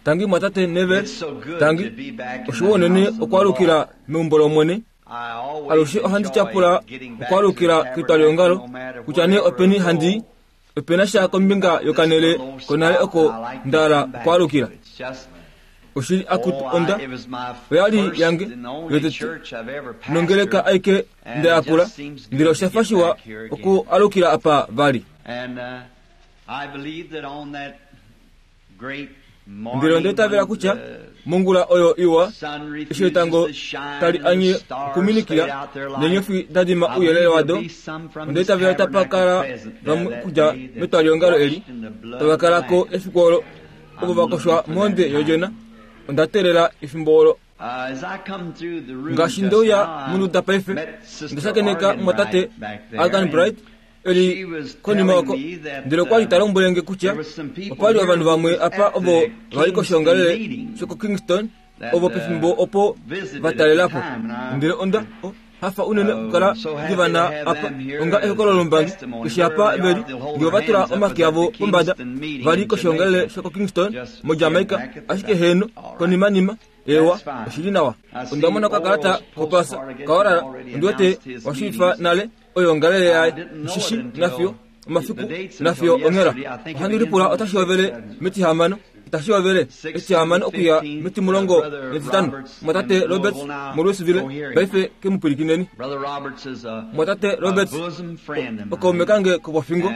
Tangi mwatate Neville, tangi. Oshiwa unene okwaalukila meumbo lOmwene. Alushe ohandi tyapula okwaalukila ketwaliongalo, kutya nee openi handi i, ope na sha kombinga yokanele konale oko nda hala okwaalukila. Oshili akutu onda oya li yange yotete nongeleka aike nda yakula, ndele osha fa shiwa okualukila apa vali. Ndele onda itavela kutya mongula oyo iwa, eshi etango tali anye okuminikila neenyofi da dima ouyelele wado, onda itavela tapa kala vamwe okudja metwaliongalo eli tava kala ko efiku olo ovo va koshwa mohonde yOdjona. Onda teelela efimbo olo. Ngaashi nde uya monduda paife, onda shakeneka mumwatate Argan Bright e li konima oko, ndele okwa li ta lombwele nge kutya opa li ovanhu vamwe apa ovo va li koshoongalele shokoKingston ovo pefimbo opo va talela po. Ndele onda hafa unene okukala ndi va na apa onga ehokololo lombangi eshi apa ve li nge ova tula omake avo pombada va li koshoongalele shokoKingston moJamaica, ashike heeno, konimanima Ewa, oshi li nawa. Onda mona okakalata kopasa kaOral, ondi wete wa shiivifa nale oyoongalele yaye, oshishi nafiyo omafiku nafiyo onghela. Ohandi lipula otashi hovele metihamano, itashi hovele etihamano okuya metimulongo netitano. Mwatate Roberts moLouisville, paife ke mu pwilikineni. Mwatate Roberts okaume kange kopofingo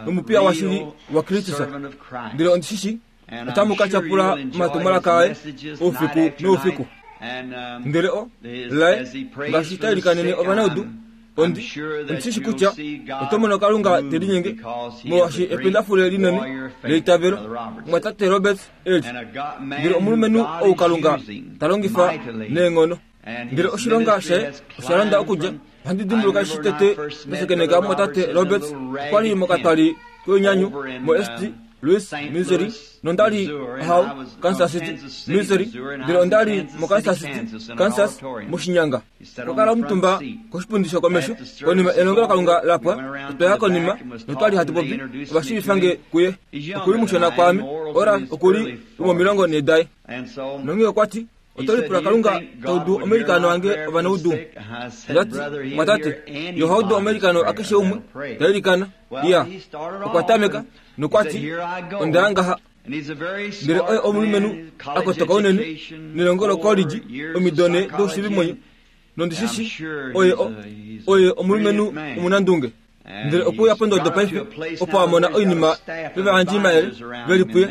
nomupiya washili waKristus, ndele ondi shi shii Otamu ka tyapula omatumwalaka aye oufiku noufiku. Ndele o laye ngaashi ta ilikanene ovanaudu, ondi ondi shi shi kutya oto mono Kalunga te linyenge, molwaashi ependafule linene leitavelo, Mumwatate Roberts e li. Ndele omulumenhu ou Kalunga ta longifa neenghono. Ndele oshilonga shaye osha londa okudja. Ohandi dimbuluka eshi tete nda shakeneka omumwatate Roberts, okwa li mokatwali koinyanyu moSt. Louis, Missouri, nonda li How, Kansas City, Missouri, ndele onda li moKansas City, Kansas, moshinyanga. Okwa kala omutumba koshipundi shokomesho konima elongelokalunga la pwa. Otwa ya konima notwa li hatu popi, ova shiivifa nge kuye. Oku li mushona kwaame, Oral oku li lwomomilongo nhee daye. Nonghee okwa ti, Oto lipula Kalunga ta udu omailikano ange ovanaudu? Onda ti, Mwatate, ye oha udu omailikano akeshe umwe ta ilikana. Iya, okwa tameka, nokwa ti, Onda ya ngaha. Ndele oye omulumenhu a kotoka unene, nelongo lokolidji, omido ne doushiivimwenyo, nondi shi shi oye o, oye omulumenhu omunandunge. Ndele okwe uya pondodo paife opo a mona oinima yovayandjimayele ve li puye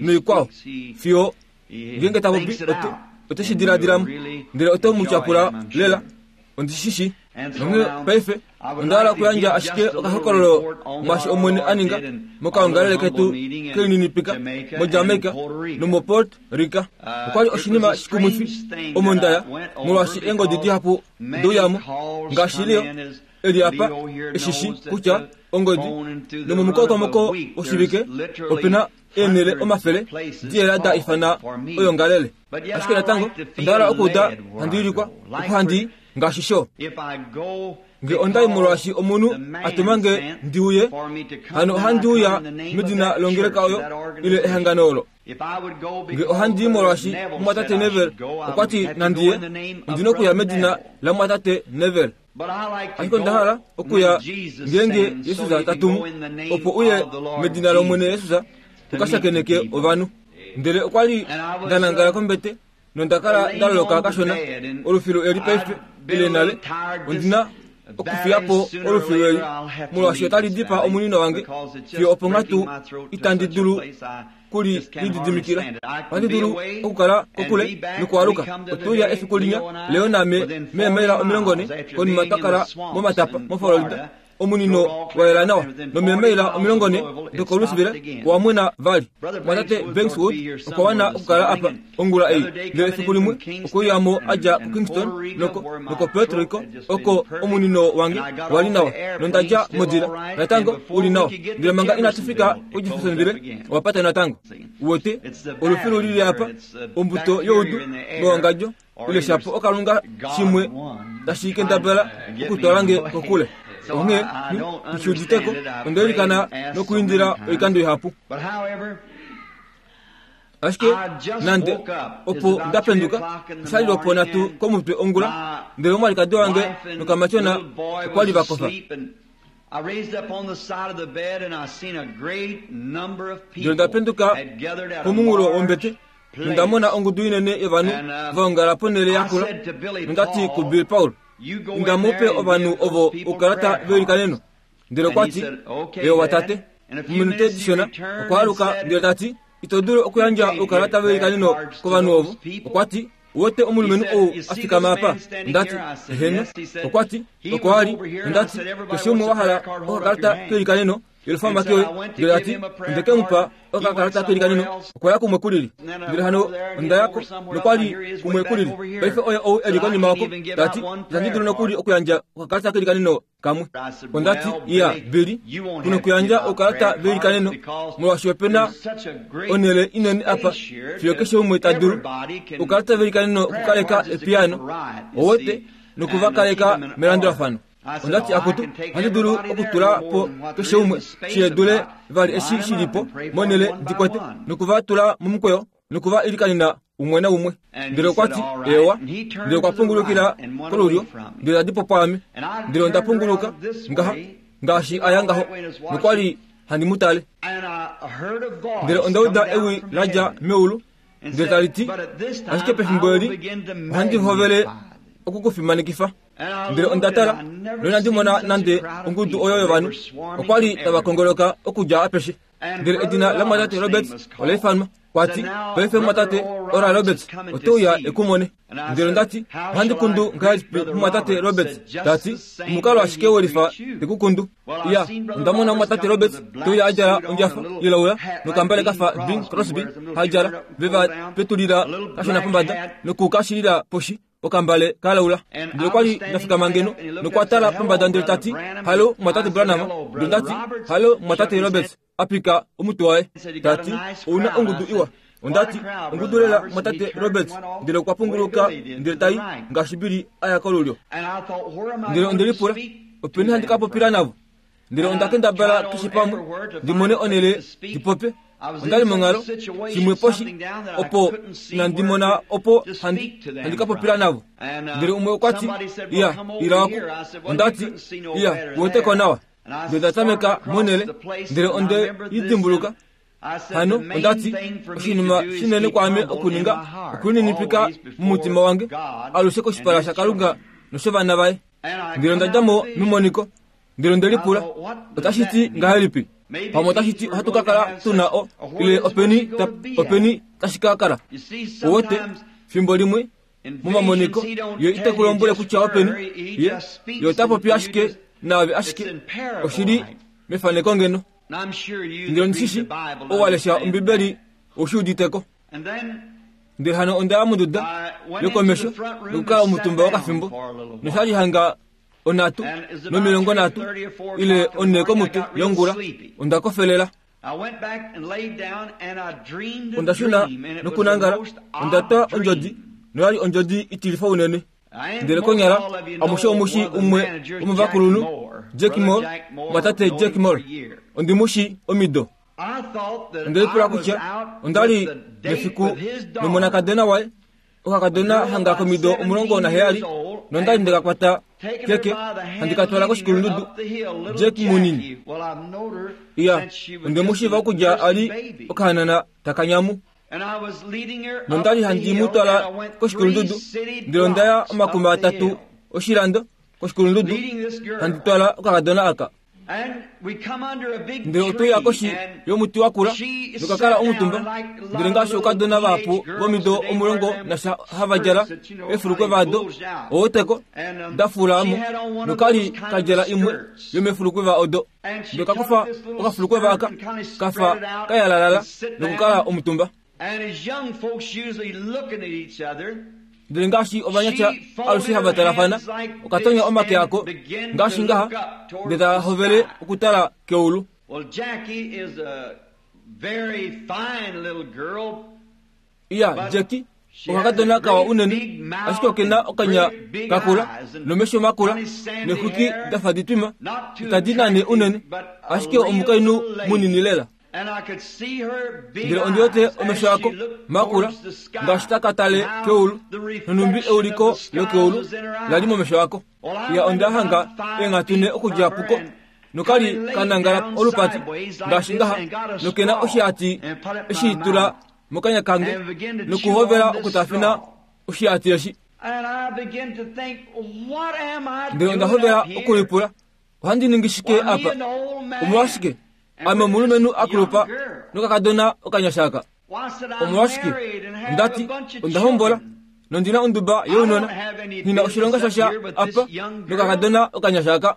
noikwao, fiyo Ngeenge ta popi, ote shi diladila mo, ndele ote mu tyapula lela. Ondi shi shii. Nonghee paife onda hala okuyandja ashike okahokololo mwaashi Omwene a ninga mokaongalele ketu kelininipika moJamaica nomoPuerto Rica. Okwa li oshinima shikumwifi omo nda ya, molwaashi eengodi dihapu ode uya mo, ngaashi Leo e li apa e shi shii kutya ongodi, nomomukokomoko woshivike ope na eenhele omafele diyela da ifana oyongalele. Ashike natango onda hala okuuda handi wilikwa opo handi i ngaashi sho. Nge onda i molwaashi omunhu a tuma nge ndi uye, hano ohandi uya medina longeleka oyo ile ehangano olo. Nge ohandi i molwaashi mumwatate Neville okwa ti nandi ye, ondi na okuya medina lamumwatate Neville. Ashike onda hala okuya ngeenge Jesus ta tumu, opo uye medina lOmwene Jesus u ka shakeneke ovanhu. Ndele okwa li nda nangala kombete nonda kala nda loloka kashona. Olufilu eli paife ile nale ondi na okufiya po olufilu eli molwaashi otali dipaa omunino wange fiyo oponghatu itandi dulu ku li lididimikila. Ohandi dulu okukala kokule nokwaaluka. Otwe uya efiku linya, Leo naame, meemaila 40 konima twa kala momatapa moFlorida, omunino wa yela nawa, nomeemaila 40 dokoLouisville owa mwena vali. Omumwatate Banks Wood okwa wana okukala apa ongula ei, ndele efiku limwe okwe uya mo a dja kuKingston noko, nokoPuerto Rico, oko omunino wange wa li nawa, nonda dja modila, natango u li nawa. Ndele manga inatu fika kuJeffersonville, owa pata natango. Uwete, olufilu li li apa, ombuto youdu mewangadjo, ile shapo okalunga shimwe tashi kendabala okutwala nge kokule. Onghee nghi shi udite ko. Onda ilikana nokuindila oikando ihapu. Ashike nande opo nda penduka, osha li lwoponhatu komutwe ongula, ndele omwalikadi wange nokamatyona okwa li va kofa. Ndele onda penduka pomunghulo wombete nonda mona ongudu inene yovanhu va ongala ponhele yakula, nonda ti kuBill Paul, Inda mu pe ovanhu ovo oukalata veilikaneno. Ndele okwa ti, Eewa tate. Mominute dishona okwa aluka ndele ta ti, Ito dulu okuyandja oukalata veilikaneno kovanhu ovo. Okwa ti, Uwete omulumenhu ou a fikama apa? Onda ti, Eheno. Okwa ti, Oko a li. Onda ti, Keshe umwe wa hala okakalata keilikaneno, yelufa omake oye. Ndele a ti, Onde ke mu pa okakalata keilikaneno. Okwa ya kumwe kulili. Ndele hano onda ya ko, nokwa li kumwe kulili. Paife oye ou e li konima oko. Ta ti, Itandi dulu nokuli okuyandja okakalata keilikaneno kamwe. Onda ti, Iya, Billy, ku nokuyandja oukalata veilikaneno, molwaashi ope na onhele inene apa fiyo keshe umwe ta dulu oukalata veilikaneno okukaleka epiyaano, owete, noku va kaleka melandulafano. Onda ti, Akutu, ohandi dulu okutula po keshe umwe shi dule vali eshi shi li po monhele ndi kwete, noku va tula momukweyo noku va ilikanena umwe naumwe. Ndele okwa ti, Eewa. Ndele okwa pungulukila kolulyo, ndele ta di po pwaame. Ndele onda punguluka ngaha, ngaashi a ya ngaho, nokwa li handi mu tale. Ndele onda uda ewi la dja meulu, ndele tali ti, Ashike pefimbo eli ohandi hovele oku ku fimanekifa. Ndele onda tala, noinandi mona nande ongudu oyo yovanhu. Okwa li tava kongoloka okudja apeshe. Ndele edina lamwatate Roberts ola ifanwa. Kwa ti, Paife mumwatate Oral Roberts ote uya e ku mone. Ndele onda ti, Ohandi kundu ngahelipi mumwatate Roberts? Ta ti, Omukalo ashike welifa te ku kundu. Iya, onda mona mumwatate Roberts te uya a djala ondjafa ilaula nokambale ka fa Bing Crosby ha djala, ve va petulila kashona pombada noku ka shilila poshi. okambale ka laula. Ndele okwa li nda fikama ngeno nokwa tala pombada ndele ta ti, Halo, mumwatate Branham. Ndele nda ti, Halo, mumwatate Roberts. A pika omutwe waye, ta ti, Ou na ongudu iwa. Onda ti, Ongudu lela, mumwatate Roberts. Ndele okwa punguluka ndele ta i, ngaashi Billy a ya kolulyo. Ndele onde lipula, Openi handi ka popila navo? Ndele onda kendabala keshe pamwe ndi mone onhele ndi popye. Onda li monghalo shimwe poshi opo inandi mona opo handi, handi ka popila navo. Ndele umwe okwa ti, Iya, ila oku. Onda ti, Iya, uwete ko nawa. Ndele nda tameka monhele, ndele onde i dimbuluka. Hano onda ti, oshinima shinene kwaame okuninga okulininipika mumutima wange alushe koshipala shaKalunga noshovana vaye. Ndele onda dja mo memoniko. Ndele onde lipula, Otashi ti ngahelipi? Pamwe otashi ti ohatu ka kala tu na o, ile openi, ta, openi tashi ka kala? Uwete, fimbo limwe, momamoniko, ye ite ku lombwele kutya openi, ye, ye ota popi ashike naave ashike oshi li mefaneko ngeno. Ndele ondi shi shi, ou wa lesha Ombibeli ou shi udite ko. Ndele hano onda ya monduda yokomesho nokukala omutumba wokafimbo, nosha li hanga onhatu nomilongonhatu ile onhe komutwe yongula, onda kofelela. Onda shuna nokunangala, onda twa ondjodi, noya li ondjodi itilifa unene. Ndele konyala amushe omu shi umwe womovakulunhu, Jack Moore, mwatate Jack Moore. Ondi mu shi omido. Onde lipula kutya onda li mefiku nomonakadona waye Okakadona hanga komido 17 nonda li nde ka kwata keke handi ka twala koshikulundudu. Jack munini. Iya, onde mu shiiva okudja a li okahanana taka nyamu. Nonda li handi mu twala koshikulundudu, ndele onda ya omakuma atatu oshilando koshikulundudu handi twala okakadona aka. Ndele otwe uya koshi yomuti wa kula noka kala omutumba. Ndele ngaashi oukadona vahapu vomido 11 hava djala eefulukwe vado, oweteko, da fula mo, noka li ka djala imwe yomeefulukweva odo. Ndele ka kufa okafulukweva aka, ka fa ka yalalala nokukala omutumba. Ndele ngaashi ovanyasha alushe hava talafana, okatonya omake ako ngaashi ngaha, ndele ta hovele okutala keulu. Iya, Jackie Okakadona kawa unene, ashike oke na okanya kakula nomesho makula neexwiki da fa ditwima, itadi nane unene, ashike omukainhu munini lela. Ndele ondi wete omesho ako makula ngaashi taka tale keulu, nonhumbi euliko lokeulu la li momesho ako. Ya onda hanga eenghatu ne okudja puko nokali ka nangala olupati ngaashi ngaha, nokena oshihati eshi tula mokanya kange nokuhovela okutafina oshihati eshi. Ndele onda hovela okulipula, Ohandi ningi shike apa? Omolwashike, ame omulumenhu a kulupa nokakadona okanyasha aka. Omolwashike, onda ti, onda hombola nondi na onduba younona. Nghi na oshilonga shasha apa nokakadona okanyasha aka.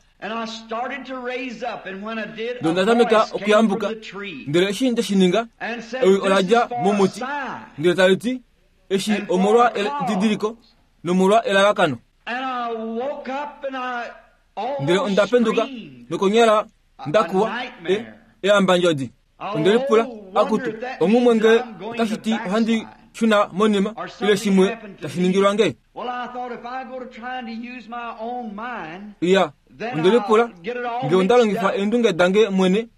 Ndele onda tameka okuyambuka. Ndele eshi nde shi ninga, ewi ola dja momuti, ndele tali ti, Eshi omolwa edidiliko nomolwa elalakano. Ndele onda penduka nokonyala nda kuwa e, eambandjodi. Onde lipula, Akutu, onghumwe nge otashi ti ohandi shuna monima ile shimwe tashi ningilwa nge? Iya, onde lipula nge onda longifa eendunge dange mwene,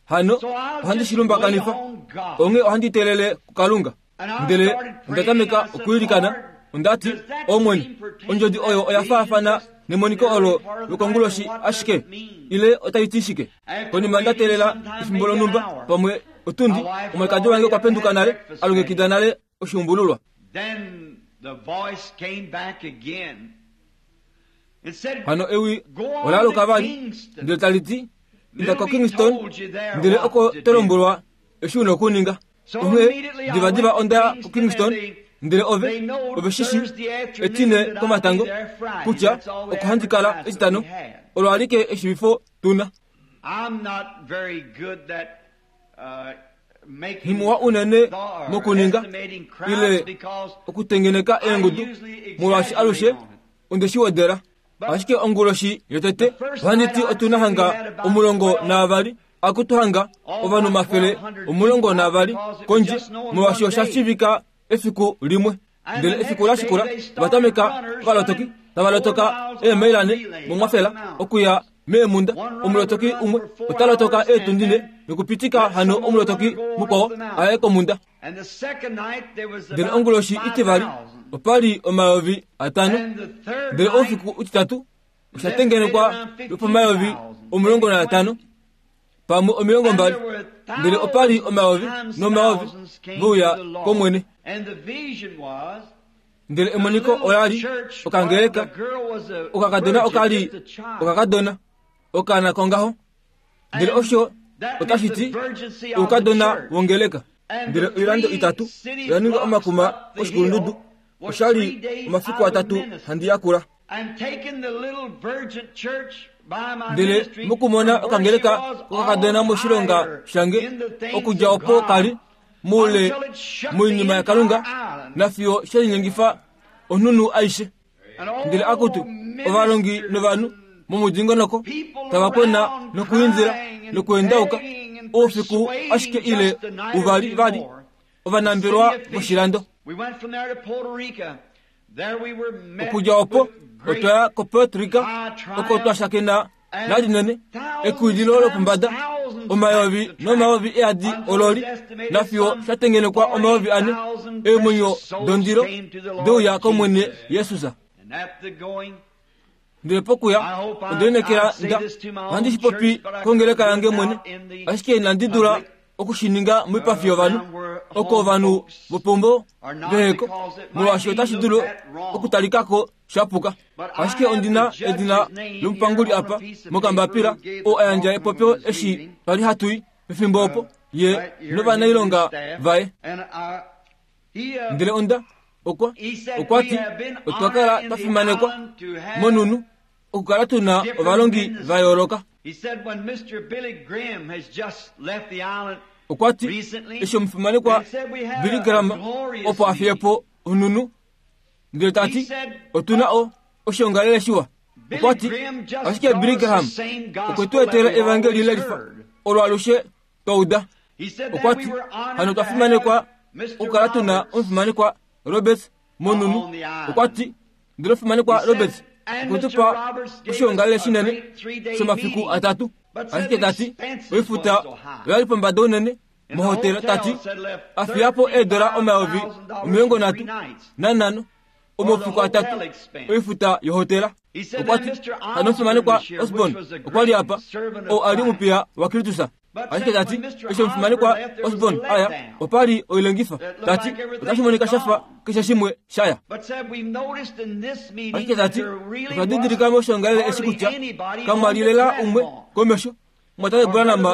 hano ohandi shi lumbakanifa, onghee ohandi teelele kuKalunga. Ndele onda tameka okwiilikana, onda ti, Omwene, ondjodi oyo oya faafana nemoniko olo lokonguloshi ashike, ile otai ti shike? Konima nda teelela efimbo lonhumba, pamwe otundi, omwalikadi wange okwa penduka nale, a longekida nale oshuumbululwa. Hano ewi ola aluka vali, ndele tali ti, Inda koKingston, ndele oko to lombwelwa eshi u na okuninga. Onghee divadiva onda ya kuKingston, ndele ove, ove shi shi, Etine komatango, kutya oko handi kala Etitano, olo alike eshivifo tu na. Nghimuwa unene mokuninga ile okutengeneka eengudu, molwaashi alushe onde shi wedela. Ashike onguloshi yotete ohandi ti otu na hanga 12 akutu hanga ovanhu 120 kondje, molwaashi osha shiivika efiku limwe. Ndele efiku la shikula ova tameka ovalotoki tava lotoka eemaila nhe momwafela okuya meemhunda. Omulotoki umwe ota lotoka eetundi nhe nokupitika hano omulotoki mukwao a ye komhunda. Ndele onguloshi itivali opa li 5000, ndele oufiku utitatu osha tengenekwa lwopomayovi 15, pamwe 20, ndele opa li omayovi nomayovi ve uya kOmwene. Ndele emoniko ola li okangeleka, okakadona oka li okakadona, okaana kongaho. Ndele osho otashi ti oukadona wongeleka. Ndele oilando itatu oya ninga omakuma koshikulundudu. Osha li omafiku atatu handi yakula. Ndele mokumona okangeleka kokakadona moshilonga shange, okudja opo ka li moule moinima yaKalunga, nafiyo she linyengifa onhunhu aishe. Ndele akutu, ovalongi novanhu momudingonoko tava kwena nokuindila nokuendauka oufiku ashike ile uvali vali ovanambelwa voshilando. Okudja opo otwa ya koPuerto Rico oko twa shakena nalinene ekuwililo lopombada omayovi nomayovi eadi ololi nafiyo sha tengenekwa 4000 eemwenyo dondilo deuya kOmwene Jesus. Ndele pokuya onde lineekela nda ohandi shi popi kongeleka yange mwene, ashike inandi dula oku shi ninga moipafi yovanhu, oko ovanhu vopeumbo veheko, molwaashi otashi dulu okutalika ko sha puka. Ashike ondi na edina lomupanguli apa mokambapila, oo a yandja epopyo eshi twa li hatu i pefimbo opo, ye novanailonga vaye. Ndele onda, okwa, okwa ti, otwa kala twa fimanekwa monhunhu okukala tu na ovalongi va yooloka. Okwa ti, eshi omufimanekwa Billy Graham opo a fiye po onhunhu, ndele ta ti, otu na o, oshiongalele shiwa. Okwa ti, ashike Billy Graham okwe tu etela evangeli lelifa olo alushe twa uda. Okwa ti, hano otwa fimanekwa okukala tu na omufimanekwa Roberts. Monunu, okwa ti, Ndele omufimanekwa Roberts okwe tu pa oshoongalele shinene shomafiku atatu. Ashike ta ti, oifuta oya li pombada unene mohotela, ta ti, a fiya po eedola 35,000 omafiku atatu oifuta yohotela. Okwa ti, Hano omufimanekwa Osborn okwa li apa, oo a li omupiya waKristus. Ashike ta ti, eshi omufimanekwa Osborn a ya, opa li oilengifa. Ta ti, otashi monika sha fa keshe shimwe sha ya. Ashike ta ti, otwa didilika moshoongalele eshi kutya kamwa li lela umwe komesho mwatate Branham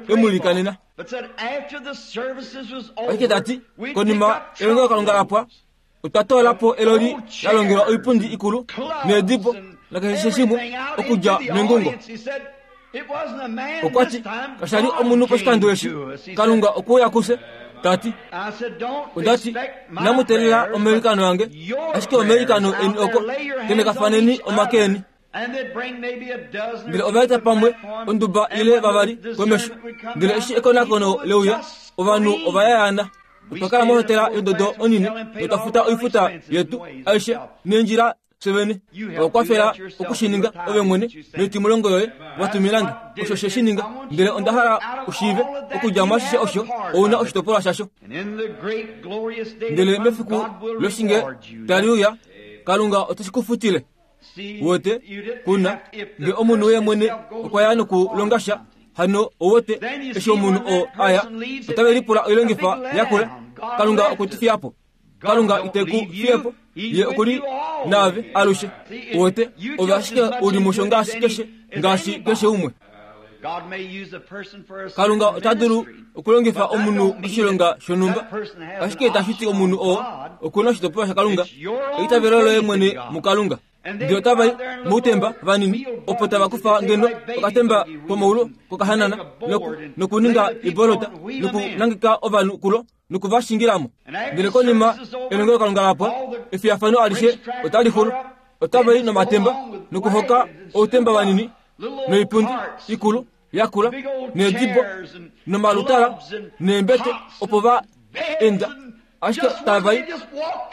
e mu ilikanena. Ashike ta ti, konima elongelokalunga la pwa, otwa toola po eloli la longelwa oipundi ikulu needibo nakeshe shimwe okudja mengungo. Okwa ti, Kasha li omunhu poshikando eshi, Kalunga okwe uya kufye, ta ti. Onda ti, Inamu teelela omailikano ange, ashike omailikano eni oko, tenhekafaneni omake eni. Ndele ova eta pamwe onduba ile vavali komesho. Ndele eshi ekonakono leuya, ovanhu ova yayaana. Otwa kala mohotela yondodo onini notwa futa oifuta yetu aishe neendjila fye vene. Owa kwafela oku shi ninga ove mwene noitimulongo yoye wa tumina nge. Osho she shi ninga. Ndele onda hala u shiive, okudja mwaashishe osho, ou na oshitopolwa shasho. Ndele mefiku loshinge tali uya, Kalunga ote shi ku futile. Uwete, kuna, nge omunhu ye mwene okwa ya nokulonga sha, hano ouwete, eshi omunhu oo a ya, otave lipula oilongifa yakula. Kalunga okwe tu fiya po. Kalunga ite ku fiye po. Ye oku li naave alushe. Uwete, ove ashike u li musho ngaashi keshe, ngaashi keshe umwe. Kalunga ota dulu okulongifa omunhu oshilonga shonhumba, ashike itashi ti omunhu oo oku na oshitopolwa shaKalunga. Eitavelo loye mwene muKalunga. Ndele otava i moutemba vanini, opo tava kufa ngeno okatemba komaulu kokahanana nokuninga ibolota nokunangeka ovanhu kulo noku va shingila mo. Ndele konima elongelokalunga la pwa, efiyafano alishe otali xulu. Otava i nomatemba nokuhoka outemba vanini noipundi ikulu yakula needibo nomalutala neembete opo va enda ashike tava i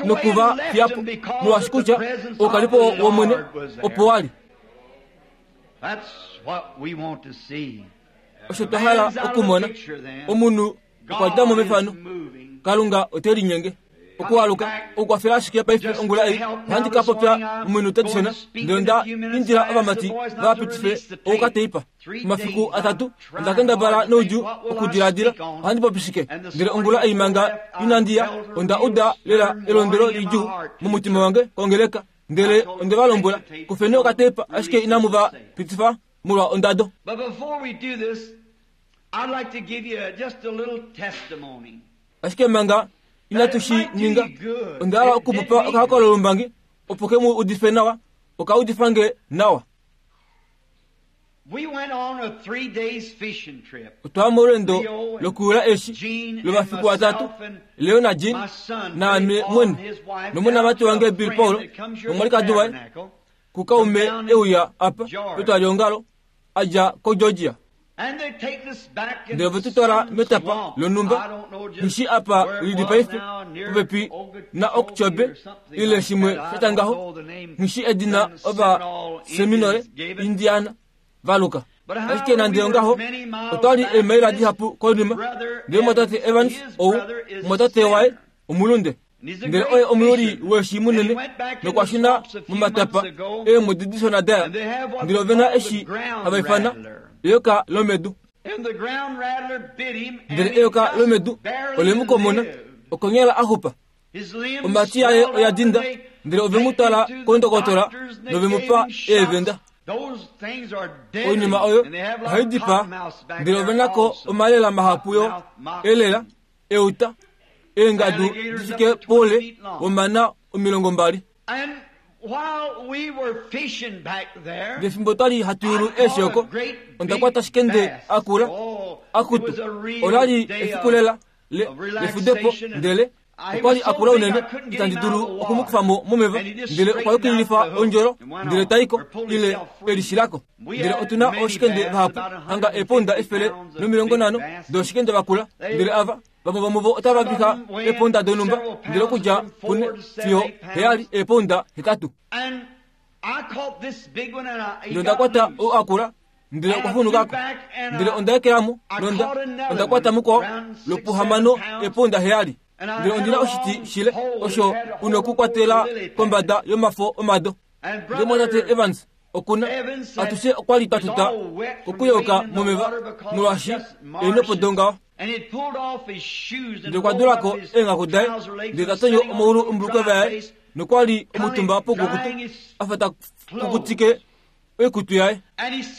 noku va fiya po molwaashi kutya oukalipo wOmwene opo wa li. Osho twa hala okumona omunhu okwa dja mo mefano. Kalunga ote linyenge. Okualuka, okukwafela ashike paife ongula ei, ohandi ka popya mominute dishona, ndele onda indila ovamati va pitife oukateipa. Omafiku atatu, onda kendabala noudjuu okudiladila ohandi popi shike. Ndele ongula ei manga inandi ya, onda uda lela elondwelo lidjuu momutima wange kongeleka. Ndele onde va lombwela, Kufeni okateipa, ashike inamu va pitifa molwa ondado. Ashike manga inatu shi ninga, onda hala oku mu pa okahokololombangi opo ke mu udife nawa, oka udifa nge nawa. Otwa ya molweendo lokuyula eeshi lomafiku atatu, Leo naJean, naame mwene, nomonamati wange Bill Paul nomwalikadi waye, kukaume e uya apa petwaliongalo a dja koGeorgia. Ndele ove tu twala metapa lonhumba, nghi apa li li paife, popepi naOkchobe ile shimwe sha tya ngaho, nghi edina Ovaseminole Indiana va luka. Ashike nande ongaho, otwa li eemaila dihapu konima, ndele omumwatate Evans ou, omumwatate waye omulunde, Ndele oye omuyuli weeshi munene nokwa shuna momatapa eemwedi dishona daya, ndele ove na eshi hava ifana eyoka lomedu. Ndele eyoka lomedu ole mu komona, okonyala a xupa. Omhati yaye oya dinda, ndele ove mu twala kondokotola nove mu pa eevenda. Oinima oyo ohai dipaa, ndele ove na ko omalela mahapu yo elela euta eengadu di fike poule womana 20. Ndele fimbo twa li hatu yulu eeshi oko, onda kwata shikende a kula, akutu, ola li efiku lela le, lefudepo, ndele okwa li a kula unene itandi dulu oku mu kufa mo momeva, ndele okwa yukililifa ondjolo ndele ta i ko, ile e lishila ko. Ndele otu na ooshikende vahapu, hanga eepounda 150 dooshikende vakula, ndele ava. Vamwe vomuvo otava viha eepounda donhumba, ndele okudja pune fiyo heyali eepounda hetatu. Ndele onda kwata ou a kula, ndele okwa funuka ko. Ndele onda ekela mo, nonda onda kwata mukwao lopuhamano eepounda heyali. Ndele ondi na oshiti shile osho u nokukwatela kombada yomafo omado. Ndele mwatate Evans okuna atushe okwa li twa tuta kokuyoka momeva molwaashi eenopo dongaho. Ndele okwa dula ko eenghaku daye, ndele ta tonyo omaulu ombulukeva yaye, nokwa li omutumba poukukutu, a fa ta kukutike oikutu yaye.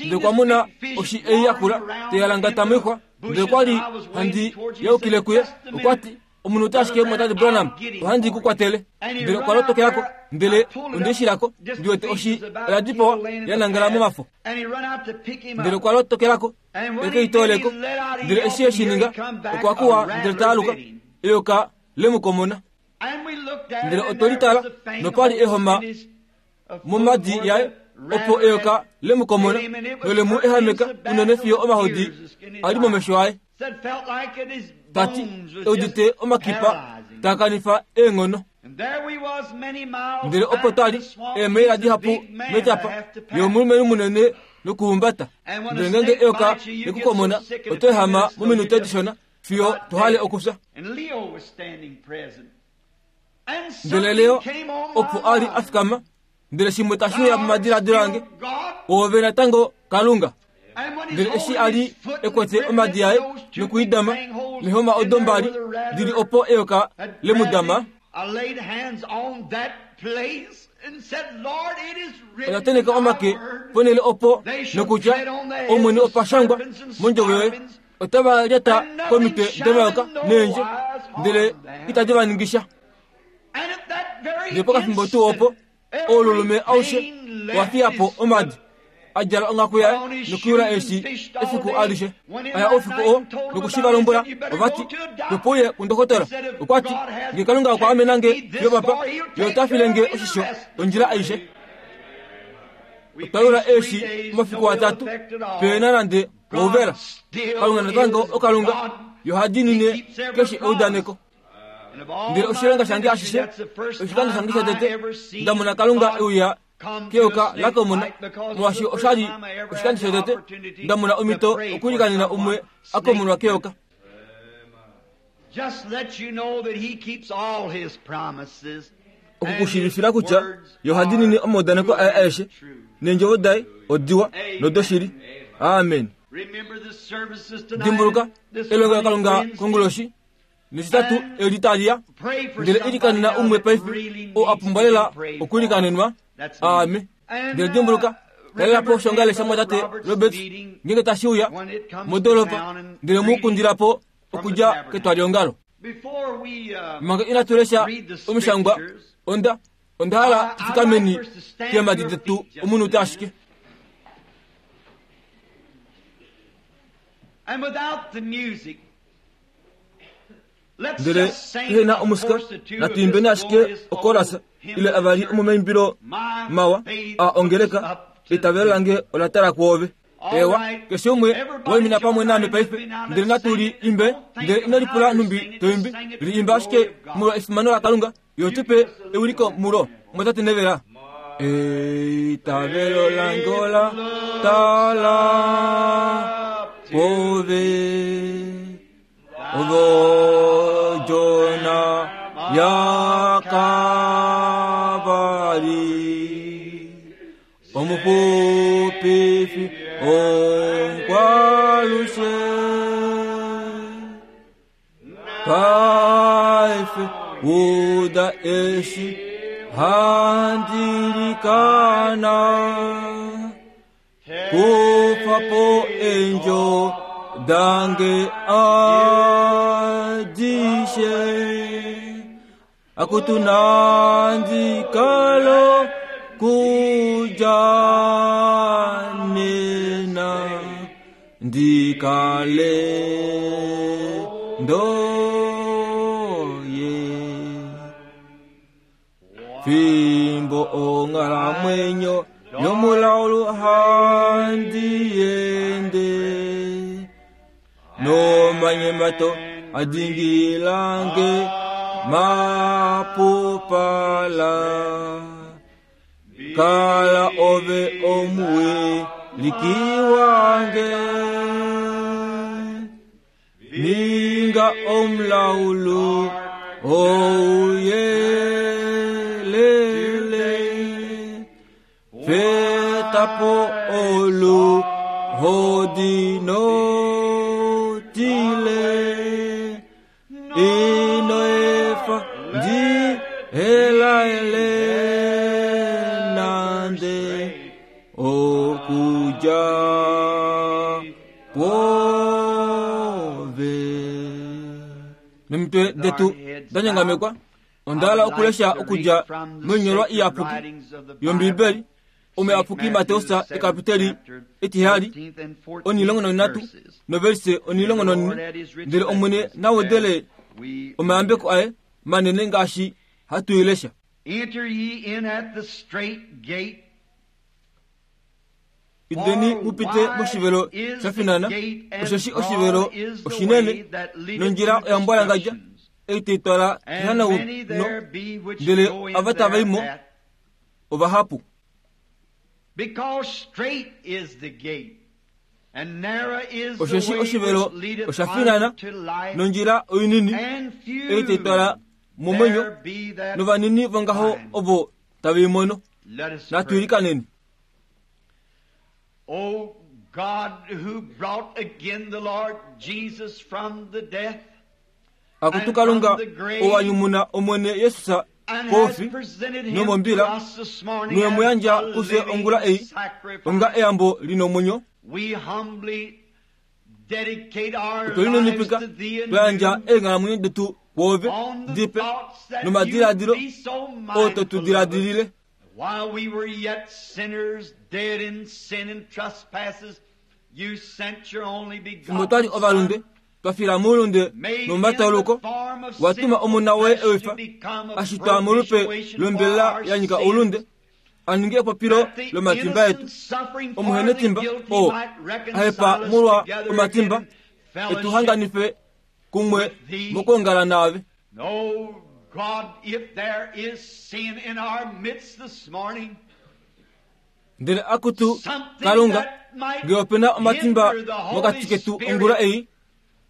Ndele okwa mona oshi ei ya kula tai alangata moixwa, ndele okwa li handi yaukile kuye. Okwa ti, Omunhu ota ashike Mwatate Branham, ohandi ku kwatele. Ndele okwa lotokela ko, ndele onde shi lako, ndi wete oshi oya dipawa ya nangala momafo. Ndele okwa lotokela ko, e ke i toole ko. Ndele eshi e shi ninga, okwa kuwa ndele ta aluka, eyoka le mu komona. Ndele otwe li tala, nopa li ehoma momadi yaye, opo eyoka le mu komona nole mu ehameka unene fiyo omahodi a li momesho aye. Ta ti, e udite omakipa taa kanifa eenghono. Ndele opo twa li eemaila dihapu metyapa, ye omulumenhu munene nokuhumbata. Ndele ngeenge eyoka le ku komona, oto ehama mominute dishona fiyo to hale okufya. Ndele Leo opo a li a fikama, ndele shimwe tashi uya momadiladilo ange, Oove natango Kalunga. Ndele eshi a li e kwete omadi aye noku i dama nehoma odo mbali di li opo eyoka le mu dama, Oda tenheka omake ponhele opo nokutya, Omwene opa shangwa mondjovo yoye, otava lyata komitwe domayoka neendje, ndele itadi va ningi sha. Ndele pokafimbo tuu opo, oululume aushe owa fiya po omadi, a djala onghaku yaye nokuyula eeshi efiku alishe. A ya oufiku oo noku shi va lombwela, ova ti, Topo uye kundokotola. Okwa ti, Nge Kalunga okwa amena nge fiyo papa, Ye ota file nge oshisho ondjila aishe. Otwa yula eeshi omafiku atatu, pe na nande ouvela. Kalunga natango oKalunga, Ye oha diinine keshe eudaneko. Ndele oshilonga shange ashishe, oshikando shange shotete nda mona Kalunga e uya keyoka lakomona, molwaashi osha li oshikando shotete nda mona omhito okuilikanena umwe a komonwa keyoka. Oku ku shiivifila kutya Ye oha diinine omaudaneko aye aeshe, neendjovo daye odiwa nodoshili. Amen. Dimbuluka elongelokalunga konguloshi netitatu eli tali ya, ndele ilikanena umwe paife oo a pumbwa lela okuilikanenwa. Aame. Ndele dimbuluka, talela po oshongale shamwatate Roberts ngeenge tashi uya modoolopa, ndele mu kundila po okudja ketwaliongalo. Manga inatu lesha omishangwa, onda onda hala tu fikameni keemhadi detu omunute ashike. Ndele pehe na omusika, natu imbeni ashike okorasa ile avali omomaimbilo mawa a ongeleka, Eitavelo lange ola tala kwoove. Ewa, keshe umwe waimina pamwe naame paife, ndele natu li imbe. Ndele ino lipula nhumbi to imbi, li imba ashike molwa efimano laKalunga, Ye otu pe ewiliko mulo, mwatate Nevela. Eitavelo lange ola tala kwoove, ove odjona yaKavari, omuxupifi omukwalushe. Paife uda eshi handi likana, kufa po eendjo dange adishe. Akutu nandi kalo kudja nena ndikale ndoye fimbo onghalamwenyo yomulaulu handi ende nomanyemato Adingilange mapupala kala ove omuwe likiwange ninga omulaulu ouyelele fetapo olu hodinotile inoefa ndi elaele nande okuja kwove. Nomitwe detu danyangamekwa ondaala okulesha okudja moinyolwa iyapuki yOmbiibeli omuyapuki Mateus ekapiteli etihali 13 noverse 14 ndele Omwene nawedele omayambeko aye manene ngaashi hatu i lesha. Enter ye in at the strait gate. Indeni mupite moshivelo sha finana, osheshi oshivelo oshinene nondjila oya mbwalangadja ei tai twala kehanauno, ndele ava tava i mo ovahapu. Because strait is the gate, and narrow is the Osheshi way oshivelo which leadeth osha finana unto life, nondjila oinini and few ei tai twala momwenyo, there be that novanini vongaho find. ovo tave i mono. Let us Natu pray. ilikaneni. O God, who brought again the Lord Jesus from the death, Akutu Kalunga ou a nyumuna Omwene Jesus and has koufi presented him nomombila, to us this morning noye mu as yandja a kufye living ongula ei sacrifice, onga eyambo lina omwenyo, we humbly dedicate our otwe lives lininipika to thee twa yandja anew eenghalamwenyo detu kwoove on the dipe thoughts that nomadiladilo you be so oo to tu mindful of us. diladilile. While we were yet sinners, dead in sin and trespasses, you sent your only Fimbo twali begotten ovalunde Son, twa fila moulunde made in the nomomatauluko, form of watuma sinful omona woye flesh to ewifa become a a shitwa molupe propitiation for lombelela our ya nyika sins, oulunde, a ninge epopilo that the lomatimba etu. innocent suffering for the Omuhenetimba guilty oo might a hepa reconcile us molwa together omatimba, again in fellowship etu hanganife kumwe mokuongala naave. Oh God, if there is sin in our midst this morning, Ndele akutu something Kalunga, that might ngee opena omatimba hinder the Holy mokati ketu Spirit ongula ei,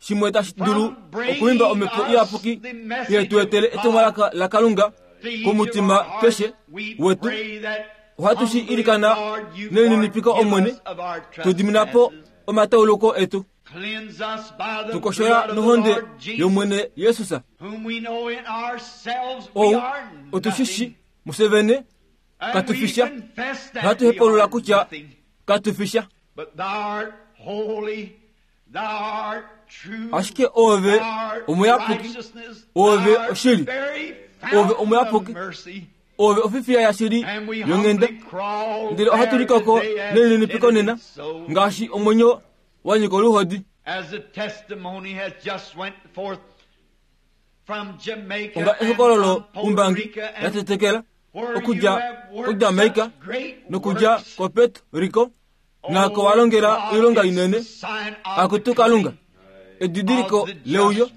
shimwe tashi dulu from bringing okuimba omhepo us iyapuki the message ye tu etele of God etumwalaka laKalunga to each of komutima our hearts, keshe we wetu, pray that ohatu shi humbly, ilikana Lord, you nelininipiko forgive Omwene, us of our tu dimina po trespasses. omatauluko etu, Cleanse us by the tu koshola blood of the nohonde Lord Jesus, yOmwene Jesus, whom we know in ourselves we ou are otu shi shi nothing. musevene And katu we fisha, confess that ohatu we hepulula are kutya nothing. katu fisha. But thou art holy, thou art true, Ashike ove thou art omuyapuki, righteousness, ove thou art oshili, very ove fountain of omuyapuki, mercy. ove ofifiya yashili And we yonghenda. humbly crawl Ndele ohatu there likoko today as nelininipiko nena penitent souls, ngaashi omwenyo wa nyika oluhodi. as the testimony has just went forth from Jamaica Onga and ehokololo from Puerto umbangi Rico and latetekela where you okudja have worked kuJamaica such great nokudja works. koPuerto Rico naako wa longela oilonga inene. Akutu Kalunga, edidiliko leuyo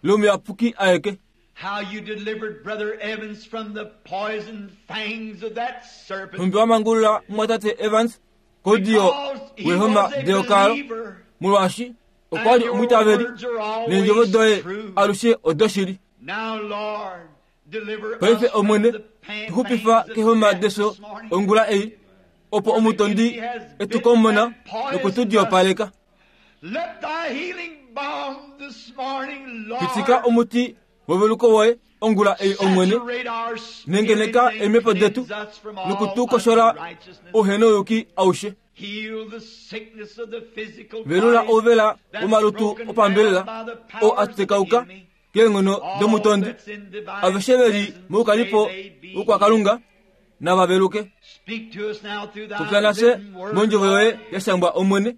lomuyapuki aeke. How you delivered Brother Evans from the poison fangs of that serpent. Nhumbi wa mangulula mumwatate Evans koudiyo Because he wehoma was a deyokalo, believer. molwaashi okwa li And your omwiitaveli words are always neendjovo doye true. alushe odoshili. Now, Lord, deliver Paife us from Omwene, the tu xupifa pangs of kehoma death deso this morning. ongula ei, opo omutondi etu komona noku tu diyopaleka. Let thy healing balm this morning, Lord, Pitika omuti weveluko woye ongula ei Omwene, saturate our spirits nengeneka and eemhepo detu cleanse us from all noku tu koshola unrighteousness. ouhenouyuki aushe. Heal the sickness of the physical Velula bodies ouvela that's womalutu broken opambelela down by the oo powers of the atekauka enemy. keenghono All domutondi. that's in divine Aveshe veli presence, moukalipo may they be wokwakalunga nava veluke. Speak to us now through thy Popya nafye written word, mondjovo yoye Lord, ya shangwa Omwene.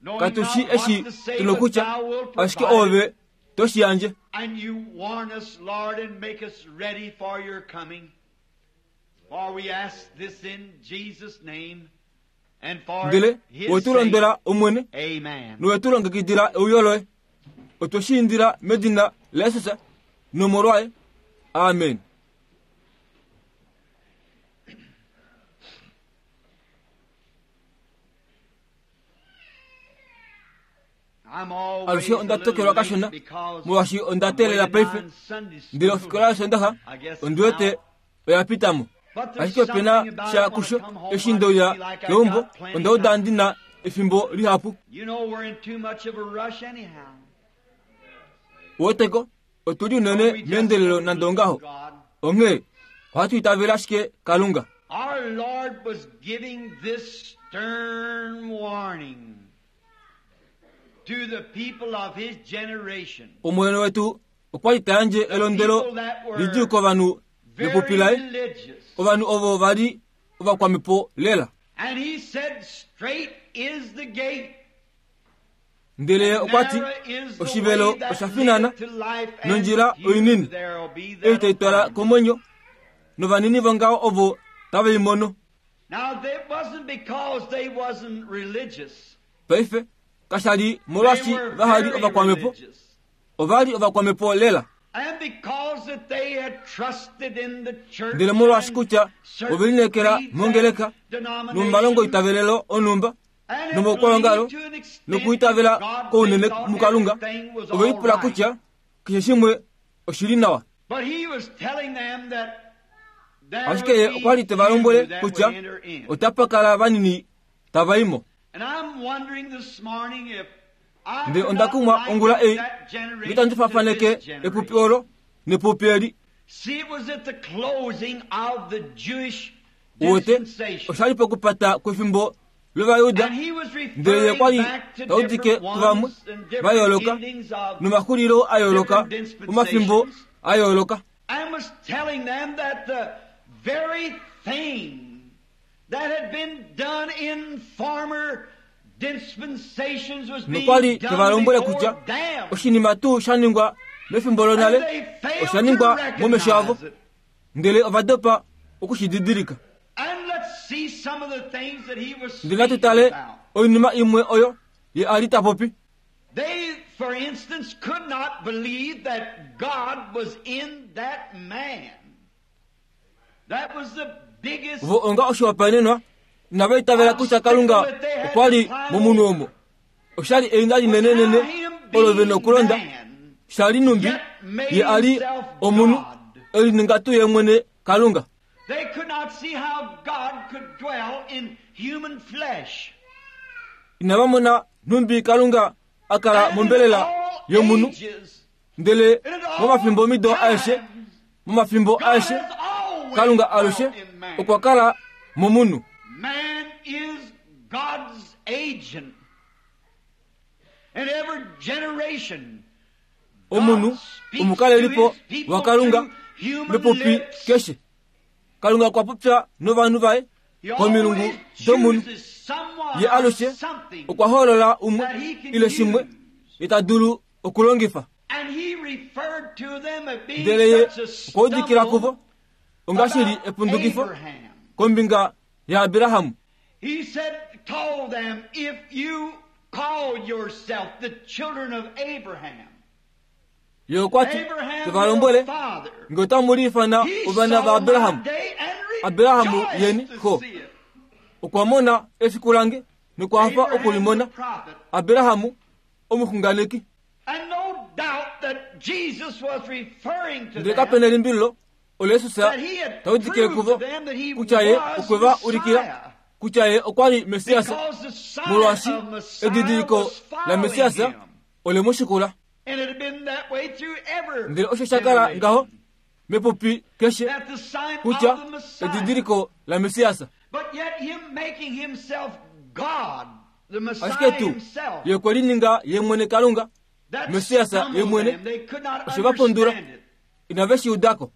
knowing Katu not shi what eshi to say, tuna but kutya, thou wilt ashike provide ove it. to shi yandje. And you warn us, Lord, and make us ready for your coming. For we ask this in Jesus' name and for Ndele his we tu sake. londwela Omwene Amen. nowe tu longekidila euyo loye. Otwe shi indila medina laJesus nomolwaye. Amen. Alushe onda tokelwa kashona molwaashi onda teelela paife. Ndele ofikola yOsoondaxa ondi wete oya pita mo. Ashike ope na sha kusho eshi nde uya keumbo, onda uda ndi na efimbo lihapu. Uweteko, otu li unene meendelelo nande ongaho. Onghee ohatu itavele ashike Kalunga. Our Lord was giving this stern warning to the people of his generation. Omwene wetu okwa li ta yandje elondwelo lidjuu kovanhu vepupi laye, ovanhu ovo va li ovakwamhepo lela. And he said, Straight is the gate. Ndele ye okwa ti, Oshivelo osha finana, nondjila oinini, ei tai twala komwenyo, novanini vongaho ovo tave i mono. Paife, kasha li molwaashi vaha li ovakwamhepo, ova li ovakwamhepo lela. Ndele molwaashi kutya ove lineekela mongeleka nomomalongoitavelelo onhumba, nomoukwaongalo nokuitavela kounene muKalunga, ove lipula kutya keshe shimwe oshi li nawa. Ashike ye okwa li te va lombwele kutya otapa kala vanini tava i mo. Ndele onda kumwa ongula ei, nge tandi faafaneke epupi olo nepupi eli. Uwete, osha li pokupata kwefimbo lOvajuda, ndele ye kwa li ta udike kuvamwe va yooloka nomaxulilo a yooloka omafimbo a yooloka. Nokwa li te va lombwele kutya oshinima tuu sha ningwa mefimbo lonale osha ningwa momesho avo. Ndele ova dopa oku shi didilika. Ndele natu tale oinima imwe oyo ye a li ta popi. Vo onga oshihopaenenwa inava itavela kutya Kalunga okwa li momunhu omo. Osha li einda linenenene olo ve nokulonda, sha li numbi ye a li omunhu e lininga tuu ye mwene Kalunga. Inava mona nhumbi Kalunga a kala mombelela yomunhu, ndele momafimbomido aeshe, momafimbo aeshe, Kalunga alushe okwa kala momunhu. Man is God's agent. In every generation, Omunhu omukalelipo waKalunga mepupi keshe. Kalunga okwa popya novanhu vaye komilungu domunhu. Ye alushe okwa hoolola umwe ile shimwe ye ta dulu okulongifa. Ndele ye okwa udikila kuvo onga shi li epundukifo kombinga yaAbraham. He said, told them, if you call yourself the children of Abraham, Ye okwa ti, te va lombwele, nge otamu liifana ovana vaAbraham, Abraham yeni xo. Okwa mona efiku lange nokwa hafa oku li mona. Abraham omuxunganeki. Ndele kape na elimbililo olo Jesus ta udikile kuvo kutya ye okwe va ulikila kutya ye okwa li Messias, molwaashi edidiliko laMessias ole mu shikula. Ndele osho sha kala ngaho mepupi keshe kutya edidiliko laMessias. Ashike tuu ye okwe lininga ye mwene Kalunga, Messias ye mwene, oshe va pondula. Inave shi uda ko.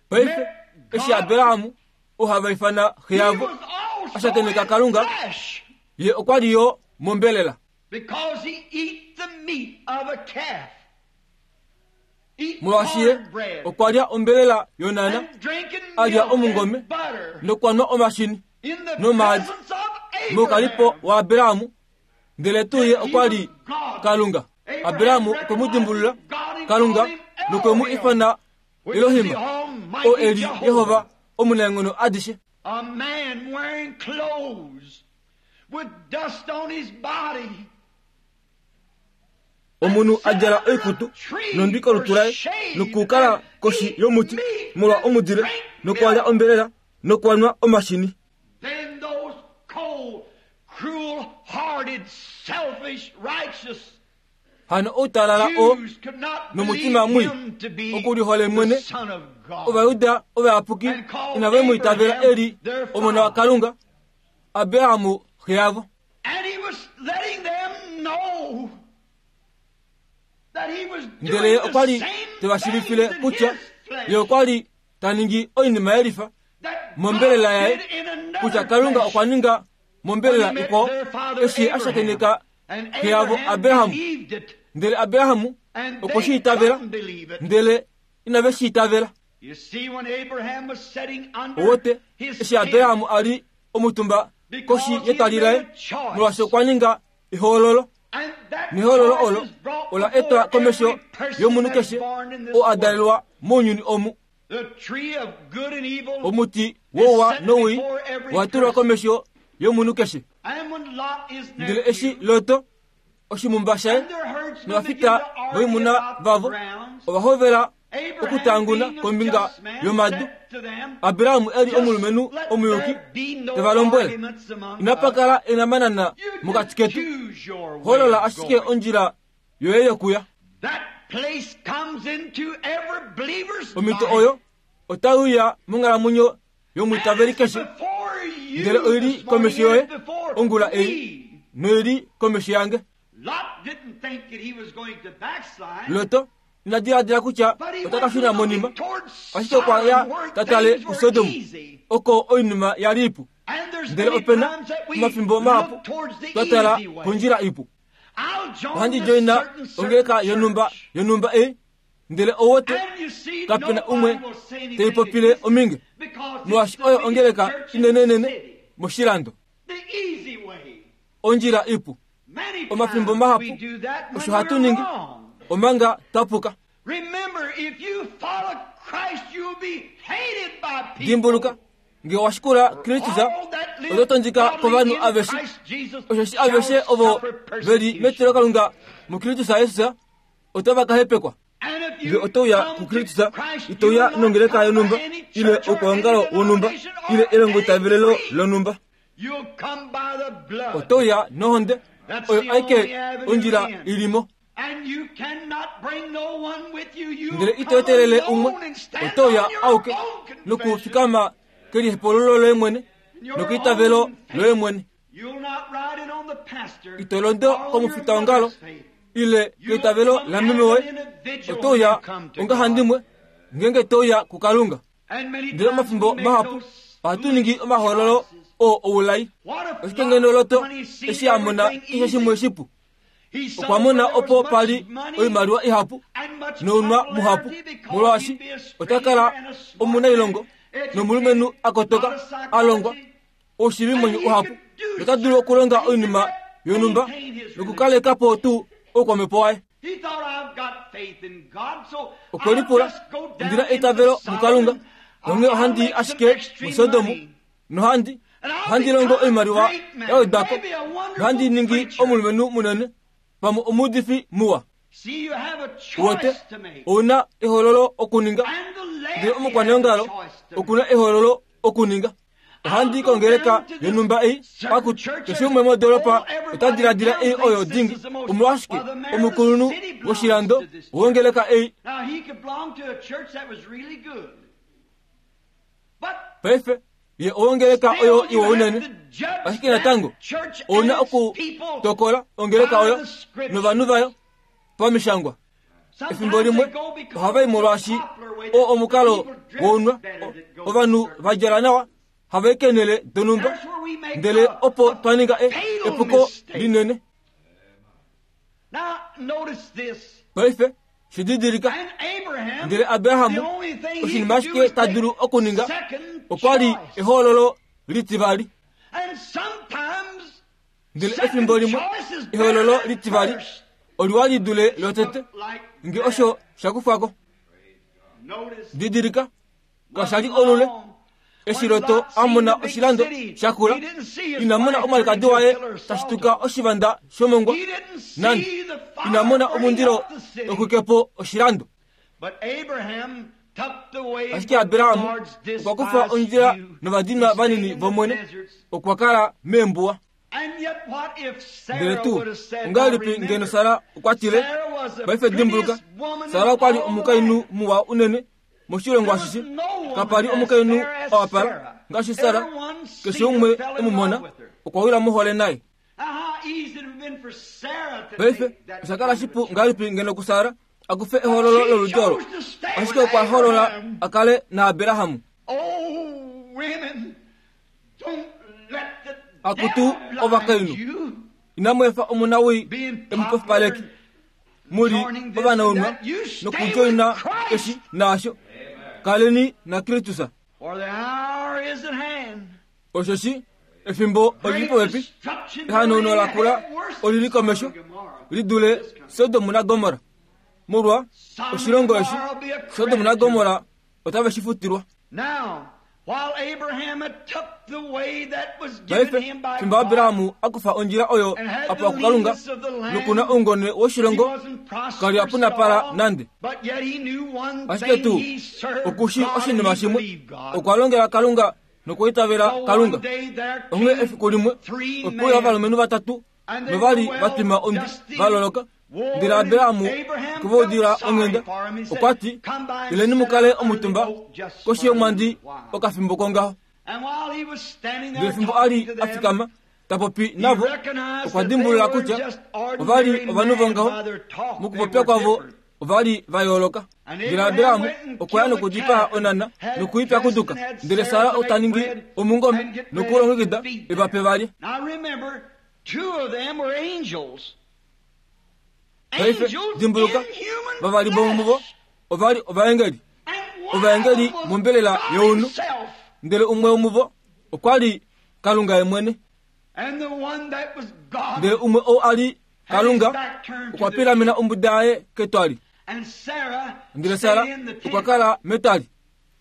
Paife, eshi Abraham, oo hava ifana xe yavo, a shakeneka Kalunga, ye okwa li yo mombelela. Molwaashi ye okwa lya ombelela yonana, a lya omungome nokwa nwa omashini nomaadi. Moukalipo waAbraham, ndele tuu ye okwa li Kalunga. Abraham okwe mu dimbulula Kalunga nokwe mu ifana Elohim, oo e li Jehova omunaenghono adishe. A man wearing clothes with dust on his body. Omunhu a djala oikutu nondwi kolutu laye nokukala koshi yomuti molwa omudile nokwa lya ombelela nokwa nwa omashini. Then those cold, cruel-hearted, selfish, righteous Hano outalala oo nomutima mwii okulihole mwene, Ovajuda ovayapuki inave mu itavela e li Omona waKalunga, Abraham xe yavo. Ndele ye okwa li te va shiivifile kutya ye okwa li ta ningi oinima ye lifa mombelela yaye, kutya Kalunga okwa ninga mombelela ikwao eshi a shakeneka xe yavo Abraham. Ndele Abraham okwe shi itavela, ndele inave shi itavela. Owote, eshi Abraham a li omutumba koshi yetwali laye, molwaashi okwa ninga ehoololo, nehoololo olo ola etwa komesho yomunhu keshe oo a dalelwa mounyuni omu. Omuti wouwa nowii owa tulwa komesho yomunhu keshe. Ndele eshi Lot, oshimumba shaye novafita voimuna vavo ova hovela okutanguna kombinga yomadu, Abraham e li omulumenhu omuyuki te va lombwele, Inapa kala enamanana mokati ketu, hoolola ashike ondjila yoye yokuya. Omhito oyo otai uya monghalamwenyo yomwiitaveli keshe, ndele oi li komesho yoye ongula ei noi li komesho yange. Lot ina diladila kutya ota ka shuna monima, ashike okwa ya ta tale kuSodom, oko oinima ya li ipu. Ndele ope na omafimbo mahapu twa tala kondjila ipu. Ohandi djoina ongeleka yonhumba yonhumba ei, ndele owote kape na umwe te popile ominge, molwaashi oyo ongeleka inenenene moshilando. Ondjila ipu. Omafimbo mahapu osho hatu ningi omanga twa puka. Dimbuluka, Nge owa shikula Kristus, oto tondika kovanhu aveshe. Osheshi aveshe ovo ve li metilokalunga muKristus Jesus otava ka hepekwa. Nge oto uya kuKristus, ito uya nongeleka yonhumba ile oukwaongalo wonhumba ile elongoitavelelo lonhumba. Oto uya nohonde oyo aike ondjila i li mo. Ndele ito etelele umwe, oto uya auke nokufikama kelihepululo loye mwene nokeitavelo loye mwene. Ito londo komufitaongalo ile keitavelo lameme woye, oto uya ongahandimwe ngeenge to uya kuKalunga. Ndele omafimbo mahapu ohatu ningi omahoololo oo oulai. Oshike ngeno Lot eshi a mona keshe shimwe shipu? Okwa mona opo pa li oimaliwa ihapu nounwa muhapu, molwaashi ota kala omunailongo nomulumenhu a kotoka, a longwa oushivimwenyo uhapu, nota dulu okulonga oinima yonhumba nokukaleka po tuu oukwamhepo waye. Okwe lipula, Ondi na eitavelo muKalunga, onghee ohandi i ashike muSodom nohandi ohandi longo oimaliwa ya wedwa ko nohandi ningi omulumenhu munene pamwe omuudifi muwa. Uwete, ou na ehoololo okuninga, ndele omukwaneongalo oku na ehoololo okuninga. Ohandi i kongeleka yonhumba ei, akutu, keshe umwe modoolopa ota diladila ei oyo dingi. Omolwashike, omukulunhu woshilando wongeleka ei. Paife, ye owongeleka oyo iwa unene, ashike natango ou na okutokola ongeleka oyo novanhu vayo pamishangwa. Efimbo limwe ohava i molwaashi oo omukalo wounwa, ovanhu va djala nawa hava i keenhele donhumba, ndele opo twa ninga epuko linene. Paife, shi didilika. Ndele Abraham, oshinima ashike ta dulu okuninga, okwa li ehoololo litivali. Ndele efimbo limwe ehoololo litivali oliwa li dule lotete, nge osho sha kufwa ko. Didilika, kasha li olule eshi Lot a mona oshilando sha kula, ina mona omwalikadi waye ta shituka oshivanda shomongwa, nande ina mona omundilo tau xwike po oshilando. Ashike Abraham okwa kufa ondjila novadinwa vanini vOmwene, okwa kala meembuwa. Ndele tuu, ongahelipi ngeno Sara okwa tile, Paife dimbuluka, Sara okwa li omukainhu muwa unene moshilongo ashishe. Kapa li omukainhu a wapala ngaashi Sara. Keshe umwe e mu mona, okwa wila mohole naye. Paife, osha kala shipu ngahelipi ngeno kuSara a kufe ehoololo loludi olo, ashike okwa hoolola a kale naAbraham. Akutu ovakainhu, inamu efa omunawii e mu pofipaleke. Mu li ovanaunwa nokudjoina eshi naasho. Kaleni naKristus. Osheshi efimbo oli li popepi, ehanauno la kula oli li komesho li dule Sodom naGomorra. Molwa oshilongo eshi, Sodom naGomorra otave shi futilwa. Paife, fimbo Abraham a kufa ondjila oyo a pewa kuKalunga noku na oungone woshilongo, ka li a punapala nande. Ashike tuu, oku shii oshinima shimwe, okwa longela Kalunga nokwa itavela Kalunga. Onghee efiku limwe, ope uya ovalumenhu vatatu nova li va twima ondwi va loloka. Ndele Abraham okwe va udila onghenda, okwa ti, Ileni mu kale omutumba koshi yomwandi okafimbo kongaho. Ndele fimbo a li a fikama ta popi navo, okwa dimbulula kutya ova li ovanhu vongaho. Mokupopya kwavo ova li va yooloka. Ndele Abraham okwa ya nokudipaa onana noku i pyakuduka, ndele Sara ota ningi omungome noku u longekida e va pe va lye. Paife, dimbuluka, vavali vomuvo ova li ovaengeli, ovaengeli mombelela younhu, ndele umwe womuvo okwa li Kalunga ye mwene. Ndele umwe ou a li Kalunga okwa pilamena ombuda yaye ketwali, ndele Sara okwa kala metwali.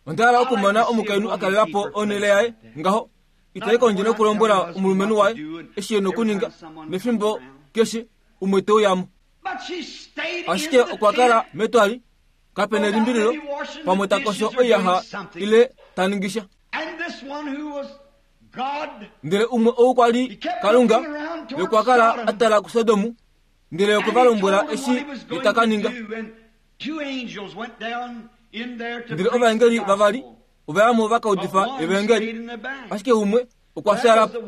Onda hala okumona omukainhu a kalela po onhele yaye ngaho, itai kondje nokulombwela omulumenhu waye eshi e nokuninga, nefimbo keshe umwe te uya mo. Ashike okwa kala metwali, kape nelimbililo, pamwe ta kosho oiyaxa ile ta ningi sha. Ndele umwe ou kwa li Kalunga, ye okwa kala a tala kuSodom, ndele okwe va lombwela eshi ye ta ka ninga. Ndele ovaengeli vavali ova ya mo va ka udifa evaengeli, ashike umwe okwa fyaala po,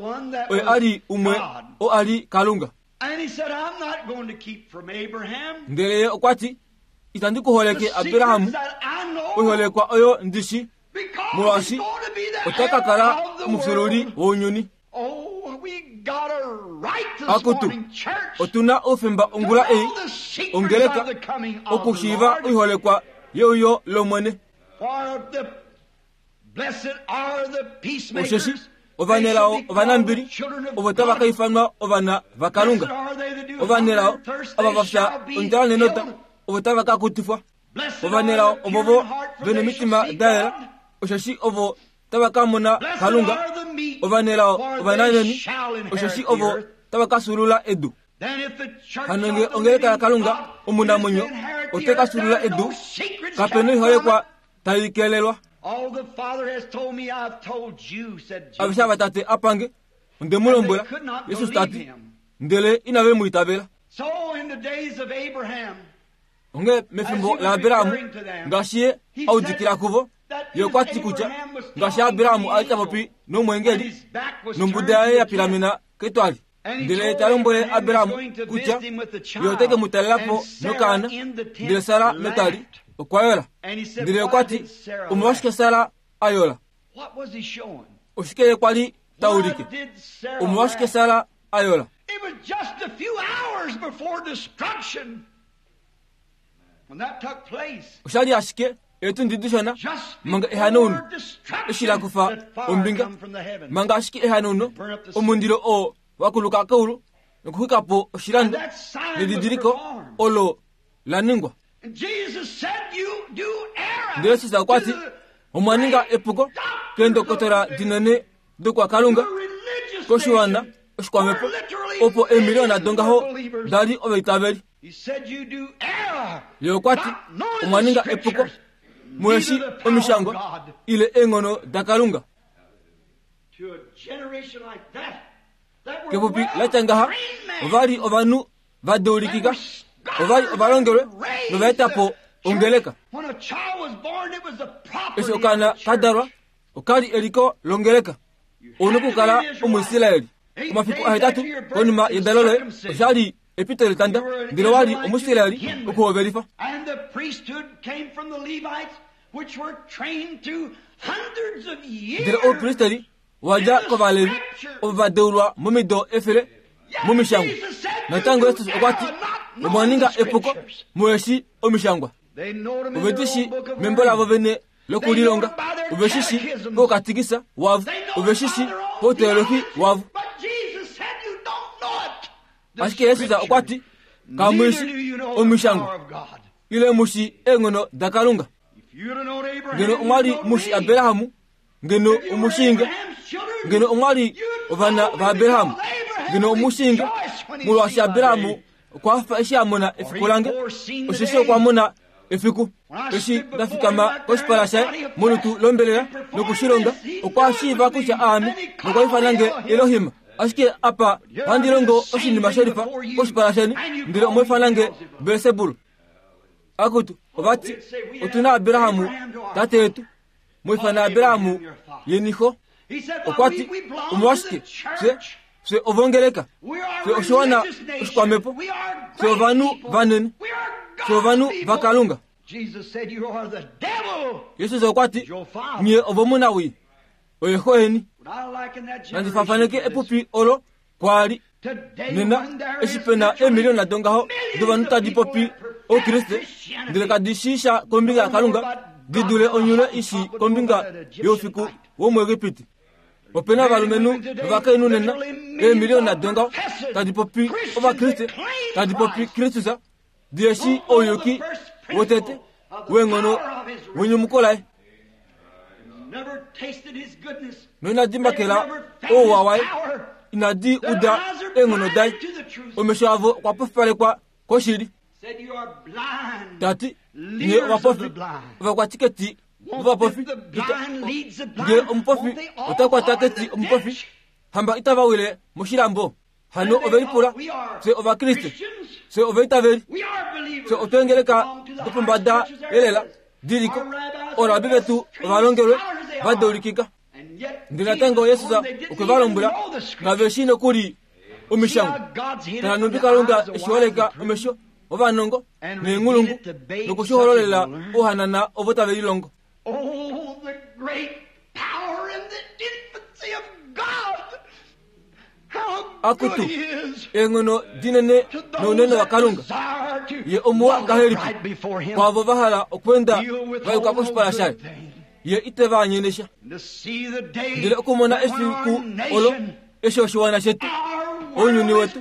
oye a li umwe oo a li Kalunga. Ndele ye okwa ti, Itandi ku holeke Abraham, oiholekwa oyo ndi shi, molwaashi ota ka kala omufyuululi wounyuni. Akutu, otu na oufemba ongula ei, ongeleka, okushiiva oiholekwa yeuyo lOmwene. Osheshi ovanelao ovanambili ovo tava ka ifanwa ovana vaKalunga. Ovanelao ava va fya ondjala nenota ovo tava ka kutifwa. Ovanelao ovovo ve nomitima da yela, osheshi ovo tava ka mona Kalunga. Ovanelao ovananheni, osheshi ovo tava ka fyuulula edu. Hano nge ongeleka yaKalunga omunamwenyo ote ka fyuulula edu, kape noiholekwa tai kelelwa. Aveshe ava Tate a pange, onde mu lombwela, Jesus ta ti, ndele inave mu itavela. Onghee mefimbo laAbraham, ngaashi ye a udikila kuvo, ye okwa ti kutya ngaashi Abraham a li ta popi nomweengeli, nombuda yaye ya pilamena ketwali, ndele ta lombwele Abraham kutya ye ote ke mu talela po nokaana, ndele Sara metwali okwa yola. Ndele okwa ti, Omolwashike Sara a yola? Oshike ye kwa li ta ulike? Omolwashike Sara a yola? It was just a few hours before destruction when that took place. Osha li ashike eetundi dishona Just manga ehanauno before eshi la destruction kufa that fire ombinga come from the heavens. manga ashike ehanauno omundilo oo wa kuluka keulu nokuxwika po oshilando nedidiliko olo la ningwa. Ndele Jesus okwa ti, Omwa ninga epuko keendokotola dinene dokwakalunga koshiwana oshikwamhepo opo eemiliyona dongaho da li ovaitaveli. Ye okwa ti, Omwa ninga epuko muheshi omishangwa ile eenghono daKalunga. Kepupi la tya ngaha, ova li ovanhu va deulikika, ova li ovalongelwe nova eta po ongeleka. Eshi okaana ka dalwa, oka li eliko longeleka. Ou na okukala Omuisraeli. Omafiku ahetatu konima yedalo loye, osha li epito letanda, ndele wa li Omuisraeli okuhovelifa. Ndele oupristeri wa dja kOvalevi ovo va deulwa momido efele momishangwa. Natango Jesus okwa ti, Omwa ninga epuko muheshi omishangwa. Ove di shi membo lavo vene lokulilonga, ove shi shi poukatikisa wavo, ove shi shi pouteolohi wavo. Ashike Jesus okwa ti, Kamu shi omishangwa ile mu shi eenghono daKalunga. Ngeno omwa li mu shi Abraham, ngeno omushinga, ngeno omwa li ovana vaAbraham, ngeno omushinga, molwaashi Abraham okwa fa eshi a mona efiku lange, osheshi okwa mona efiku eshi nda fikama koshipala shaye molutu lombelela noku shi longa, okwa shiiva kutya aame nokwa ifana nge Elohim. Ashike apa ohandi longo oshinima shelifa koshipala sheni, ndele omwa ifana nge Belsebul. Akutu, ova ti, otu na Abraham tate yetu. Mu ifana Abraham yeni xo. Okwa ti, Omolwashike, fye, fye ovongeleka. Fye oshiwana oshikwamhepo. Fye ovanhu vanene. Fye ovanhu vaKalunga. Jesus okwa ti, Nye ovomunawii. Oye xo yeni. Nandi fafaneke epupi olo kwa li nena eshi pe na eemiliyona dongaho dovanhu tadi popi Oukriste ndele kadi shii sha kombinga yaKalunga di dule onyule i shii kombinga youfiku womuEgipiti. Ope na ovalumenhu novakainhu nena eemiliyona dongaho tadi popi Ovakriste, tadi popi Kristus, di shii ouyuki wotete weenghono wenyumuko laye. Noinadi makela ouwa waye, inadi uda eenghono daye. Omesho avo okwa pofipalekwa koshili. Ta ti, Nye ovapofi, ovakwatiketi vovapofi, ngee omupofi ota kwata keti omupofi, hamba itava wile moshilambo? Hano ove lipula, Fye Ovakriste, fye ovaitaveli, fye otwengeleka dopombada elela diliko, orabi vetu ovalongelwe va deulikika. Ndele natango Jesus okwe va lombwela, Kave shii nokuli omishangwa. Tala nhumbi Kalunga e shi holeka omesho ovanongo neenghulungu noku shi hololela ouhanana ovo tave lilongo. Oh, the great power and the infancy of God! Akutu, eenghono dinene nounene waKalunga! Ye omuwa ngahelipi kwaavo va hala okweenda va yuka koshipala shaye! Ye ite va anyene sha. Ndele okumona efiku olo eshi oshiwana shetu, ounyuni wetu,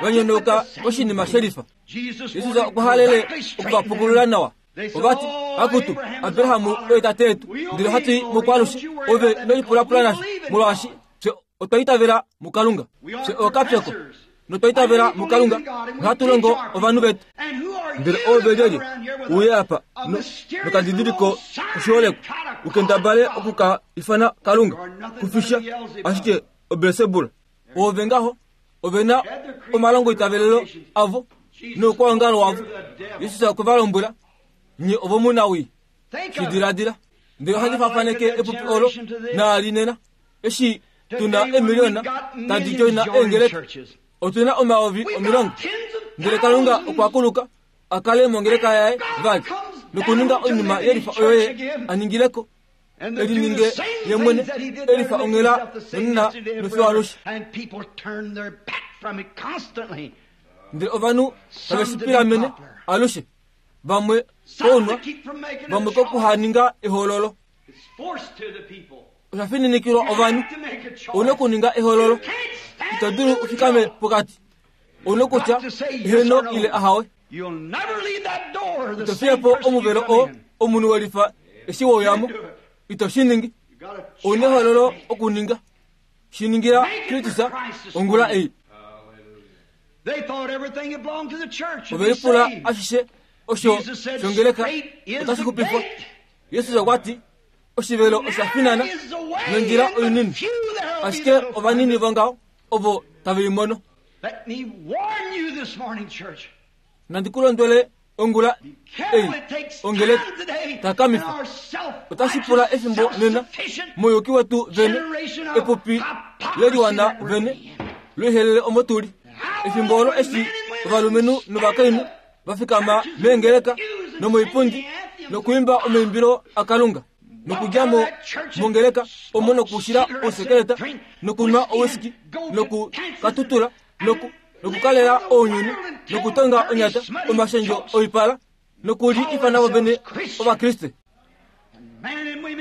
va nyonauka koshinima shelifa. Jesus okwa halele oku va pukulula nawa. Ova ti, Akutu, Abraham oye tate yetu, ndele ohatu i mukwaalushe. Ove ino lipulapula nasho, molwaashi fye otwa itavela muKalunga. Fye ookapyoko, notwa itavela muKalunga, nohatu longo ovanhu vetu. Ndele oove lyelye uye apa no, nokadidiliko koshiholekwa, u kendabale oku ka ifana Kalunga? Kufisha ashike oBelsebul. Oove ngaho, ove na omalongoitavelelo avo noukwaongalo wavo. Jesus okwe va lombwela, Nye ovomunawii. Shi diladila. Ndele ohandi fafaneke epupi olo naali nena, eshi tu na eemiliona tadi djoina eengeleka. Otu na omayovi omilongo. Ndele Kalunga okwa kuluka a kale mongeleka yaye vali nokuninga oinima yelifa oyo ye a ningileko e lininge ye mwene e lifa onghela nonena nofiyo alushe. Ndele ovanhu tave shi pilamene alushe, vamwe kounwa, vamwe kokuhaninga ehoololo. Osha fininikilwa ovanhu, ou na okuninga ehoololo. Ito dulu u fikame pokati. Ou na okutya heeno ile ahawe. Ito fiye po omuvelo oo omunhu we lifa eshi we uya mo. Ito shi ningi. Ou na ehoololo okuninga. Shi ningila Kristus ongula ei. Ove lipula ashishe osho shongeleka otashi xupifwa. Jesus okwa ti, Oshivelo osha finana nondjila oinini, ashike ovanini vongaho ovo tave i mono. Nandi ku londwele ongula ei, ongeleka, takamifa. Otashi pula efimbo nena mouyuki wetu vene, epupi leliwana vene, loihelele omo tu li. Efimbo olo eshi ovalumenhu novakainhu va fikama meengeleka nomoipundi nokuimba omaimbilo aKalunga nokudja mo mongeleka omo nokushila ousekeleta nokunwa owiski nokukatutula noku nokukalela ounyuni nokutonga onyata omashendjo oipala nokuli ifana vo vene Ovakriste.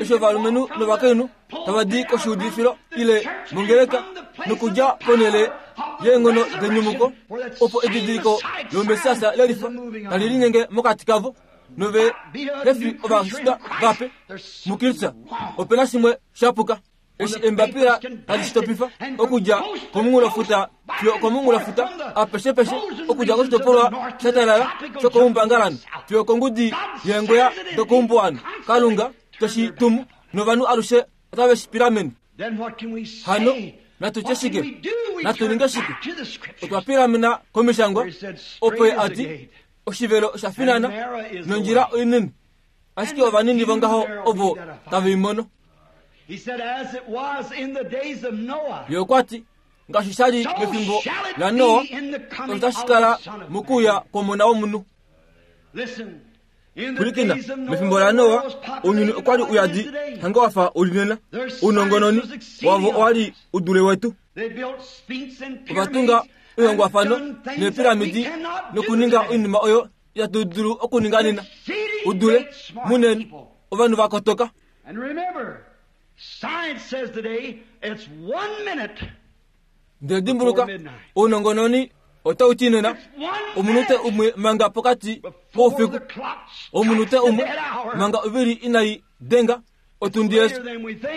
Eshi ovalumenhu novakainhu tava di koshiudifilo ile mongeleka nokudja ponhele yeenghono denyumuko opo edidiliko lOmessias lelifa tali linyenge mokati kavo nove he fi ovashitwa vape muKristus, ope na shimwe sha puka. Eshi eembapila tadi shi topifa okudja komunghulofuta fiyo okomunghulofuta, apeshepeshe, okudja koshitopolwa sha talala shokoumbangalanhu fiyo okongudi yeengweya dokoumbuwanhu, Kalunga te shi tumu, novanhu alushe otave shi pilamene. Hano natu tye shike? Natu ninge shike? Otwa pilamena komishangwa, opo ye a ti, Oshivelo osha finana, nondjila oinini, ashike ovanini vongaho ovo tave i mono. Ye okwa ti, Ngaashi sha li mefimbo laNoa, osho tashi kala mokuuya kwOmona wOmunhu. Pwilikina, mefimbo laNoa, ounyuni okwa li uyadi hange wa fa u li nena. Ounongononi wavo owa li u dule wetu. Ova tunga oihongwafano neepiramidi nokuninga oinima oyo itatu dulu okuninga nena. U dule munene, ovanhu va kotoka. Ndele dimbuluka, ounongononi otau ti nena omunute umwe manga pokati koufiku, omunute umwe manga ovili inai denga otundi yesu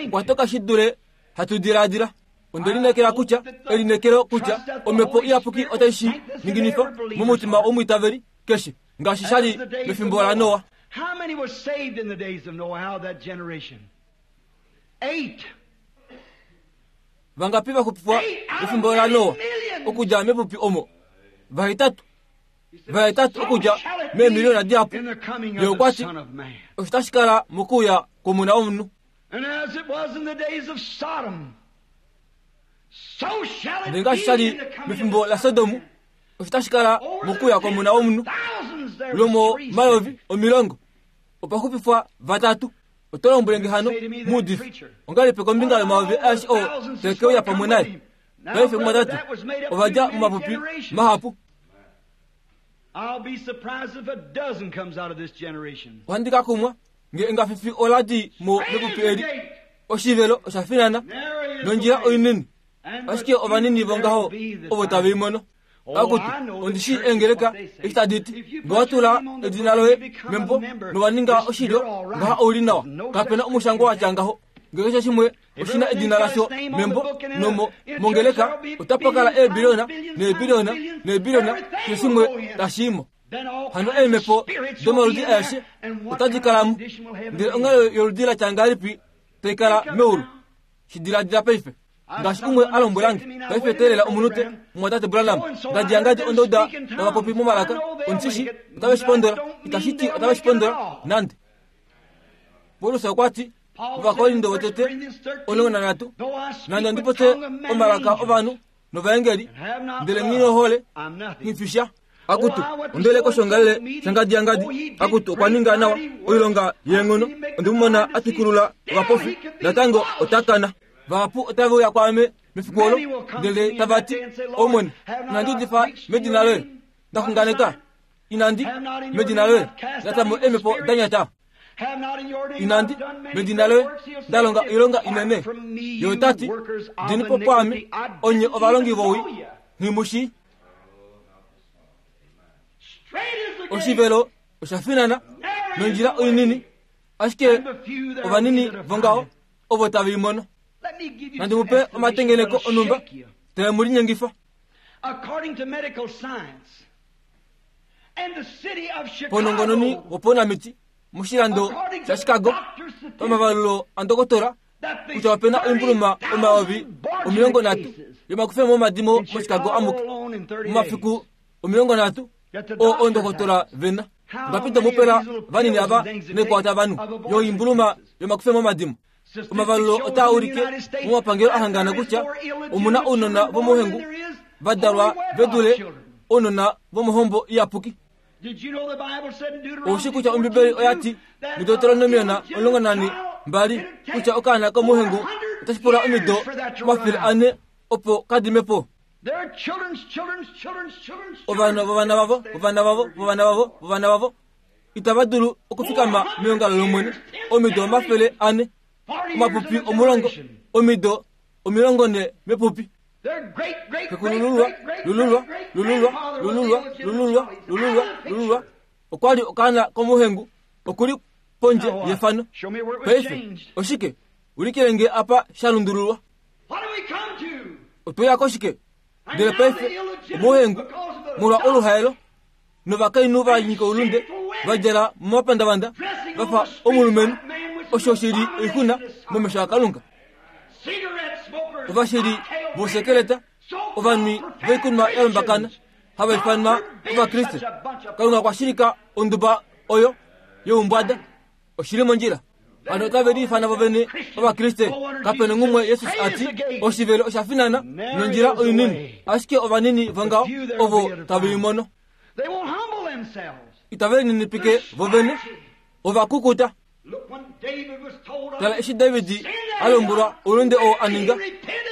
okwa toka shi dule hatu diladila. Onde lineekela kutya elineekelo kutya Omhepo Iyapuki otai shi ninginifa momutima womwiitaveli keshe, ngaashi sha li mefimbo laNoa. Vangapi va xupifwa mefimbo laNoa okudja mepupi omo? Vahetatu. Vahetatu okudja meemiliyona dihapu. Ye okwa ti, Osho tashi kala mokuuya kwOmona wOmunhu. Ndele ngaashi sha li mefimbo laSodom, osho tashi kala mokuuya kwOmona wOmunhu. Lwomomayovi omilongo opa xupifwa vatatu. Oto lombwele nge hano, muudifi, ongahelipi kombinga yomayovi aeshe oo tae ke uya pamwe naye? Paife mumwatate, ova dja momapupi mahapu. Ohandi ka kumwa nge engafifi ola di mo mepupi eli. Oshivelo osha finana nondjila oinini, ashike ovanini vongaho ovo tave i mono. Akutu, ondi shii eengeleka eshi tadi ti, Nge wa tula edina loye membo nowa ninga oshilyo, ngaha ou li nawa. Kape na omushangwa wa tya ngaho. Nge keshe shimwe oshi na edina lasho membo nomo mongeleka, otapa kala eebiliona neebiliona neebiliona, keshe shimwe tashi i mo. Hano eemhepo domaludi aeshe otadi kala mo. Ndele onghalo yoludi la tya ngahelipi tai kala meulu? Shi diladila paife. Ngaashi umwe a lombwela nge, paife teelela omunute, mumwatate Branham, ngadi yangadi onda uda tava popi momalaka, ondi shi shii otave shi pondola. Itashi ti otave shi pondola, nande. Paulus okwa ti, Ovakorinto votete 13, Nande ondi popye omalaka ovanhu novaengeli, ndele nghi nohole, nghi fi sha. Akutu, ondele koshongalele shangadi yangadi. Akutu, okwa ninga nawa oilonga yeenghono. Onde mu mona a twikulula ovapofi, natango ota kana. Vahapu otave uya kwaame mefiku olo, ndele tava ti, Omwene, inandi udifa medina loye, nda xunganeka? Inandi, medina loye, nda ta mo eemhepo da nyata? Inandi medina loye nda longa oilonga inene? Ye ota ti, Dini po pwaame, onye ovalongi vowii, nghi mu shii. Oshivelo osha finana nondjila oinini, ashike ovanini vongaho ovo tave i mono. Nandi mu pe omatengeneko onhumba tae mu linyengifa. Paunongononi wopaunamiti moshilando shaChicago, pamavalulo andokotola kutya opena oimbuluma 30,000 yomakufemo omadimo moChicago amuke momafiku 30 oo oondokotola vena. Ngapi domupela vanini ava naikwao tava nu yoimbuluma yomakufemo omadimo? Omavalulo otaa ulike momapangelo a hangana kutya omu na ounona vomohengu va dalwa ve dule ounona vomohombo iyapuki. Ou shi kutya Ombibeli oya ti muDeuteronomiona 12 kutya okaana komohengu otashi pula omido 400 opo ka dime po? Ovana vovana vavo, vovana vavo, vovana vavo, vovana vavo itava dulu okufikama meongalo lOmwene omido 400, omapupi 10, omido 40 mepupi. Xekulululwa, lululwa, lululwa, lululwa, lululwa, lululwa, lululwa, okwa li okaana komuhengu, oku li pondje yefano. Paife, oshike? Ulikile nge apa sha lundululwa. Otwe ya koshike? Ndele paife, omuhengu, molwa oluhaelo, novakainhu va nyika oulunde va djala momapandavanda va fa omulumenhu, osho shi li oixuna momesho aKalunga. Ovashili vousekeleta, ovanwi voikunwa ya lombakana, hava ifanwa Ovakriste. Kalunga okwa shilika onduba oyo youmbwada. Oshi li mondjila. Ovanhu otave liifana vovene Ovakriste. Kape nongumwe Jesus a ti, Oshivelo osha finana nondjila oinini, ashike ovanini vongaho ovo tave i mono. Itave lininipike vovene, ova kukuta. Tala eshi David a lombwelwa oulunde oo a ninga,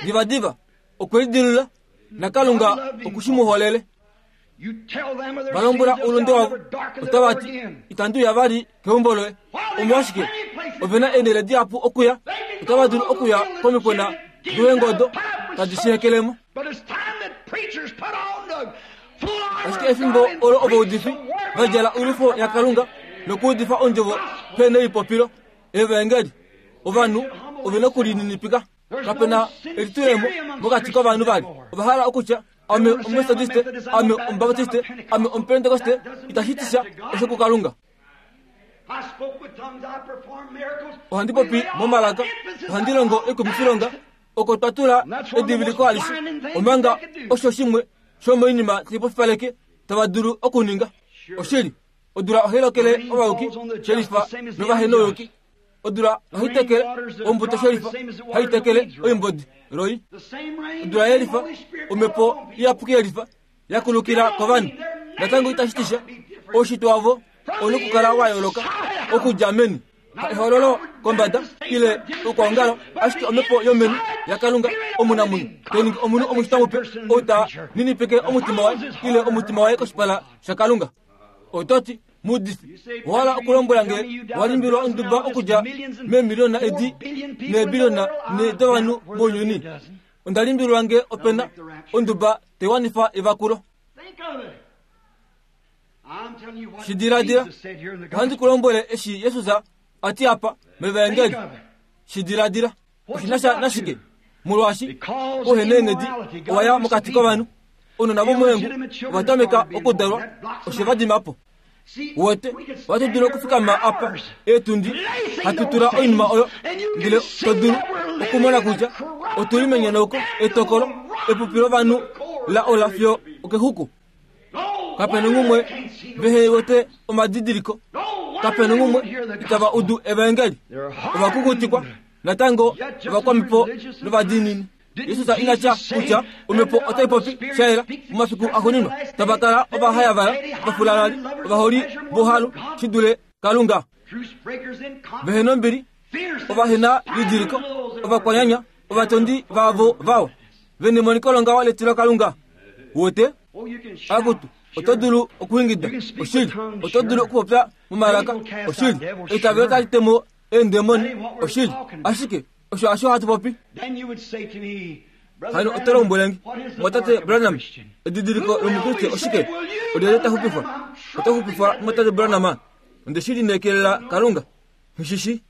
divadiva okwe lidilula, naKalunga oku shi mu holele. Va lombwela oulunde wavo, otava ti, Itandi uya vali keumbo loye. Omolwashike? Ove na eenhele dihapu okuya. Otava dulu okuya komikona doeengodo tadi shi hekelemo. Ashike efimbo olo ovaudifi va djala oilwifo yaKalunga nokuudifa ondjovo pe nelipopilo, evaengeli, ovanhu ove nokulininipika. Kape na elitulemo mokati kovanhu vali. Ova hala okutya, Ame Omumetodiste, ame Omubaptiste, ame Omupentekoste, itashi ti sha osho kuKalunga. Ohandi popi momalaka, ohandi longo oikumifilonga, oko twa tula ediviliko alishe, omanga osho shimwe shomoinima tai pofipaleke tava dulu okuninga. Oshili, odula ohai lokele ovayuki shelifa novahenouyuki. Odula ohai tekele ombuto shelifa, hai tekele oimbodi loi. Odula yelifa, omhepo iyapuki yelifa ya kulukila kovanhu. Natango itashi ti sha, oushitwe wavo ou na okukala wa yooloka okudja meni. Ehololo kombada ile oukwaongalo, ashike omhepo yomeni yaKalunga omunamwenyo tai ningi omunhu omushitwa mupe ou ta ninipike omutima waye ile omutima waye koshipala shaKalunga. Oto ti, Muudifi, owa hala okulombwela nge wa limbilwa onduba okudja meemiliona edi neebiliona ne dovanhu mounyuni? Onda limbililwa nge ope na onduba tai wanifa evakulo. Shi diladila. Ohandi ku lombwele eshi Jesus a ti apa mEvaengeli. Shi diladila. Oshi na sha nashike? Molwaashi ouheneenghedi owa ya mokati kovanhu, ounona vomohengu ova tameka okudalwa, oshe va dima po. Wote, ohatu dulu okufikama apa eetundi hatu tula oinima oyo, ndele to dulu okumona kutya otu li menyonauko, etokolo, epupi lovanhu la ola fiyo okexuku. Kape nongumwe vehe wete omadidiliko, kape nongumwe itava udu evaengeli. Ova kukutikwa natango ovakwamhepo novadiinini. Jesus ina tya kutya omhepo otai popi sha yela momafiku axuuninwa tava kala ovahayavala, ovafulalali, ovaholi vohalu shi dule Kalunga, vehe nombili, ovahena lidiliko, ovakwanyanya, ovatondi vaavo vawa, ve nemoniko longaho letilokalunga. Wote? Akutu! Oto dulu okuingida, oshili. Oto dulu okupopya momalaka, oshili. Eitavelo tali temo eendemoni, oshili. Ashike osho hasho hatu popi. Hano oto lombwele nge, Mumwatate Branham, edidiliko lOmukriste oshike? Olyelye ta xupifwa? Oto xupifwa, Mumwatate Branham? Onde shi lineekelela Kalunga. Nghi shi.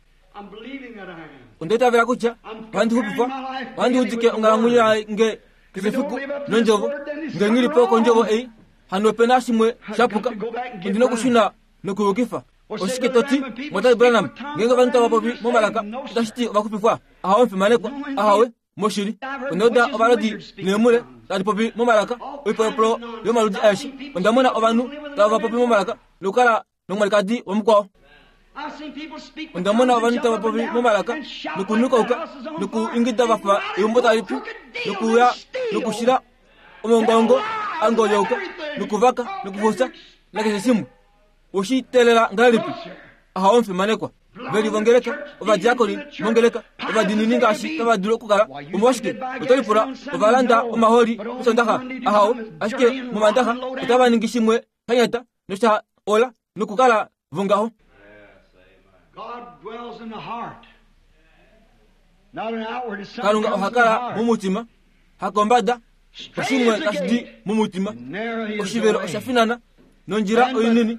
Onda itavela kutya ohandi xupifwa, ohandi udike onghalamwenyo yange keshe efiku nondjovo. Nge nghi li po kondjovo ei, hano ope na shimwe sha puka. Ondi nokushuna nokuyukifa. Oshike to ti, Mumwatate Branham, ngeenge ovanhu tava popi momalaka, otashi ti ova xupifwa? Ahawe, omufimanekwa. Ahawe. Moshili, onda uda ovalodi neemhule tadi popi momalaka, oipolopolo yomaludi aeshe. Onda mona ovanhu tava popi momalaka nokukala nomwalikadi wamukwao. Onda mona ovanhu tava popi momalaka nokunukauka nokuingida va fa eumbo tali pu nokuya nokushila omongongo a ngolyauka nokuvaka nokufusa nakeshe shimwe. Oshi teelela ngahelipi? Ahawe omufimanekwa. Ve li vongeleka, ovadiakoni mongeleka, ovadiinini ngaashi tava dulu okukala. Omolwashike, oto lipula, ova landa omahooli mOsondaxa? Ahawe, ashike mOmandaxa otava ningi shimwe sha nyata nosha ola nokukala vongaho. Kalunga oha kala momutima, hakombada, oshimwe tashi di momutima. Oshivelo osha finana nondjila oinini,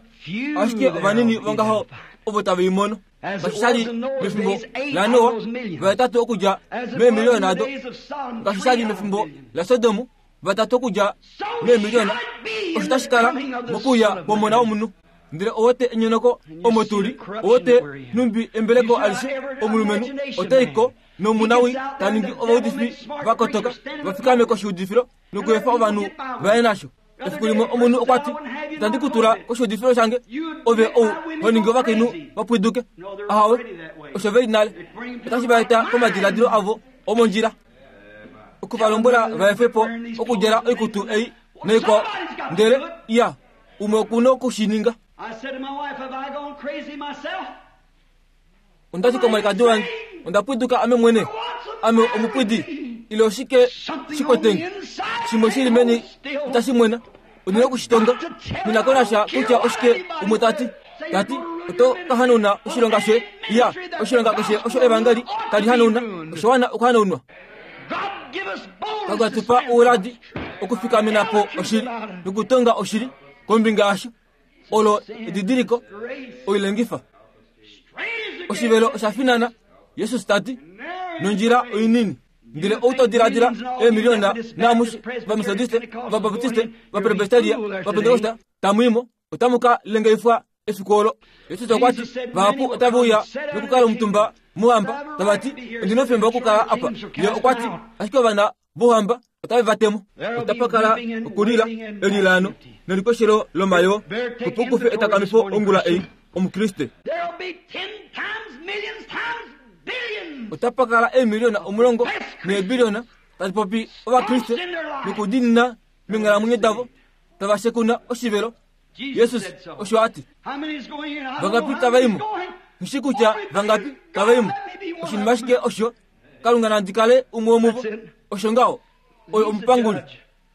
ashike ovanini vongaho ovo tave i mono. Ngaashi sha li mefimbo laNoa, vahetatu okudja meemiliyona ado. Ngaashi sha li mefimbo laSodom, vatatu okudja meemiliyona. Osho tashi kala mokuuya kwOmona womunhu. Ndele owote enyonoko omo tu li, owote nhumbi embeleko alishe omulumenhu ota i ko nomunawii ta ningi ovaudifi va kotoka va fikame koshiudifilo nokuefa ovanhu va ye nasho. Efiku limwe omunhu okwa ti, Itandi ku tula koshiudifilo shange, ove ou ho ningi ovakainhu va pwiduke. Ahawe, osho ve li nale. Otashi va eta komadiladilo avo omondjila. Oku va lombwela va efe po okudjala oikutu ei naikwao. Ndele, iya, umwe oku noku shi ninga. Onda ti komwalikadi wange, Onda pwiduka ame mwene. Ame omupwidi, ile oshike shi kwete nge? Shimwe shi li meni itashi mwena. Ondi na oku shi tonga. Nghi na ko nasha kutya oshike umwe ta ti. Ta ti, Oto ka hanauna oshilonga shoye. Iya, oshilonga keshe osho evangeli tali hanauna, osha wana okuhanaunwa. Kalunga tu pa ouladi okufikamena po oshili nokutonga oshili kombinga yasho. Olo edidiliko oilengifa. Oshivelo osha finana, Jesus ta ti, nondjila oinini. Ndele ou to diladila eemiliona naamushe vametodiste, vabaptiste, vapresbiteria, vapentekosta tamu i mo, otamu ka lengeifwa efiku olo. Jesus okwa ti, Vahapu otave uya nokukala omutumba mouhamba, tava ti, Ondi na oufemba wokukala apa. Ye okwa ti, Ashike ovana vouhamba otave va temo. Otapa kala okulila, elilaano nelikweshelo lomayoo, opo u kufe etakamifo ongula ei, Omukriste. Otapa kala eemiliona omulongo neebiliona tadi popi Ovakriste nokudiinina meenghalamwenyo davo, tava shekuna oshivelo. Jesus osho a ti. Vangapi tava i mo? Nghi shii kutya vangapi tava i mo. Oshinima ashike osho, Kalunga nandi kale umwe womuvo. Osho ngaho. Oye omupanguli.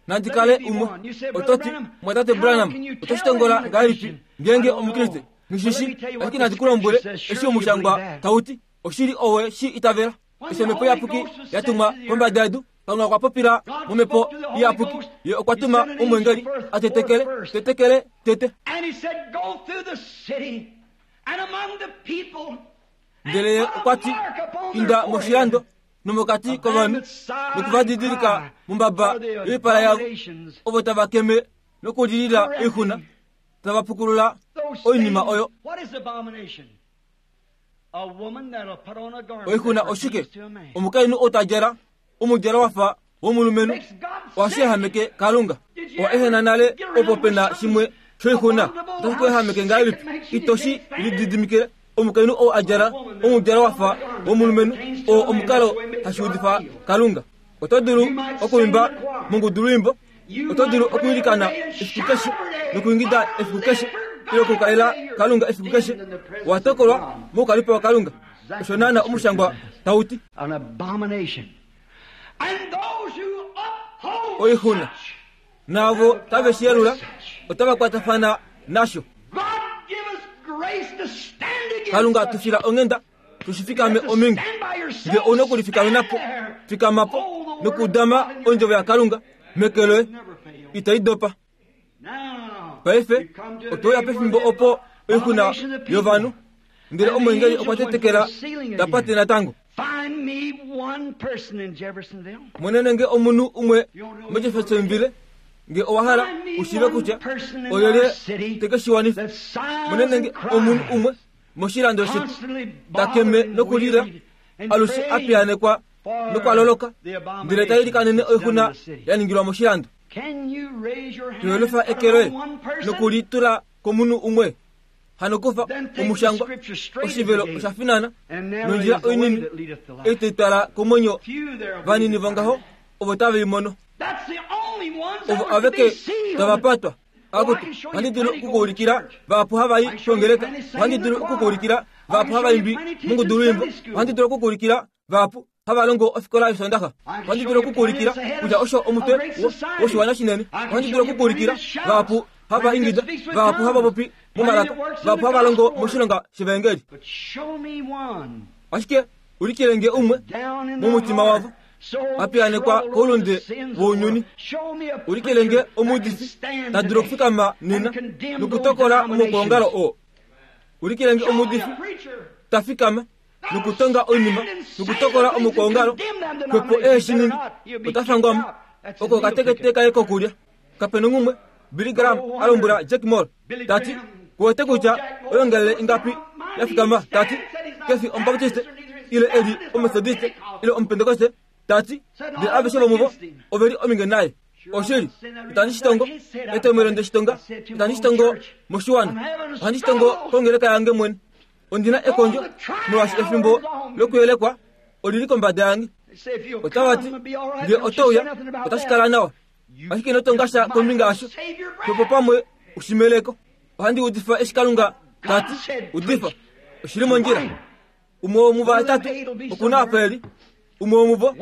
Nandi kale umwe. Oto ti, Mumwatate Branham, oto shi tongola ngahelipi ngeenge Omukriste? Nghi shi shii, ashike nandi ku lombwele eshi Omushangwa tau ti. Oshili owe shi itavela. Eshi Omhepo Iyapuki ya tumwa kombada yedu, Kalunga okwa popila mOmhepo Iyapuki. Ye okwa tuma omweengeli a tetekele, tetekele tete. Ndele ye okwa ti, Inda moshilando nomokati kovanhu noku va didilika mombaba yoipala yavo, ovo tava keme nokulilila oixuna, tava pukulula oinima oyo. Oixuna oshike? Omukainhu ou ta djala omudjalo wa fa womulumenhu ohashi ehameke Kalunga. Owa ehena nale opo pe na shimwe shoixuna otashi ku ehameke ngahelipi? Ito shi lididimikile. Omukainhu ou a djala omudjalo wa fa womulumenhu oo omukalo hashi udifa Kalunga. Oto dulu okuimba mongudulwiimbo, oto dulu okwiilikana efiku keshe nokuingida efiku keshe ile okukalela Kalunga efiku keshe. Owa tokolwa moukalipo waKalunga. Osho naana omushangwa tau ti. Oixuna. Naavo tave shi yelula, otava kwatafana nasho. Kalunga tu fila onghenda tushifikame omingi. Nge ouna okulifikamena po, fikama po nokudama ondjovo yaKalunga meke loye, itai dopa. Paife otwe uya pefimbo opo oixuna yovanhu, ndele omweengeli okwa tetekela ta pate natango. Monene nge omunhu umwe moJeffersonville, nge owa hala u shiive kutya olyelye te ke shi wanifa. Monene nge omunhu umwe moshilando shetu ta keme nokulila alushe a piyaanekwa nokwa loloka, ndele ta ilikanene oixuna ya ningilwa moshilando. Toyelufa eke loye noku li tula komunhu umwe. Hano kufa omushangwa, oshivelo osha finana, nondjila oinini ei tai twala komwenyo, vanini vongaho ovo tave i mono. Ovo aveke tava patwa. Akutu, ohandi dulu oku ku ulikila vahapu hava i kongeleka, ohandi dulu oku ku ulikila vahapu hava imbi mongudulwiimbo, ohandi dulu oku ku ulikila vahapu hava longo ofikola yOsoondaxa. Ohandi dulu oku ku ulikila kutya osho omutwe woshiwana shinene. Ohandi dulu oku ku ulikila vahapu hava ingida, vahapu hava popi momalaka, vahapu hava longo moshilonga shevaengeli. Ashike ulikile nge umwe momutima wavo a piyaanekwa koulunde wounyuni. Ulikile nge omuudifi ta dulu okufikama nena nokutokola omaukwaongalo oo. Ulikile nge omuudifi ta fikama nokutonga oinima nokutokola omukwaongalo kwepo ehe shi ningi, ota fangwa mo. Oko okatekete kaye kokulya. Kape nonghumwe, Billy Graham a lombwela Jack Moore, ta ti, Ku wete kutya oyoongalele ingapi ya fikama? Ta ti, Ke fi Omubaptiste, ile e li Omethodiste, ile Omupentekoste. Ta ti, Ndele aveshe vomuvo ove li ominge naye. Oshili, itandi shi tongo. Etomhelo nde shi tonga, itandi shi tongo moshiwana. Ohandi shi tongo kongeleka yange mwene. Ondi na ekondjo molwaashi efimbo lokuyelekwa oli li kombada yange. Otava ti, Nge oto uya, otashi kala nawa. Ashike ino tonga sha kombinga yasho. Xwepo pamwe u shi meleko. Ohandi udifa eshi Kalunga ta ti, Udifa. Oshi li mondjila. Umwe womuvahetatu oku na apa e li. Umwe womuvo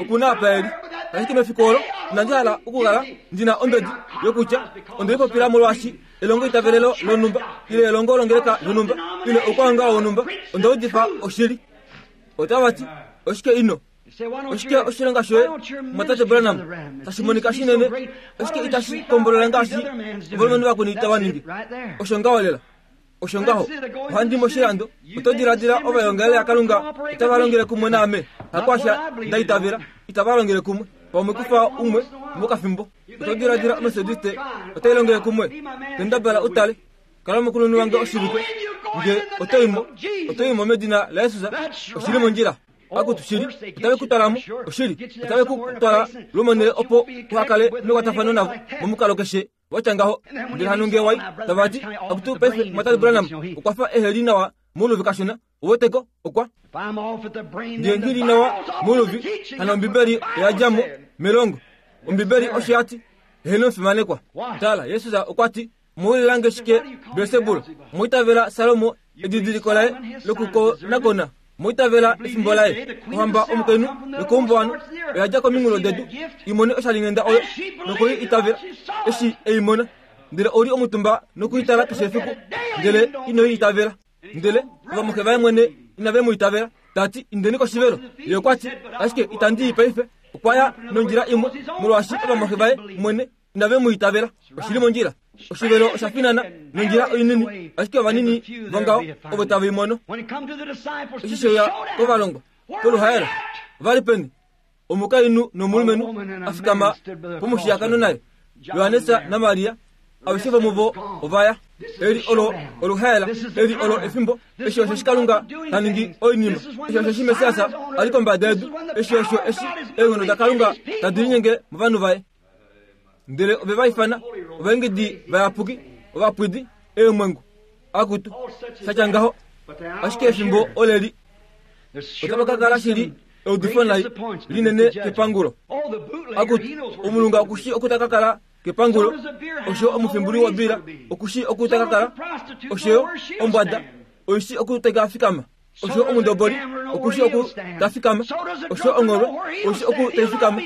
oku na apa e li. Ashike mefiku olo inandi hala okukala ndi na ombedi yokutya onde lipopila molwaashi elongoitavelelo lonhumba ile elongo longeleka yonhumba ile oukwaongalo wonhumba. Onda udifa oshili. Otava ti, Oshike ino? Oshike oshilonga shoye, mumwatate Branham, tashi monika shinene? Oshike itashi kombolola ngaashi ovalumenhu vakweni tava ningi? Osho ngaho lela. Osho ngaho. Ohandi moshilando. Oto diladila ovaevangeleli yaKalunga otava longele kumwe naame? Hakwasha nda itavela. Itava longele kumwe. Pamwe kufa umwe mokafimbo. Oto diladila Omethodiste otai longele kumwe? Kendabala u tale. Kala omukulunhu wange oshivike. Nge oto i mo, oto i mo medina laJesus. Oshi li mondjila. Akutu, shili, otave ku twala mo. Oshili, otave ku twala lwomonhele opo uha kale mekwatafano navo momukalo keshe. wa tya ngaho. Ndele hano nge wai, tava ti, Akutu, paife, Mumwatate Branham okwa fa ehe li nawa mouluvi kashona. Uwete ko? Okwa. Nge nghi li nawa mouluvi, hano Ombibeli oya dja mo melongo. Ombibeli osho ya ti, Eheno omufimanekwa. Tala, Jesus okwa ti, Muulila nge shike Belsebul? Mwa itavela Salomo edidiliko laye lokukonakona? Mwa itavela efimbo laye? Ohamba omukainhu yokoumbuwanhu oya dja kominghulo dedu i mone oshalinghenda oyo noku i itavela eshi e i mona. Ndele ou li omutumba noku i tala keshe efiku, ndele ino i itavela. Ndele ovamuxe vaye mwene inave mu itavela. Ta ti, Indeni koshivelo. Ye okwa ti, Ashike itandi i paife. Okwa ya nondjila imwe, molwaashi ovamuxe vaye mwene inave mu itavela. Oshi li mondjila. Oshivelo osha finana nondjila oinini, ashike ovanini vongaho ovo tave i mono. Eshi she uya kovalongwa poluhaela, ova li peni? Omukainhu nomulumenhu a fikama pomushiyakano naye, Johannes naMaria, aveshe vomuvo ova ya. Eli olo oluhaela, eli olo efimbo, eshi osho eshi Kalunga ta ningi oinima, eshi osho eshi Messias a li kombada yedu, eshi osho eshi eenghono daKalunga tadi linyenge movanhu vaye. Ndele ove va ifana ovaengedi vayapuki, ovapwidi, eemwengu. Akutu, sha tya ngaho. Ashike efimbo oleli. Otava ka kala shili eudifo nai linene kepangulo. Akutu, omulunga oku shii oku ta ka kala kepangulo, osho omufimbuli wobila oku shii oku ta ka kala, osho yo ombwada oi shii oku tai ka fikama. Osho omundoboli okushi oku ta fikama, osho ongholwe oshi oku tai fikama,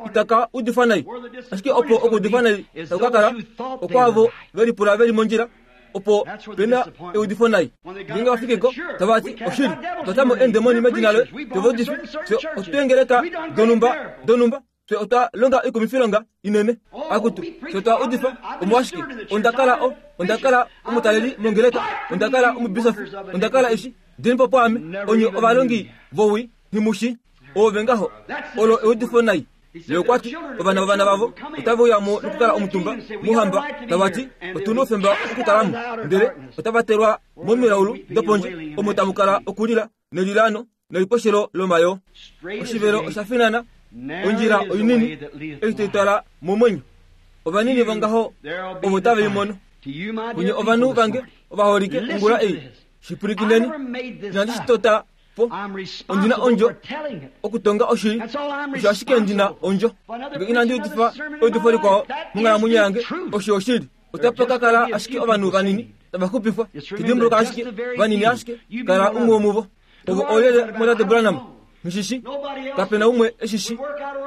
itaka udifa nai. Ashike opo okuudifa nai taku ka kala, okwaavo ve lipula ve li mondjila, opo pe na eudifo nai. Ngeenge va fike ko, tava ti, Oshili, otwa ta mo eendemoni medina loye, twe va udifi, fye otweengeleka donhumba, donhumba. Fye otwa longa oikumifilonga inene. Akutu, fye otwa udifa omolwashike? Onda kala o, onda kala omutaleli mongeleka, onda kala omubisofi, onda kala eshi. Dini po pwaame, onye ovalongi vowii, nghi mu shii. Oove ngaho. Olo eudifo nai. Ye okwa ti, Ovana vovana vavo otave uya mo nokukala omutumba mouhamba, tava ti, Otu noufemba okukala mo. Ndele otava telwa momilaulu dopondje, omo tamu kala okulila nelilaano neliposhelo lomayoo. Oshivelo osha finana, ondjila oinini ei tai twala momwenyo. Ovanini vongaho ovo tave i mono. Kunye ovanhu vange ovaholike ongula ei, shi pwilikineni, inandi shi tota po. Ondi na ondjo okutonga oshili, osho ashike ndi na ondjo. Nge inandi udifa eudifo likwao monghalamwenyo yange, osho oshili. Otapa ka kala ashike ovanhu vanini tava xupifwa. Dimbuluka ashike, vanini ashike, kala umwe womuvo. Ovo oolyelye mwatate Branham? Nghi shi Kape na umwe e shi shi.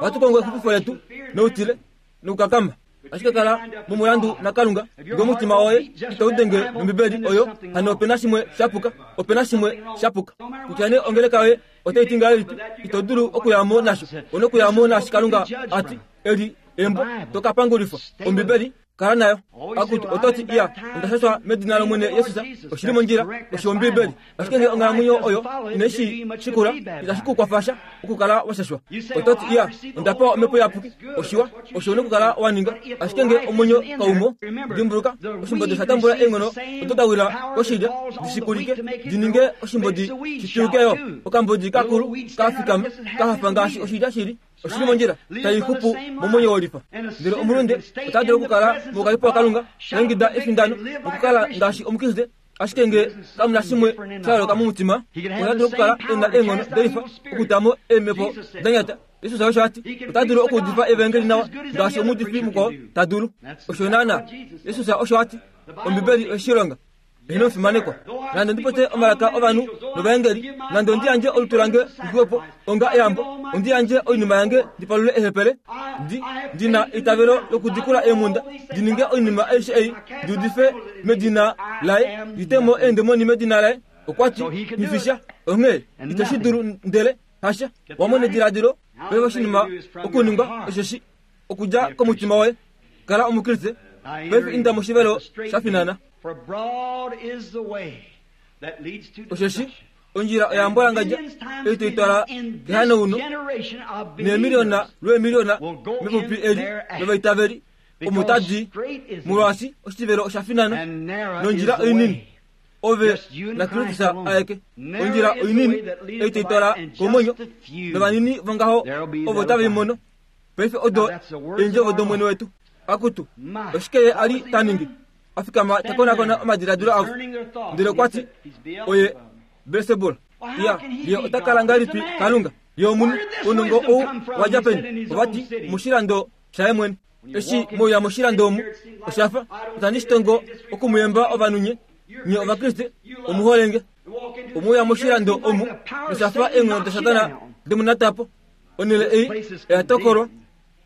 Ohatu kongo exupifo letu noutile nokukakama. Ashike kala momulandu naKalunga. Ngee omutima woye itau denge nOmbibeli oyo, hano ope na shimwe sha puka. Ope na shimwe sha puka. Kutya nee ongeleka yoye otai ti ngahelipi, ito dulu okuya mo nasho. Ou na okuya mo naashi Kalunga a ti. Eli embo to ka pangulifwa. Ombibeli Kala nayo. Akutu, oto ti, Iya, onda shashwa medina lOmwene Jesus. Oshi li mondjila. Osho Ombiibeli. Ashike ngee onghalamwenyo oyo inai shi shikula, itashi ku kwafa sha okukala wa shashwa. Oto ti, Iya, onda pewa Omhepo Iyapuki. Oshiwa, osho u na okukala wa ninga. Ashike ngee omwenyo kau mo, dimbuluka, oshimbodi osha tambula eenghono odo da wila koshilya di shi kulike, di ninge oshimbodi shi twiyuke yo. Okambodi kakulu ka fikama, ka hafa ngaashi oshilya shi li. Oshili mondjila tai xupu momwenyo wolifa. Ndele omulunde ota dulu okukala moukalipo waKalunga, ta ingida efindano nokukala ngaashi Omukriste, ashike nge kamu na shimwe sha yooloka momutima, ota dulu okukala e na eenghono delifa okuta mo eemhepo da nyata. Jesus osho a ti. Ota dulu okuudifa evaengeli nawa ngaashi omuudifi mukwao ta dulu. Osho naanaa. Jesus osho a ti. Ombibeli oye shi longa. Eheno omufimanekwa, nande ondi popye omalaka ovanhu novaengeli, nande ondi yandje olutu lange li po onga eyambo, ondi yandje oinima yange ndi palule eehepele, ndi, ndi na eitavelo lokudikula eemhunda, ndi ninge oinima aishe ei, ndi udife medina laye, ndi te mo eendemoni medina laye, okwa ti, Nghifisha, onghee ito shi dulu ndele hasha. Wa mona ediladilo paife oshinima okuningwa osheshi okudja komutima woye. Kala Omukriste paife inda moshivelo sha finana. Osheshi ondjila oya mbwalangadja ei tai twala kehanauno, neemiliona lweemiliona mepupi eli lovaitaveli omo tadi, molwaashi oshivelo osha finana nondjila oinini. Ove naKristus aeke. Ondjila oinini ei tai twala komwenyo, novanini vongaho ovo tave i mono. Paife odo eendjovo dOmwene wetu. Akutu, oshike ye a li ta ningi? A fikama ta konakona omadiladilo avo. Ndele okwa ti, Oye Belsebul. Ya, ye ota kala ngahelipi Kalunga? Ye omunhu. Ounongo ou wa dja peni? Ova ti, Moshilando shaye mwene. Eshi mwe uya moshilando omu, osha fa itandi shi tongo oku mu yemba ovanhu nye, nye Ovakriste, omu hole nge. Omwe uya moshilando omu, nosha fa eenghono daSatana de mu nata po. Onhele ei oya tokolwa,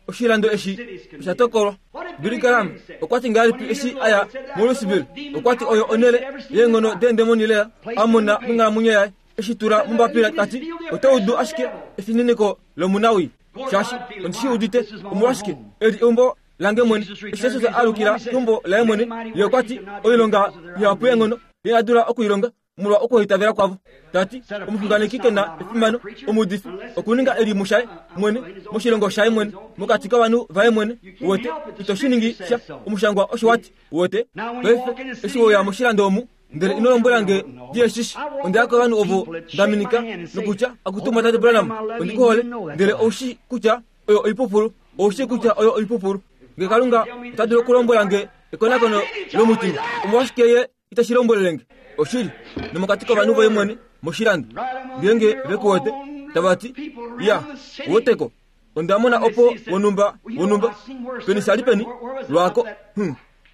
oshilando eshi osha tokolwa. Billy Graham okwa ti ngahelipi eshi a ya moLouisville? Okwa ti oyo onhele yeenghono deendemoni lela a mona monghalamwenyo yaye. Eshi tula mombapila ta ti, Oto udu ashike efininiko lomunawii, shaashi ondi shi udite. Omolwashike? Eli eumbo lange mwene. Eshi Jesus a alukila keumbo laye mwene, ye okwa ti, Oilonga ihapu yeenghono ye a dula oku i longa, molwa okuhaitavela kwavo, ta ti, Omuxunganeki ke na efimano, omuudifi, okuninga e li mushaye mwene, moshilongo shaye mwene, mokati kovanhu vaye mwene. Uwete, ito shi ningi sha. Omushangwa osho wa ti. Uwete? Paife, eshi we uya moshilando omu, ndele ino lombwela nge ndi eshishi, onda ya kovanhu ovo nda minika, nokutya, Akutu Tate Branham, ondi ku hole, ndele ou shii kutya oyo oipupulu. Ou shii kutya oyo oipupulu. Nge Kalunga ota dulu okulombwela nge ekonakono lomutima, omolwashike Ye itashi lombwelele nge oshili nomokati kovanhu voye mwene moshilando ngeenge ve ku wete tava ti ya woteko onda mona opo wonhumba wonhumba peni sha li peni lwaako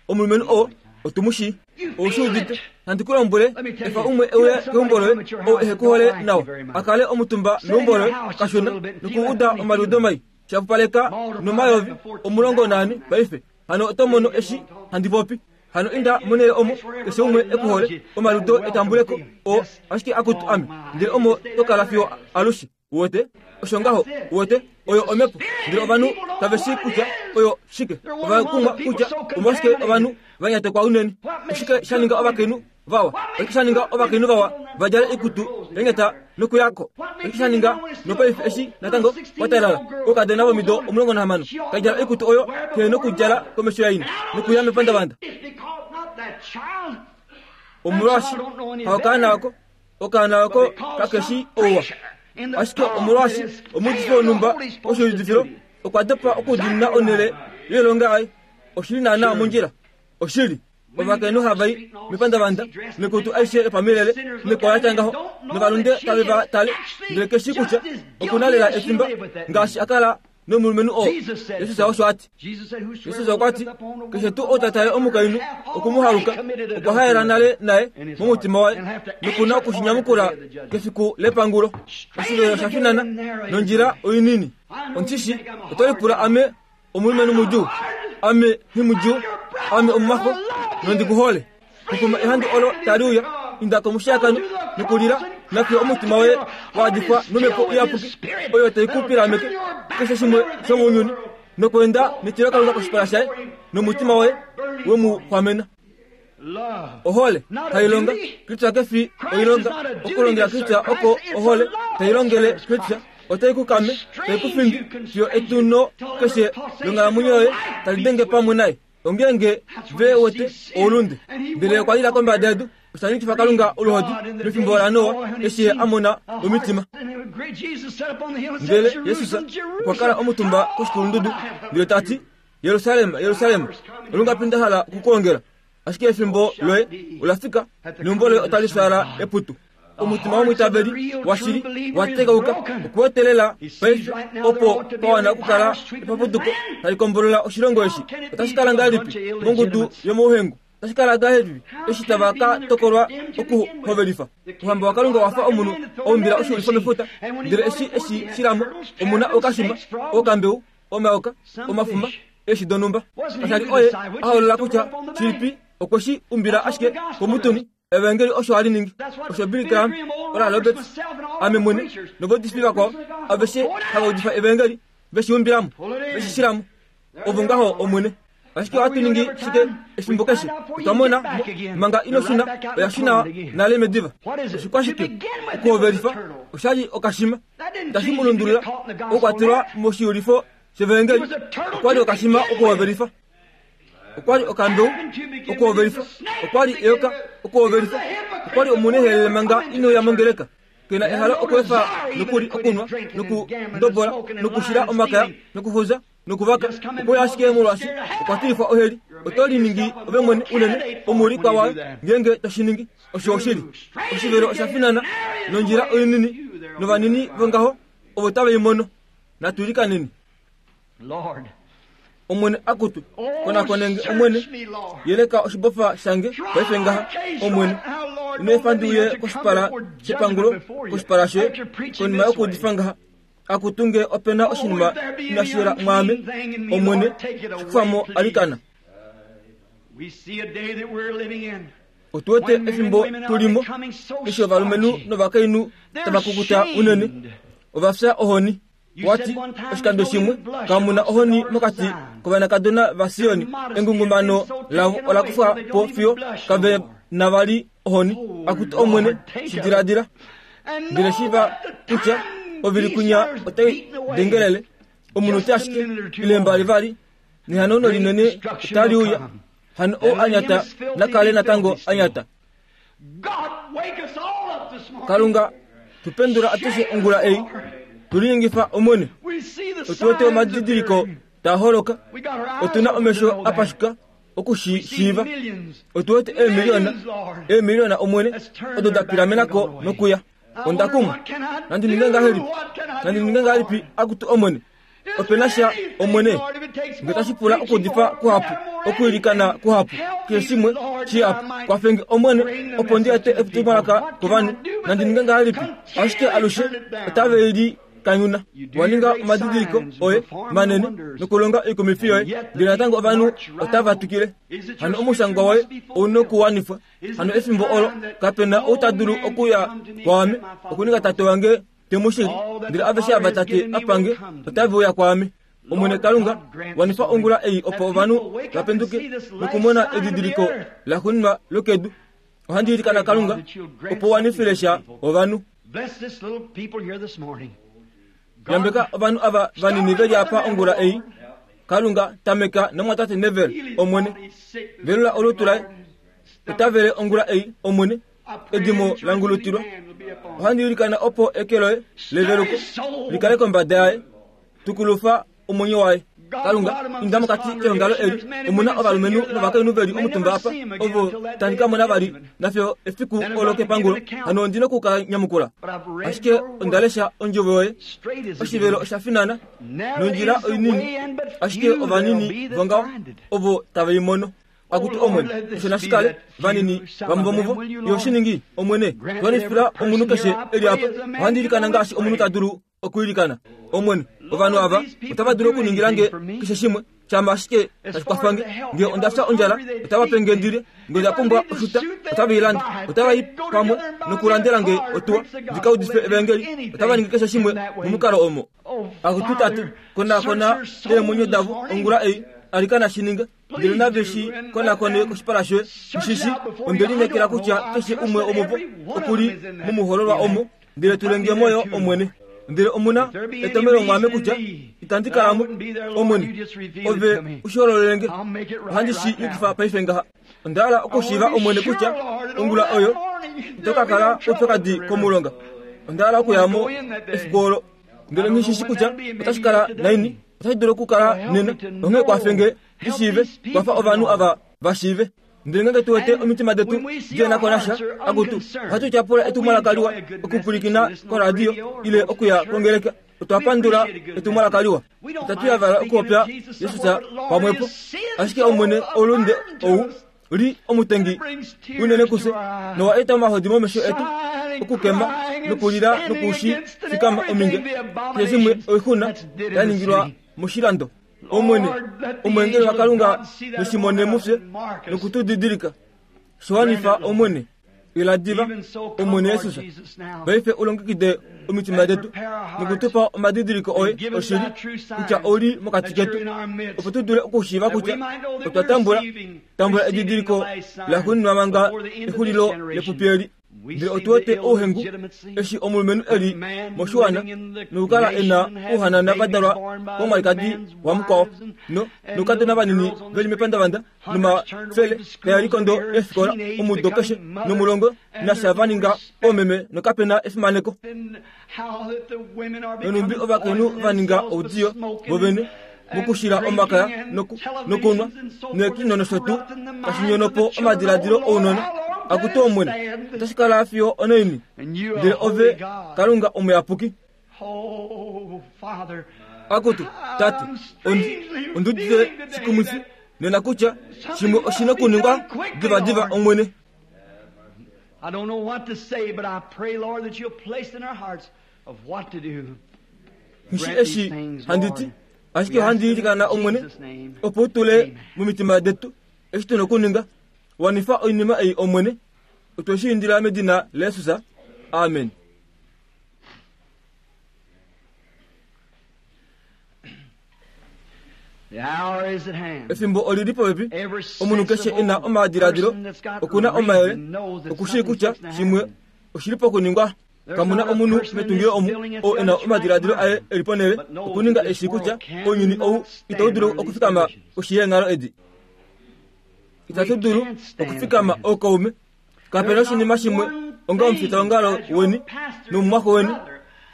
omulumenhu oo. Otu mu shii. Ou shi udite? Nandi ku lombwele, efa umwe e uye keumbo loye ou ehe ku hole nawa, a kale omutumba meumbo loye kashona nokuuda omaliudo mai. Shapupaleka nomayovi 14 paife. Hano oto mono eshi handi popi. Hano inda monhele omo keshe umwe e ku hole, omaliudo etambuleko oo ashike akutu ame, ndele omo to kala fiyo alushe. Uwete? Osho ngaho. Uwete? Oyo omhepo. Ndele ovanhu kave shii kutya oyo shike. Ova kumwa kutya omolwashike ovanhu va nyatekwa unene. Oshike sha ninga ovakainhu vawa? Oshike sha ninga ovakainhu vawa va djale oikutu ya nyata nokuya ko? Oshike sha ninga nopaife eshi natango kwa talala oukadona vomido 16 ka djala oikutu oyo kehe nokudjala komesho yaina nokuya mepandavanda? Omolwaashi haokaana oko Okaana oko kake shi ouwa. Ashike omolwaashi omuudifi wonhumba woshiudifilo okwa dopa okudiinina onhele yoilonga yaye, oshi li naanaa mondjila. Oshili. Ovakainhu hava i mepandavanda noikutu aishe yopamilele noikwao ya tya ngaho, novalunde tave va tale, ndele ke shii kutya oku na lela etimba ngaashi a kala nomulumenhu oo. Jesus osho a ti. Jesus okwa ti, Keshe tuu ou ta tale omukainhu oku mu haluka, okwa haela nale naye momutima waye, noku na oku shi nyamukula kefiku lepangulo. Oshivelo osha finana, nondjila oinini. Ondishi, oto lipula ame omulumenhu mudjuu? Ame nghimudjuu, ame omumaxo, nondi ku hole. Kukuma ehandu olo tali uya, inda komushiyakano nokulila, nafiyo omutima woye wa adifwa nomhepo iyapuki oyo tai ku pilameke keshe shimwe shomounyuni nokweenda netilokalunga koshipala shaye nomutima woye we mu xwamena. Ohole tai longa Kristus ke fi oilonga. Okulongela Kristus oko ohole tai longele Kristus otai ku kame, tai ku findi fiyo etuno keshe longhalamwenyo yoye tali denge pamwe naye. Ongeenge ve wete oulunde. Ndele okwa lila kombada yedu, osha nyikifa Kalunga oluhodi mefimbo laNoa eshi ye a mona omitima. Ndele Jesus okwa kala omutumba koshikulundudu ndele ta ti, Jerusalem, Jerusalem, olungapi nda hala okukuongela, ashike efimbo loye ola fika neumbo loye otali fyaala eputu. Omutima womwiitaveli washili wa tekauka okuwete lela paife opo pa wana okukala epapuduko tali kombolola oshilongo eshi. Otashi kala ngahelipi mongudu yomouhengu? Otashi kala ngahelipi eshi tava ka tokolwa okuhovelifa? Ouhamba waKalunga owa fa omunhu a umbila oshiulifo mefuta, ndele eshi e shi shila mo, omu na okashima, okambeu, omayoka, omafuma, eeshi donhumba. Kasha li oye a hoolola kutya shilipi, okwe shi umbila ashike komutuni. Evangeli osho hali ningi. Osho Billy Graham, Oral Roberts, ame mwene, novaudifi vakwao aveshe hava udifa Evangeli, ve shi umbila mo, ve shi shila mo. Ovo ngaho, Omwene. Ashike ohatu ningi shike efimbo keshe? Otwa mona mo, manga ino shuna, oya shuna nale mediva. Oshikwashike? Okuhovelifa, osha li okashima. Itashi mu lundulula okukwatelwa moshiyulifo shEvaengeli. Okwa li okashima okuhovelifa. Okwa li okambeu okuhovelifa. Okwa li eyoka okuhovelifa. Okwa li omunehelele manga ino ya mongeleka. Ke na ehalo okweefa nokuli okunwa nokundobola nokushila omakaya nokufuza nokuvaka. Okwe uya ashike molwaashi okwa tilifwa oheli. Oto liningi ove mwene unene omuulikwa wayo ngeenge to shi ningi. Osho oshili. Oshivelo osha finana nondjila oinini novanini vongaho ovo tave i mono. Natu ilikaneni. Omwene akutu, konakone nge, Omwene, yeleka oshibofa shange paife ngaha, Omwene. Ino efa ndi uye koshipala shepangulo, koshipala shoye, konima yokuudifa ngaha. Akutu nge ope na oshinima inashi yela mwaame, Omwene, shi kufa mo alikana. Otu wete efimbo tu li mo, eshi ovalumenhu novakainhu tava kukuta unene, ova fya ohoni. Wa ti, Oshikando shimwe, kamu na ohoni mokati kovanakadona vaSion. Engungumano lavo ola kufwa po fiyo kave na vali ohoni. Akutu Omwene, shi diladila. Ndele shiiva kutya ovili kwinya otai dengelele, omunute ashike, ile mbali vali, nehanauno linene otali uya. Hano ou a nyata na kale natango a nyata. Kalunga, tu pendula atushe ongula ei, tu linyengifa Omwene. Otu wete omadidiliko taa holoka, otu na omesho a pashuka oku shi shiiva. Otu wete eemiliona, eemiliona Omwene, odo da pilamena ko nokuya. Onda kumwa. Nandi ninge ngahelipi? Nandi ninge ngahelipi, akutu Omwene? Ope na sha, Omwene, nge tashi pula okuudifa kuhapu, okwiilikana kuhapu, keshe shimwe shihapu, kwafe nge, Omwene, opo ndi ete etumwalaka kovanhu. Nandi ninge ngahelipi? Ashike alushe otave li kanyuna. Wa ninga omadidiliko oye manene nokulonga oikumifi yoye, ndele natango ovanhu otava twikile. Hano omushangwa woye ou nokuwanifwa. Hano efimbo olo kape na ou ta dulu okuya kwaame okuninga tate wange te mu shili, ndele aveshe ava Tate a pa nge otave uya kwaame. Omwene Kalunga, wanifa ongula ei opo ovanhu va penduke nokumona edidiliko laxuuninwa lokedu. Ohandi ilikana Kalunga opo wanifile sha ovanhu. Yambeka ovanhu ava vanini ve li apa ongula ei. Kalunga, tameka nomwatate Neville, Omwene. Velula olutu laye. Ota vele ongula ei, Omwene. Edimo la ngulutilwa. Ohandi ilikana opo eke loye leveluko li kale kombada yaye. Tukulufa omwenyo waye. Kalunga, inda mokati keongalo eli. Omu na ovalumenhu novakainhu ve li omutumba apa, ovo tandi ka mona vali nafyo efiku olo kepangulo. Hano ondi noku ka nyamukula. Ashike onda lesha ondjovo yoye. Oshivelo osha finana, nondjila oinini, ashike ovanini vongaho ovo tave i mono. Akutu Omwene, osho nashi kale, vanini vamwe vomuvo, Ye oshi ningi, Omwene, twanifila omunhu keshe e li apa. Ohandi ilikana ngaashi omunhu ta dulu okwiilikana. Omwene, ovanhu ava otava dulu okuningila nge keshe shimwe, shama ashike tashi kwafa nge. Nge onda fya ondjala, otava pe nge ndi lye. Nge onda pumbwa oshuta, otava i lande. Otava i pamwe nokulandela nge otuwa ndi ka udife evaengeli. Otava ningi keshe shimwe momukalo omo. Akutu Tate, konakona eemwenyo davo ongula ei, alikana shi ninga. Ndele nave shi konakone koshipala shoye. Shishi, onde lineekela kutya keshe umwe womuvo oku li momuhololwa omo, ndele tule nge mo yo, Omwene. Ndele omu na etomhelo mwaame kutya itandi kala mo, Omwene. Ove u shi hololele nge. Ohandi shi yukifa paife ngaha. Onda hala okushiiva, Omwene, kutya ongula oyo ito ka kala oupyakadi komulonga. Onda hala okuya mo efiku olo. Ndele nghi shi shi kutya otashi kala naini. Otashi dulu okukala nena. Onghee kwafe nge ndi shiive, kwafa ovanhu ava va shiive. Ndele ngeenge tu wete omitima detu di na ko nasha, akutu, ohatu tyapula etumwalaka liwa okupwilikina koradio ile okuya kongeleka. Otwa pandula etumwalaka liwa. Itatu yavala okupopya Jesus pamwepo, ashike Omwene oulunde ou li omutengi unene kufye nowa eta omahodi momesho etu okukema nokulila nokushi fikama ominge keshe shimwe oixuna ya ningilwa moshilando. Omwene, omweengeli waKalunga neshimone mufye noku tu didilika. Shiwanifa, Omwene. Ila diva, Omwene Jesus. Paife u longekide omitima detu noku tu pa omadidiliko oye oshili kutya ou li mokati ketu, opo tu dule okushiiva kutya otwa tambula tambula edidiliko laxuuninwa manga exulilo lepupi eli. Ndele otu wete ouhengu eshi omulumenhu e li moshiwana nokukala e na ouhanana va dalwa komwalikadi wamukwao no noukadona vanini ve li mepandavanda nomafele taya likondo eefikola omudo keshe nomulongo nasha va ninga oomeme nokape na efimaneko. Nonhumbi ovakainhu va ninga oudiyo vovene mokushila omakaya nokunwa neekino nosho tuu tashi nyono po omadiladilo ounona. Akutu Omwene, otashi kala fiyo onaini? Ndele ove Kalunga omuyapuki. Akutu, Tate, ondi, ondi udite shikumwifi nena kutya shimwe oshi nokuningwa divadiva, Omwene. I don't know what to say, but I pray, Lord, that you'll place in our hearts of what to do. Nghi shi eshi handi ti, ashike ohandi ilikana Omwene, opo u tule momitima detu eshi tu nokuninga. Wanifa oinima ei, Omwene. Otwe shi indila medina laJesus. Amen. Efimbo oli li popepi. Omunhu keshe e na omadiladilo oku na omayele oku shii kutya shimwe oshi li pokuningwa. Kamu na omunhu metungilo omu oo e na omadiladilo aye e li ponhele okuninga e shii kutya ounyuni ou itau dulu okufikama koshi yeenghalo edi. Itatu dulu okufikama ookaume. Kape na oshinima shimwe onga omufitaongalo weni nomumwaxo weni.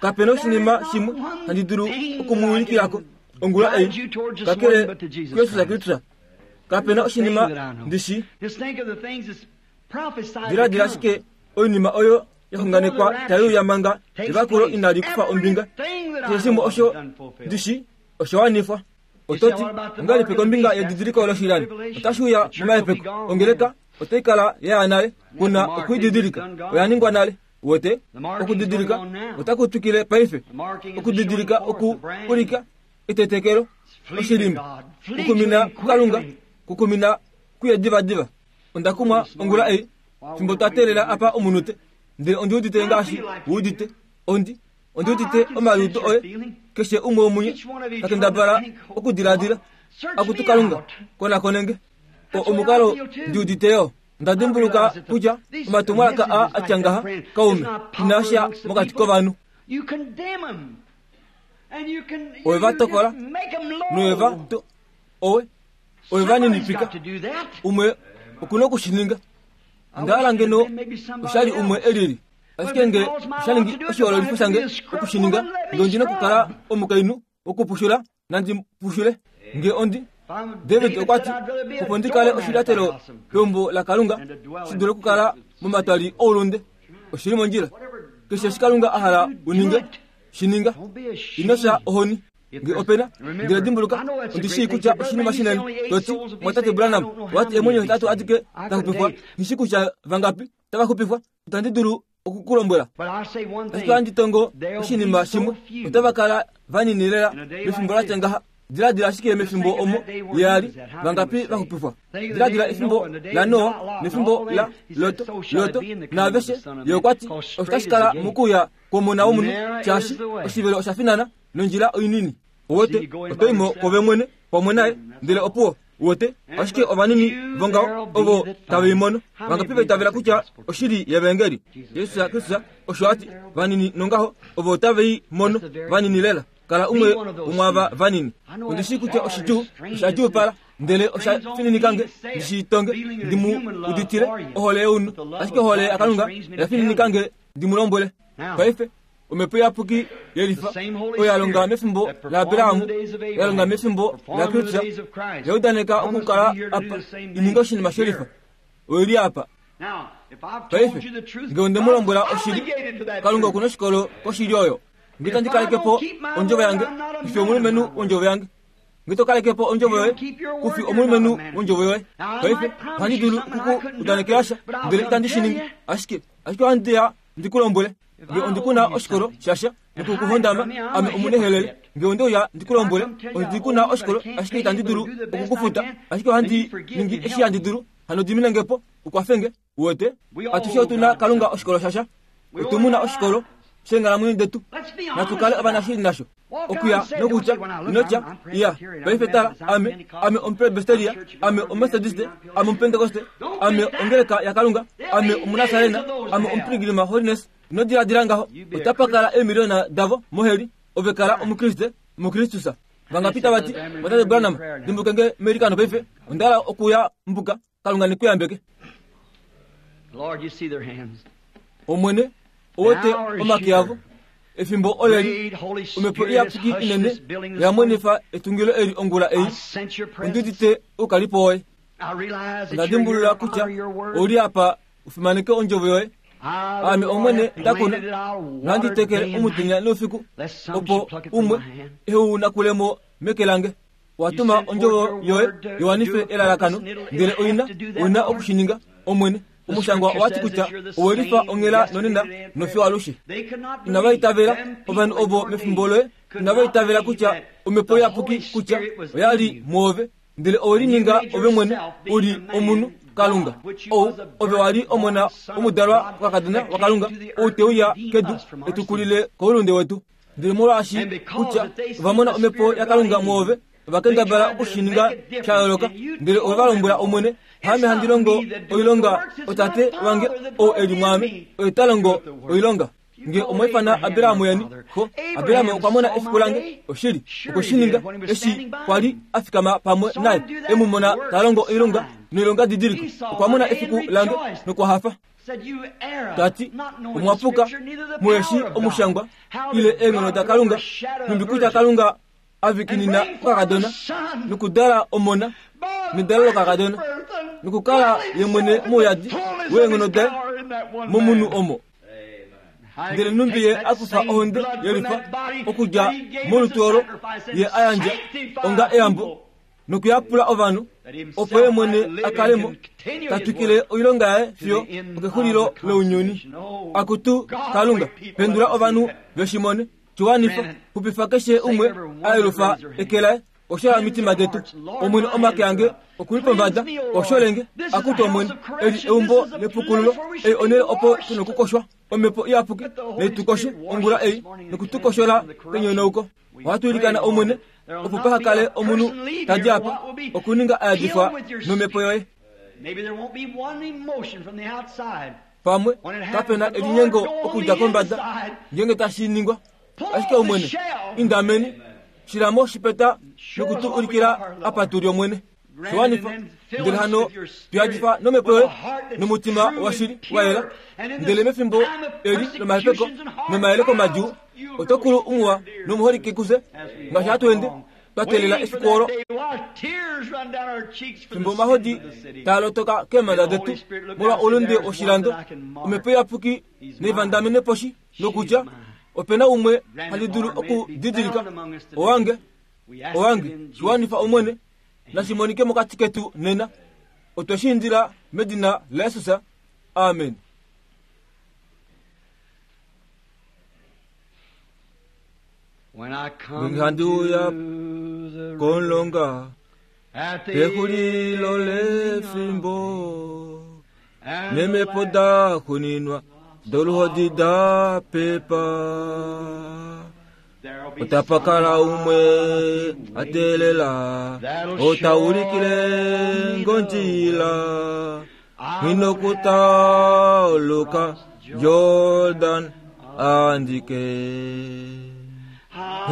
Kape na oshinima shimwe handi dulu oku mu ulikila ko ongula ei, kakele kuJesus Kristus. Kape na oshinima ndi shii. Diladila ashike oinima oyo ya xunganekwa tai uya manga evakulo inali kufa ombinga. Keshe shimwe osho ndi shii. Osha wanifwa. Oto ti, Ongahelipi kombinga yedidiliko loshilani? Otashi uya momahepeko. Ongeleka otai kala ya ya nale. Ku na okuididilika. Oya ningwa nale. Uwete? Okudidilika otaku twikile paife. Okudidilika oku ulika etetekelo, oshilimba, kukumina kuKalunga, kukumina kuye divadiva. Onda kumwa ongula ei, fimbo twa teelela apa omunute, ndele ondi udite ngaashi u udite. Ondi, ondi udite omaliudo oye, keshe umwe womunye, ta kendabala okudiladila, Akutu Kalunga, konakone nge. O, omukalo ndi udite yo. Onda dimbuluka kutya omatumwalaka a a tya ngaha, kaume, inaa sha mokati kovanhu. Owe va tokola, nowe va to, owe, owe va ninipika. Umwe oku na oku shi ninga. Onda hala ngeno osha li umwe e lili. Ashike nge osha ningi oshihoololifo shange oku shi ninga, nge ondi na okukala omukainhu wokupushula, nandi pushule. Nge ondi David okwa ti, opo ndi kale oshilyatelo peumbo laKalunga, shi dule okukala momatwali oulunde. Oshi li mondjila. Keshe eshi Kalunga a hala u ninge, shi ninga. Ino fya ohoni. Nge ope na, ndele dimbuluka, ondi shii kutya oshinima shinene. To ti, Mwatate Branham, owa ti eemwenyo hetatu adike da xupifwa. Nghi shii kutya vangapi tava xupifwa. Itandi dulu oku ku lombwela. Ashike ohandi tongo oshinima shimwe, otava kala vanini lela mefimbo la tya ngaha. Diladila ashike mefimbo omo ye a li, vangapi va xupifwa. Diladila efimbo laNoa nefimbo la Lot, Lot naaveshe. Ye okwa ti, Osho tashi kala mokuuya kwOmona wOmunhu, shaashi oshivelo osha finana nondjila oinini. Uwete, oto i mo kove mwene pamwe naye, ndele opuwo. Uwete, ashike ovanini vongaho ovo tave i mono. Vangapi va itavela kutya oshili yEvaengeli? Jesus Kristus osho a ti, Vanini nongaho ovo tave i mono, vanini lela. Kala umwe womwaava vanini. Ondi shii kutya oshidjuu, osha djuupala, ndele osha fininika nge ndi shi tonge, ndi mu uditile ohole younhu. Ashike ohole yaKalunga oya fininika nge ndi mu lombwele. Paife, Omhepo Iyapuki yelifa oyo ya longa mefimbo laAbraham, ya longa mefimbo laKristus, ya udaneka okukala apa i ninge oshinima shelifa. Oi li apa. Paife, nge onde mu lombwela oshili, Kalunga oku na oshikolo koshili oyo. Nge itandi kaleke po ondjovo yange, kufi omulumenhu wondjovo yange. Nge to kaleke po ondjovo yoye, kufi omulumenhu wondjovo yoye. Paife, ohandi dulu oku ku udanekela sha, ndele itandi shi ningi. Ashike, ashike ohandi ya ndi ku lombwele, nge ondi ku na oshikolo shasha noku ku hondama, ame omunehelele. Nge onde uya ndi ku lombwele, ondi ku na oshikolo, ashike itandi dulu oku ku futa, ashike ohandi ningi eshi handi dulu, hano dimine nge po, u kwafe nge. Uwete? Atushe otu na Kalunga oshikolo shasha. Otu mu na oshikolo sheenghalamwenyo detu. Natu kale ovanashili nasho. Okuya nokutya, ino tya, Iya, paife tala, ame, ame Omupresbyteria, ame Omumethodiste, ame Omupentekoste, ame Ongeleka yaKalunga, ame Omunasarena, ame Omupiligrima Holiness. Ino diladila ngaho. Otapa kala eemiliona davo moheli. Ove kala Omukriste muKristus. Vangapi tava ti, Mwatate Branham, dimbuke nge meilikano paife. Onda hala okuya mbuka. Kalunga ne ku yambeke. Lord, you see their hands. Omwene, owete omake avo. Efimbo oleli, Omhepo Iyapuki inene oya mwenifa etungilo eli ongula ei. Ondi udite oukalipo woye. Onda dimbulula kutya ou li apa u fimaneke ondjovo yoye. Aame Omwene nda kuna, nohandi tekele omutenya noufiku, opo umwe ehe u nakule mo meke lange. Wa tuma ondjovo yoye i wanife elalakano, ndele oina, oina oku shi ninga, Omwene. Omushangwa owa ti kutya owe lifa onghela nonena nofiyo alushe. Inava itavela, ovanhu ovo mefimbo loye inava itavela kutya Omhepo Iyapuki kutya oya li mwoove, ndele owe lininga ove mwene u li omunhu, Kalunga. Ou, ove wa li omona womudalwa kokakadona waKalunga, ou te uya kedu e tu kulile koulunde wetu. Ndele molwaashi kutya ova mona omhepo yaKalunga mwoove, ova kendabala oku shi ninga sha yooloka. Ndele ove va lombwela Omwene, Haame handi longo oilonga, oTate wange ou e li mwaame, oye ta longo oilonga. Nge omwa ifana Abraham yeni, xo, Abraham okwa mona efiku lange, oshili, okwe shi ninga, eshi kwa li a fikama pamwe naye, e mu mona ta longo oilonga noilongadidiliko. Okwa mona efiku lange nokwa hafa. Ta ti, Omwa puka, muhe shii omushangwa ile eenghono daKalunga, nhumbi kutya Kalunga a vikinina okakadona nokudala omona nedalo lokakadona nokukala ye mwene mouyadi weenghono daye momunhu omo. Ndele nhumbi Ye a kufa ohonde yelifa okudja molutu olo Ye a yandja onga eyambo nokuyapula ovanhu, opo Ye mwene a kale mo, ta twikile oilonga yaye fiyo okexulilo lounyuni. Akutu Kalunga, pendula ovanhu ve shi mone. Shi wanifa, xupifa keshe umwe a yelufa eke laye. Koshola omitima detu, Omwene, omake ange oku li pombada. Koshole nge, akutu Omwene. Eli eumbo lepukululo, ei onhele opo tu nokukoshwa. Omhepo Iyapuki nai tu koshe ongula ei noku tu koshola kenyonauko. Ohatu ilikana, Omwene, opo paha kale omunhu ta di apa okuninga a yadifwa nOmhepo yoye. Pamwe kape na elinyengo okudja kombada ngeenge tashi ningwa. Ashike Omwene, inda meni, shila mo oshipeta noku tu ulikila apa tu li, Omwene. Shi wanifa. Ndele hano tu yadifa nomhepo yoye nomutima washili wa yela. Ndele mefimbo eli lomahepeko nomayeleko madjuu, oto kulu umuwa nomuholike kufye, ngaashi hatu ende twa teelela efiku olo. Fimbo omahodi taa lotoka keemhanda detu molwa oulunde woshilando, Omhepo Iyapuki nai vandamene poshi nokutya, Ope na umwe handi dulu okudidilika, owange, owange. Shi wanifa, Omwene. Nashi monike mokati ketu nena. Otwe shi indila medina laJesus. Amen. Ngeenge handi uya komulonga pexulilo lefimbo, neemhepo da xuninwa doluhodi da pepa, otapa kala umwe a teelela, ota ulikile ngondjila, inokutauluka Jordan andike.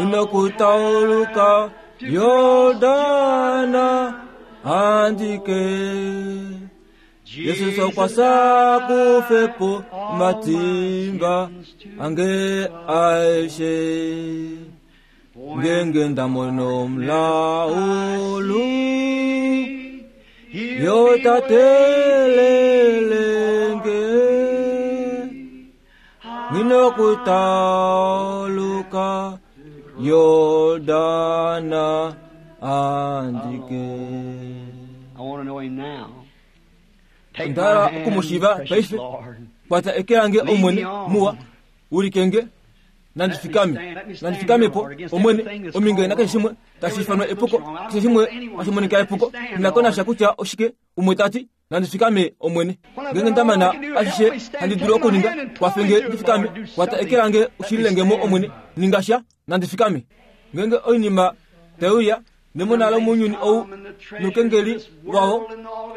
Inokutauluka Jordan andike. Jesus okwa sa kufe po omatimba ange aeshe. Ngenge nda mono omulaulu, yo ta teelele nge. Nginokutauluka Yordana andike. I want to know him now. Take Onda hala my hand, oku mu shiiva precious paife. Lord. Kwata eke lange Lead Omwene me on. muwa, wilike nge. Nandi fikame, nandi fikame po, Omwene, ominge nakeshe shimwe tashi ifanwa epuko, keshe shimwe tashi monika epuko, nghi na ko nasha kutya oshike, umwe ta ti, Nandi fikame, Omwene. Ngeenge nda mana ashishe handi dulu okuninga, kwafe nge ndi fikame. Kwata eke lange u shilile nge mo, Omwene. Ninga sha. Nandi fikame. Ngeenge oinima tai uya, nemona lomounyuni ou noukengeli wao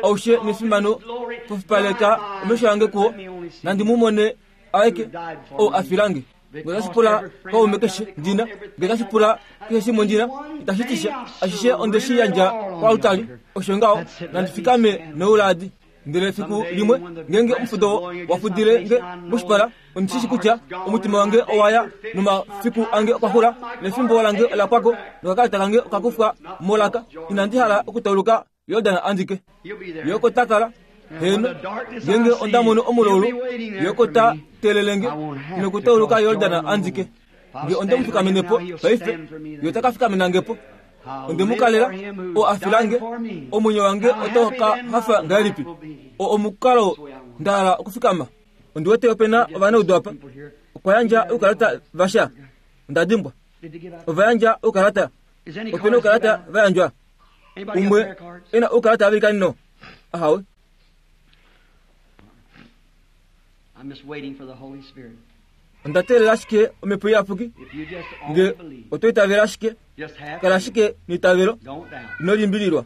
aushe nefimano, pofipaleka omesho ange kuwo, nandi mu mone aeke ou a fila nge. Nge otashi pula kaume keshe ndi na, nge otashi pula keshe shimwe ndi na, itashi ti sha. Ashishe onde shi yandja koaltari. Osho ngaho, nandi fikame nouladi. Ndele efiku limwe, ngeenge omufudo wa fudile nge moshipala, ondi shi shii kutya omutima wange owa ya nomafiku ange okwa xula, nefimbo lange ola pwa ko, nokakalata kange oka kufwa molaka. Inandi hala okutauluka Yordan andike. Ye oko ta kala. Heeno, ngeenge onda mono omulaulu, Ye oko ta teelele nge nokutauluka Yordan andike. Nge onde mu fikamene po paife, Ye ota ka fikamena nge po. Onde mu kalela, oo a fila nge, omwenyo wange otau ka hafa ngahelipi? Oo omukalo nda hala okufikama. Ondi wete ope na ovanaudu apa. Okwa yandja oukalata vasha? Onda dimbwa. Ova yandja oukalata? Ope na oukalata va yandjwa? Umwe e na oukalata vavelikanino? Ahawe. Onda teelela ashike Omhepo Iyapuki. Nge oto itavele ashike, kala ashike neitavelo, ino limbililwa.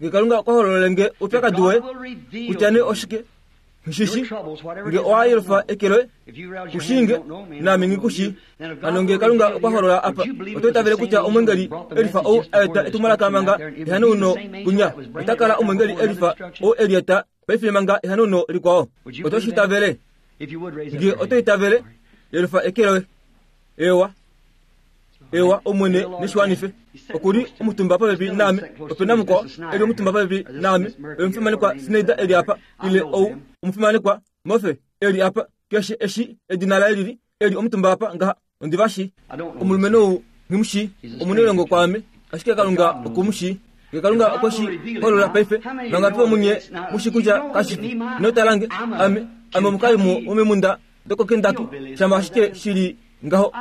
Nge Kalunga okwa hololele nge oupyakadi woye, kutya nee oshike, Nghi shi nge owa yelufa eke loye, ku shii nge, naame nghi ku shii. Hano nge Kalunga okwa holola apa, oto itavele kutya omwengeli elifa ou a eta etumwalaka manga ehanauno kunya, ota kala omwengeli elifa ou e li eta paife manga ehanauno likwao? Oto shi itavele? Nge oto itavele, yelufa eke loye. Eewa. Ewa, Omwene ne shi wanife. Oku li omutumba popepi naame. Ope na mukwao e li omutumba popepi naame. Oye omufimanekwa Snyder e li apa, ile ou omufimanekwa Murphy e li apa. Keshe eshi edina laye lili, e li omutumba apa ngaha, ondi va shii. Omulumenhu ou nghi mu shii, omunailongo kwaame, ashike Kalunga oku mu shii. Nge Kalunga okwe shi holola paife, vangapi vomunye mu shii kutya kashi fi? Ino tala nge, ame, ame omukalimo womemunda dokoKentucky, shama ashike shi li ngaho,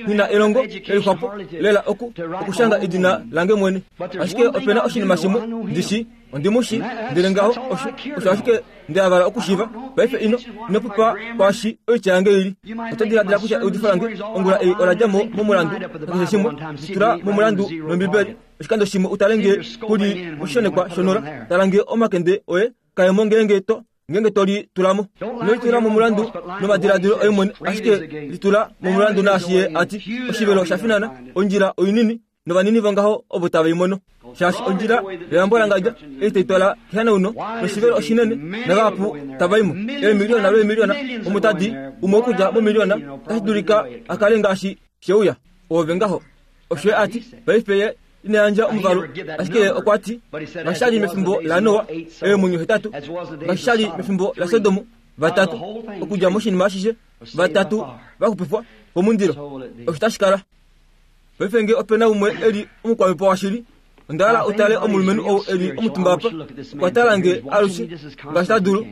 nghi na elongo lelixwapo lela oku, okushanga edina lange mwene. Ashike ope na oshinima shimwe ndi shii, ondi mu shii, ndele ngaho osho, osho ashike nda hala okushiiva. Paife ino, ino pupa kwaashi oitya yange i li. Oto diladila kutya eudifo lange ongula ei ola dja mo momulandu nakeshe shimwe? Li tula momulandu nOmbibeli oshikando shimwe u tale nge ku li moshishonekwa shonola. Tala nge omakende oye kae mo ngeenge to, ngeenge to li tula mo. Ino li tula momulandu nomadiladilo oye mwene, ashike li tula momulandu naashi ye a ti, Oshivelo osha finana, ondjila oinini, novanini vongaho ovo tave i mono. Shaashi ondjila yoyambolangandja ei tai twala kehanauno, noshivelo oshinene, navahapu tava i mo. Eemiliona lweemiliona omo tadi umwe okudja momiliona otashi dulika a kale ngaashi she uya. Oove ngaho. Osho ye a ti. Paife ye ina yandja omuvalu, ashike ye okwa ti, Ngaashi sha li mefimbo laNoa, eemwenyo hetatu, ngaashi sha li mefimbo laSodom, vatatu, okudja moshinima ashishe, vatatu va xupifwa komundilo. Osho tashi kala. Paife nge ope na umwe e li omukwamhepo washili, onda hala u tale omulumenhu ou e li omutumba apa. Okwa tala nge alushe ngaashi ta dulu,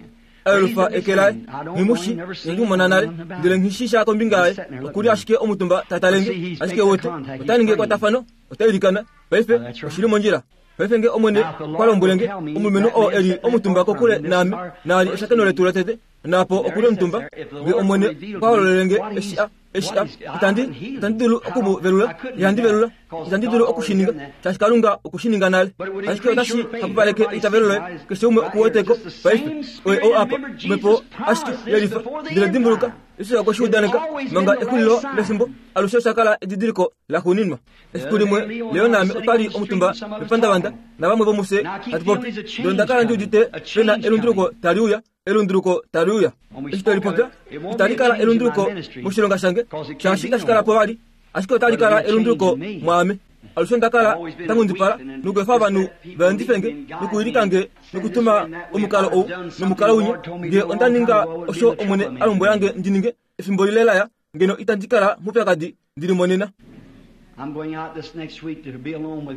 a yelufa eke laye. Nghi mu shii, inandi mu mona nale, ndele nghi shii sha kombinga yaye. Oku li ashike omutumba ta tale nge. Ashike wete, ota ningi ekwatafano, ota ilikana. Paife, oshi li mondjila. Paife nge Omwene okwa lombwele nge, omulumenhu oo e li omutumba kokule naame, naali eshakeno letu lotete, naapo oku li omutumba, nge Omwene okwa hololele nge eshi a, eshi a, itandi, itandi dulu oku mu velula, ihandi velula, itandi dulu oku shi ninga, shaashi Kalunga oku shi ninga nale. Ashike otashi hapupaleke eitavelo loye, keshe umwe oku wete ko paife. Oye ou apa, Omhepo ashike yelifa. Ndele dimbuluka, Jesus okwe shi udaneka, manga exulilo lefimbo, alushe osha kala edidiliko laxuuninwa. Efiku limwe, Leo naame otwa li omutumba mepandavanda navamwe vomufye hatu popi. Ndele onda kala ndi udite pe na elunduluko tali uya, elunduluko tali uya. Eshi twe li popya, itali kala elunduluko moshilonga shange, shaashi itashi kala po vali, ashike otali kala elunduluko mwaame. Alushe onda kala nda nghundipala nokuefa ovanhu va endife nge nokuwilika nge nokutuma omukalo ou nomukalo winya. Nge onda ninga osho Omwene a lombwela nge ndi ninge, efimbo lile la ya, ngeno itandi kala moupyakadi ndi li monena.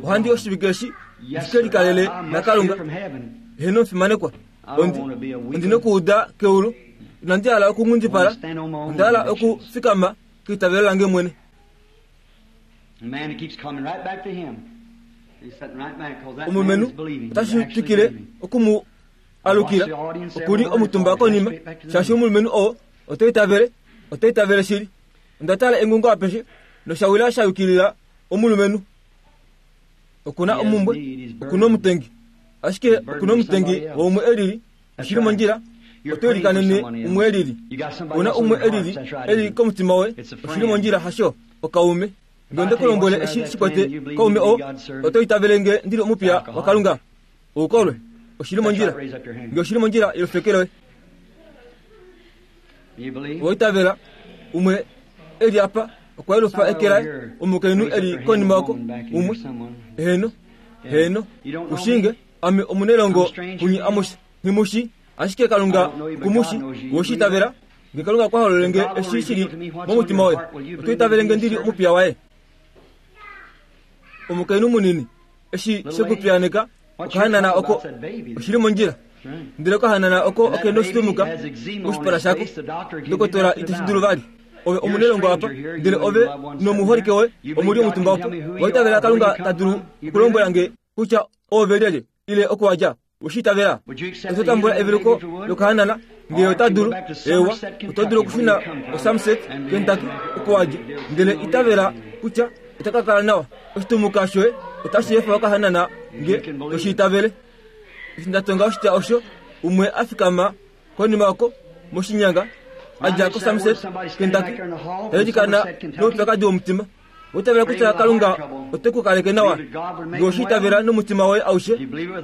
Ohandi oshivike eshi ndi ke likalele naKalunga. Heeno omufimanekwa, ondi, ondi nokuuda keulu. Inandi hala okunghundipala, onda hala okufikama keitavelo lange mwene. Omulumenhu otashi twikile oku mu alukila. Oku li omutumba konima, shaashi omulumenhu oo Oto itavele? Oto itavele shili? Onda tala engungo apeshe, nosha wila sha yukilila omulumenhu. Oku na omumbwe, oku na omutengi. Ashike oku na omutengi waumwe e lili, oshi li mondjila, oto ilikanene umwe e lili. Ou na umwe e lili, e li komutima woye, oshi li mondjila, hasho? Okaume. Nge onde ku lombwele eshi shi kwete kaume oo, oto itavele nge ndi li omupiya waKalunga? Oukolwe, oshi li mondjila. Nge oshi li mondjila, yelufa eke loye. Owa itavela umwe e li apa okwa yelufa eke laye, omukainhu e li konima oko, umwe. Heeno, heeno, ushinge, ame omunailongo kunye amushe, nghi mu shii, ashike Kalunga oku mu shii. Owe shi itavela? Nge Kalunga okwa hololele nge eshi shi li momutima woye, oto itavele nge ndi li omupiya waye? Omukainhu munini, eshi she ku piyaaneka, okahanana oko oshi li mondjila. Ndele okahanana oko oke noshitumuka moshipala shako. Ndokotola ite shi dulu vali. Ove omunelongo apa, ndele ove nomuholike woye omu li omutumba opo. Owa itavela Kalunga ta dulu okulombwela nge kutya oove lyelye, ile oku wa dja? We shi itavela? Oto tambula eveluko lokahanana nge ota dulu. Ewa, oto dulu okushuna koSomerset, Kentucky, oko wa dja. Ndele itavela kutya ota ka kala nawa. Oshitumuka shoye otashi efa okahanana nge to shi itavele. Eshi nda tonga oshitya osho, umwe a fikama konima oko moshinyanga a dja koSomerset, Kentucky, ta ilikana noupyakadi womutima. Oitavela kutya Kalunga ote ku kaleke nawa nge oshi itavela nomutima woye aushe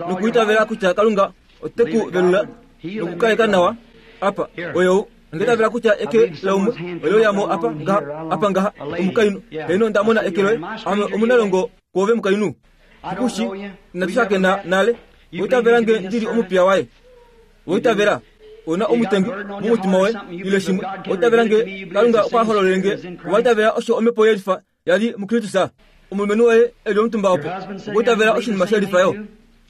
nokuitavela kutya Kalunga ote ku velula nokukaleka nawa apa oyo onda itavela kutya eke laumwe ole uya mo apa ngaha apa ngaha omukainhu heeno onda mona eke loye ame omunalongo kwoove mukainhu kushi inatu shakena nale oitavela nge ndi li omupiya waye oitavela. Ouna omutengi momutima woye ile shimwe. Owa itavela nge Kalunga okwa hololele nge? Owa itavela osho omhepo yelifa ya li muKristus? Omulumenhu woye e li omutumba opo, okwa itavela oshinima shelifa yo.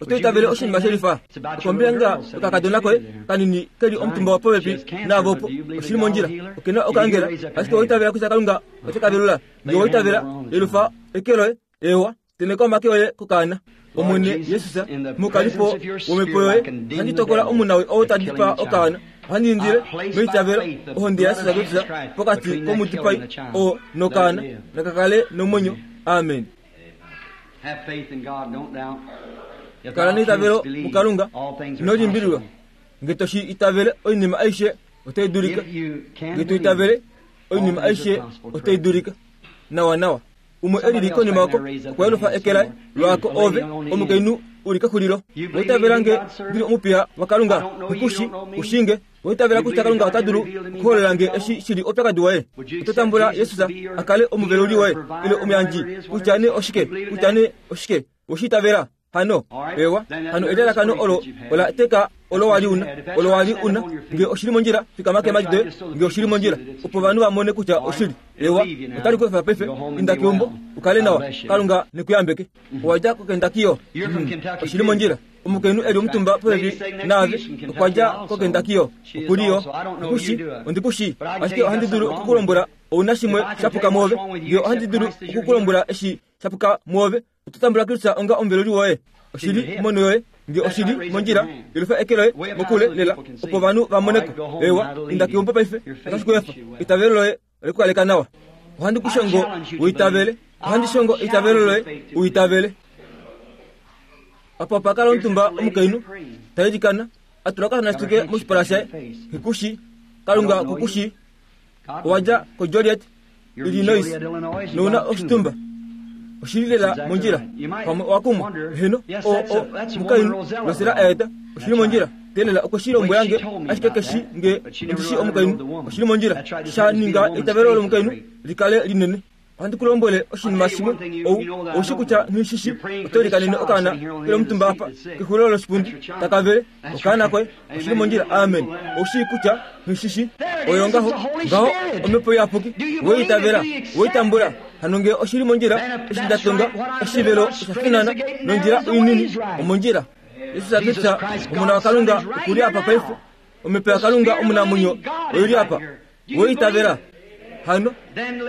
Oto itavele oshinima shelifa? Okombinga yokakadona koye kanini ke li omutumba popepi naave opo, oshi li mondjila. Oke na okaangela, ashike owa itavela kutya Kalunga ote ka velula. Nge owa itavela, yelufa eke loye. Eewa, tenheka omake oye kokaana. Omwene Jesus, mokalipo womhepo yoye, ohandi tokola omunawii ou ta dipaa okaana. Ohandi indile, meitavelo, ohonde yaJesus Kristus pokati komudipai oo nokaana, naka kale nomwenyo. Amen. Kala neitavelo muKalunga, ino limbililwa. Nge to shi itavele, oinima aishe otai dulika. Nge to itavele, oinima aishe otai dulika. Nawanawa. Umwe e lili konima oko okwa yelufa eke laye lwaako ove, omukainhu u li kexulilo. Owa itavela nge ndi li omupiya waKalunga? Nghi ku shii nge. Owa itavela kutya Kalunga ota dulu okuhololela nge eshi shi li oupyakadi woye? Oto tambula Jesus a kale omuveluli woye ile omuyandji, kutya nee oshike, kutya nee oshike? Owe shi itavela? Hano, ewa, hano elalakano olo ola teka olo wa li una, olo wa li una. Nge oshi li mondjila, fikama keemhadi doye, nge oshi li mondjila, opo ovanhu va mone kutya oshili. Ewa, otali ku efa paife. Inda keumbo, u kale nawa. Kalunga ne ku yambeke. Owa dja koKentucky yo? Oshi li mondjila. Omukainhu e li omutumba popepi naave, okwa dja koKentucky yo. Oku li yo. Ku ku shii, ondi ku shii, ashike ohandi dulu oku ku lombwela ou na shimwe sha puka mwoove. Nge ohandi dulu oku ku lombwela eshi sha puka mwoove, Oto tambula Kristus onga omuveluli woye? Oshi li monho yoye. Nge oshi li mondjila, yelufa eke loye mokule lela opo ovanhu va mone ko. Eewa, inda keumbo paife, otashi ku efa. Eitavelo loye ole ku kaleka nawa. Ohandi ku shongo u itavele. Ohandi shongo eitavelo loye u itavele. Apa opa kala omutumba omukainhu ta ilikana, a tula okahanasituke moshipala shaye. Nghi Kalunga oku ku shii. Owa dja koJoliet, Illinois, nou na oshitumba. Oshi li lela mondjila. Pamwe owa kumwa. Heeno, o, o, omukainhu, Rosella a eta. Oshi li mondjila. Teelela, okwe shi lombwela nge, ashike ke shi nge ondi shii omukainhu. Oshi li mondjila. Sha ninga eitavelo lomukainhu li kale linene. Ohandi ku lombwele oshinima shimwe, ou, ou shi kutya nghi shi shi, oto ilikanene okaana ke li omutumba apa kexulilo loshipundi, taka vele, okaana koye, oshi li mondjila, amen. Ou shii kutya nghi shi shi. Oyo ngaho, ngaho, Omhepo Iyapuki, we i itavela, we i tambula. Hano nge oshi li mondjila, eshi nda tonga, oshivelo osha finana, nondjila oinini, omondjila. Jesus Kristus, Omona waKalunga, oku li apa paife. Omhepo yaKalunga omunamwenyo oi li apa. We itavela hano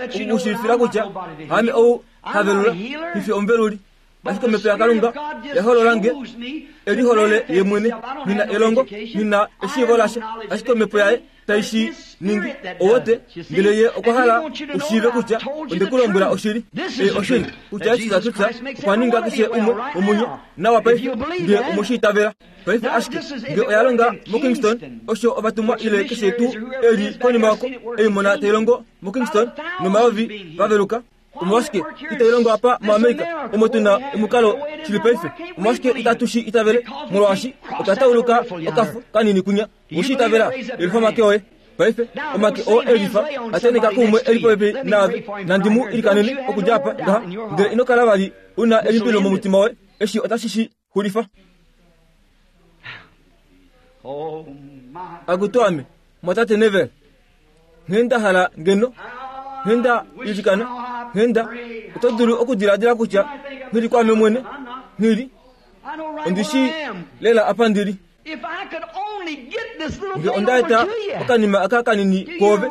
okukushilifila kutya haame ou ha velula, nghi fi omuveluli, ashike Omhepo yaKalunga ya holola nge e liholole Ye mwene. Nghi na elongo, nghi na eshiivo lasha, ashike Omhepo yaye tai shi ningi. Owote, ndele Ye okwa hala u shiive kutya onde ku lombwela oshili. Ei oshili, kutya Jesus Kristus okwa ninga keshe umwe womunye nawa paife, nge omwe shi itavela. Paife ashike nge oya longa moKingston, osho ovatumwa ile keshe tuu e li konima oko ei mona tai longo moKingston nomayovi va veluka, omolwashike itai longo apa moAmerica omo tu na omukalo shili paife? Omolwashike itatu shi itavele? Molwaashi otwa tauluka okafo kanini kunya. Owe shi itavela? Yelifa omake oye. Paife, omake oo e lifa a tenheka kuumwe e li popepi naave. Nandi mu ilikanene okudja apa ngaha, ndele ino kala vali u na elimbililo momutima woye. Eshi otashi shi Xulifa. Akutu ame, mwatate Neville, nghee nda hala ngeno, nghee nda ilikana, nghee nda, oto dulu okudiladila kutya nghi li kwaame mwene, nghi li, ondi shii lela apa ndi li. Nge onda eta okanima aka kanini kwoove,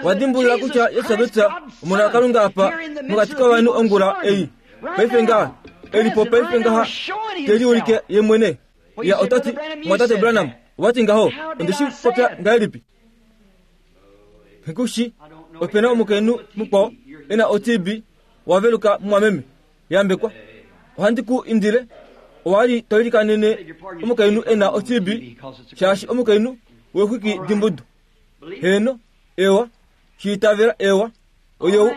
wa dimbulula kutya Jesus Kristus Omona waKalunga apa mokati kovanhu ongula ei. Paife ngaha, e li po paife ngaha te liulike ye mwene. Ya ota ti, Mwatate Branham, owa ti ngaho, onde shi popya ngahelipi? Nghi shi, ope na omukainhu mukwao e na o-TB wa veluka mumwameme. Yambekwa. Ohandi ku indile, owa li to ilikanene omukainhu e na o-TB, shaashi omukainhu weexwiki dimbudu. Heeno, ewa, shi itavela, ewa. Oye oo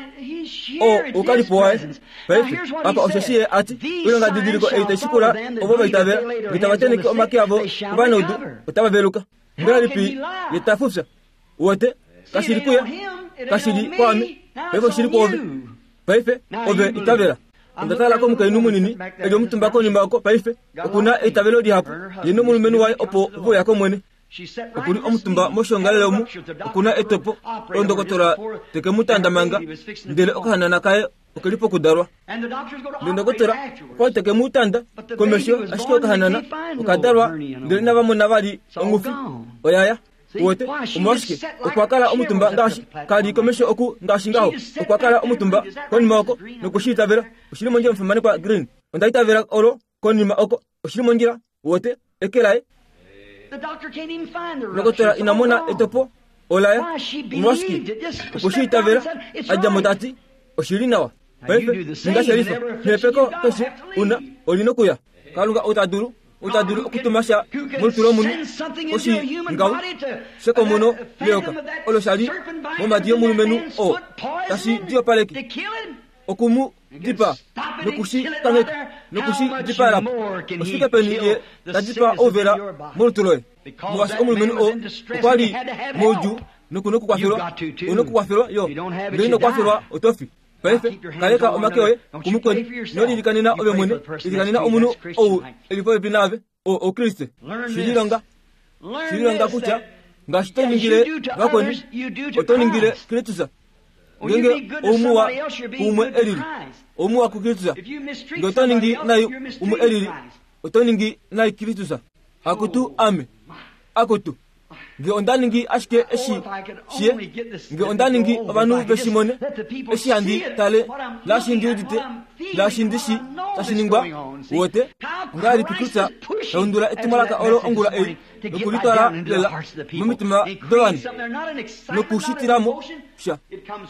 oukalipo waye. Paife, apa osheshi ye a ti, Oilongadidiliko ei tai shikula ovo va itavela, nge tava tenheke omake avo kovanaudu, otava veluka. Ongahelipi ye ta fufya? Uwete, kashi li kuye, kashi li kwaame, paife oshi li kwoove. Paife, ove itavela. Onda tala komukainhu munini e li omutumba konima oko paife. Oku na eitavelo lihapu, ye nomulumenhu waye opo ve uya kOmwene. Oku li omutumba moshiongalele omu, oku na etopo, ondokotola teke mu tanda manga, ndele okahanana kaye oke li pokudalwa. Ndele ndokotola okwa li teke mu tanda komesho, ashike okahanana oka dalwa ndele inava mona vali ongufi oya ya. Uwete, omolwashike? Okwa kala omutumba ngaashi ka li komesho oku ngaashi ngaho. Okwa kala omutumba konima oko noku shi itavela. Oshi li mondjila omufimanekwa Green. Onda itavela olo konima oko. Oshi li mondjila. Uwete, eke laye. Ndokotola ina mona etopo ola ya. Omolwashike? Okwe shi itavela. A dja mo ta ti, Oshi li nawa. Paife, ninga shelifa. Nehepeko keshe u na, oli nokuya. Kalunga ou ta dulu, ou ta dulu okutuma sha molutu lomunhu, oshi ngaho, shekomono leyoka, olo sha li momhadi yomulumenhu oo, tashi diopaleke, oku mu dipaa, noku shi kangheka, noku shi dipaela po. Oshifike peni ye ta dipaa ouvela molutu loye? Molwaashi omulumenhu oo okwa li moudjuu noku nokukwafelwa, u nokukwafelwa yo. Ngele ino kwafelwa, oto fi. Paife, kaleka omake oye kumukweni, ino lilikanena ove mwene, lilikanena omunhu ou e li popepi naave, oo Okriste. Shi lilonga. Shi lilonga kutya ngaashi to ningile vakweni, oto ningile Kristus. Ngeenge oumuwa kuumwe e lili, oumuwa kuKristus. Nge oto ningi nai umwe e lili, oto ningi nai Kristus. Akutu ame, akutu! Nge onda ningi ashike eshi shiye, nge onda ningi ovanhu ve shi mone, eshi handi tale, naashi ndi udite, naashi ndi shi tashi ningwa, wote, ongahelipi kutya taundula etumwalaka olo ongula ei nokulitwala lela momitima dovanhu nokushitila mo sha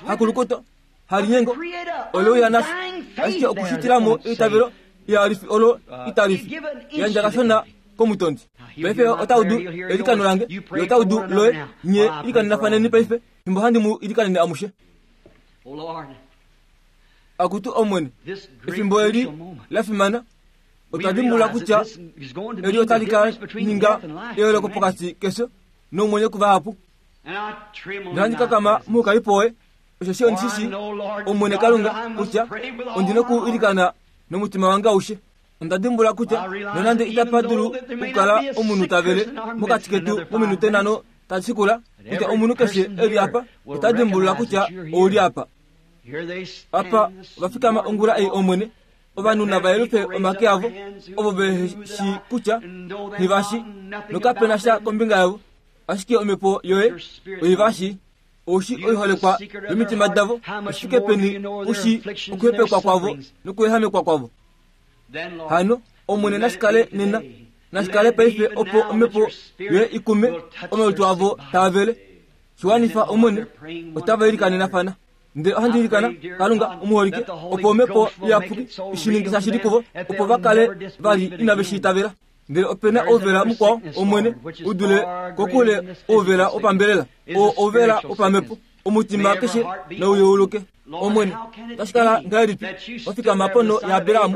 hakulukuto halinyengo ole uya nasho, ashike okushitila mo eitavelo ihalifi olo italifi yandja kashona komutondi. Paife ota udu eilikano lange, ye ota udu loye. Nye ilikanelafaneni paife, fimbo handi mu ilikanene amushe. Akutu Omwene, efimbo eli la fimana, otwa dimbulula kutya eli otali ka ninga eyooloko pokati kefyo nomwenyo kuvahapu. Nohandi kakama moukalipo woye, osheshi ondi shi shii, Omwene Kalunga, kutya ondi noku ilikana nomutima wange aushe. Onda dimbula kutya nonande itapa dulu okukala omunhu ta vele mokati ketu mominute nhano tadi shikula, kutya omunhu keshe e li apa ota dimbulula kutya ou li apa. Apa ova fikama ongula ei, Omwene, ovanhu nava yelufe omake avo, ovo ve shii kutya nghi va shi, nokape na sha kombinga yavo, ashike omhepo yoye oi va shii. Ou shii oiholekwa yomitima davo, oshifike peni u shii okuhepekwa kwavo nokuehamekwa kwavo. Hano, Omwene nashi kale nena, nashi kale paife opo omhepo yoye i kume omalutu avo taa vele. Shi wanifa, Omwene, otava ilikanenafana. Ndele ohandi ilikana, Kalunga omuholike, opo omhepo iyapuki i shi ninge shashili kuvo, opo va kale vali inave shi itavela. Ndele ope na ouvela mukwao, Omwene, u dule kokule ouvela wopambelela, oo ouvela wopamhepo. Omutima keshe nau yeuluke. Omwene, otashi kala ngahelipi wa fikama ponho yaAbraham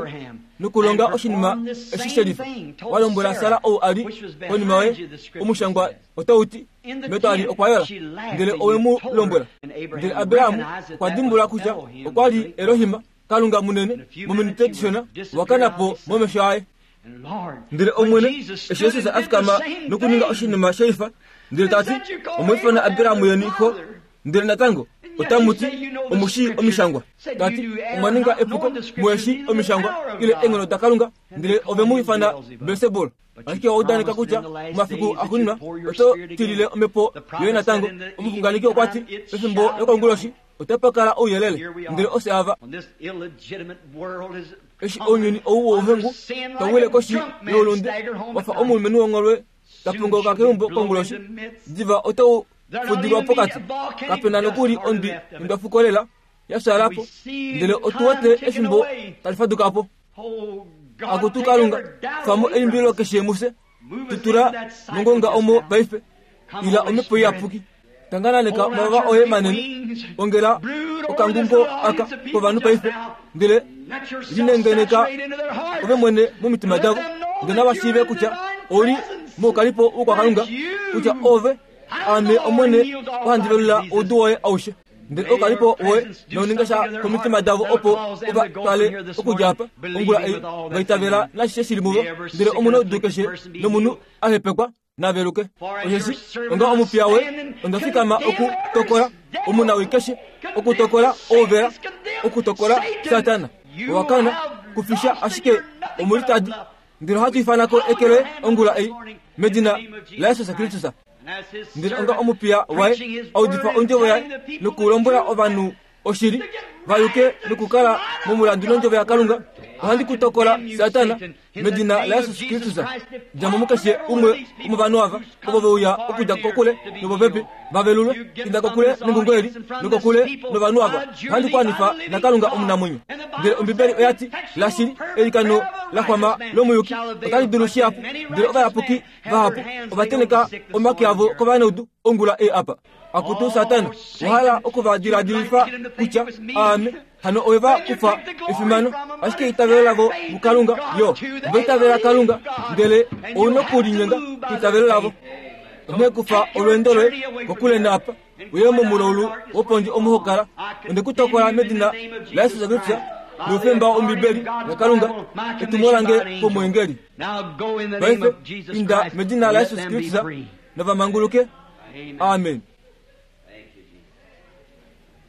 nokulonga oshinima eshi shelifa? Wa lombwela Sara ou a li konima yoye, omushangwa otau ti, metwali okwa yola, ndele owe mu lombwela. Ndele Abraham okwa dimbulula kutya okwa li Elohim, Kalunga munene, mominute dishona wa kana po momesho aye. Ndele Omwene, eshi Jesus a fikama nokuninga oshinima shelifa, ndele ta ti, Omwa ifana Abraham yeni xo, ndele natango otamu ti, Omu shii Omishangwa. Ta ti, Omwa ninga epuko, muhe shii Omishangwa ile eenghono daKalunga, ndele ove mu ifana Belsebul. Ashike owa udaneka kutya momafiku axuuninwa oto tilile omhepo yoye natango. Omuxunganeki okwa ti, pefimbo lokonguloshi otapa kala ouyelele, ndele ofye ava. Eshi ounyuni ou wouhengu tau wile koshi youlunde, wa fa omulumenhu wongholwe ta punguluka keumbo konguloshi, diva otau fudilwa pokati. Kape na nokuli ondwi yondwafuko lela ya fyaala po, ndele otu wete efimbo tali faduka po. Akutu Kalunga, kufa mo elimbililo keshe mufye, tu tula mongonga omo paife. Ila omhepo iyapuki, tangananeka omavava oye manene, ongela okangungo aka kovanhu paife, ndele linengeneka ove mwene momitima davo, ndele nava shiive kutya ou li moukalipo wokwakalunga, kutya ove, aame Omwene, ohandi velula oudu woye aushe. Ndele oukalipo woye nouninga sha komitima davo opo ova twale okudja apa ongula ei va itavela nashishe shi li muvo, ndele omunaudu keshe nomunhu a hepekwa. Naveluke. Osheshi onga omupiya woye onda fikama okutokola omunawii keshe, okutokola ouvela, okutokola Satana. Owa kana kufisha ashike omulitadi. Ndele ohatu ifana ko eke loye ongula ei medina laJesus Kristus. Ndele onga omupiya waye a udifa ondjovo yaye nokulombwela ovanhu oshili, va yuke nokukala momulandu nondjovo yaKalunga, ohandi ku tokola, Satana, medina laJesus Kristus. Dja mo mukeshe umwe womovanhu ava, ovo ve uya okudja kokule nopopepi, va velulwe. Inda kokule nengungo eli, nokokule novanhu ava. Ohandi ku anifa naKalunga omunamwenyo. Ndele Ombibeli oya ti, Lashili, eilikano la xwama lomuyuki otali dulu shihapu. Ndele ovayapuki vahapu ova tenheka omake avo kovanaudu ongula ei apa. Akutu Satana, wa hala oku va diladilifa kutya aame hano owe va kufa efimano, ashike eitavelo lavo muKalunga, yo, ova itavela Kalunga, ndele ou nokulinyenga keitavelo lavo. Onghee kufa olweendo loye kokule naapa, uye momulaulu wopondje omo ho kala. Onde ku tokola medina laJesus Kristus noufemba wOmbibeli yaKalunga, etumo lange komweengeli. Paife inda medina laJesus Kristus nava manguluke. Amen.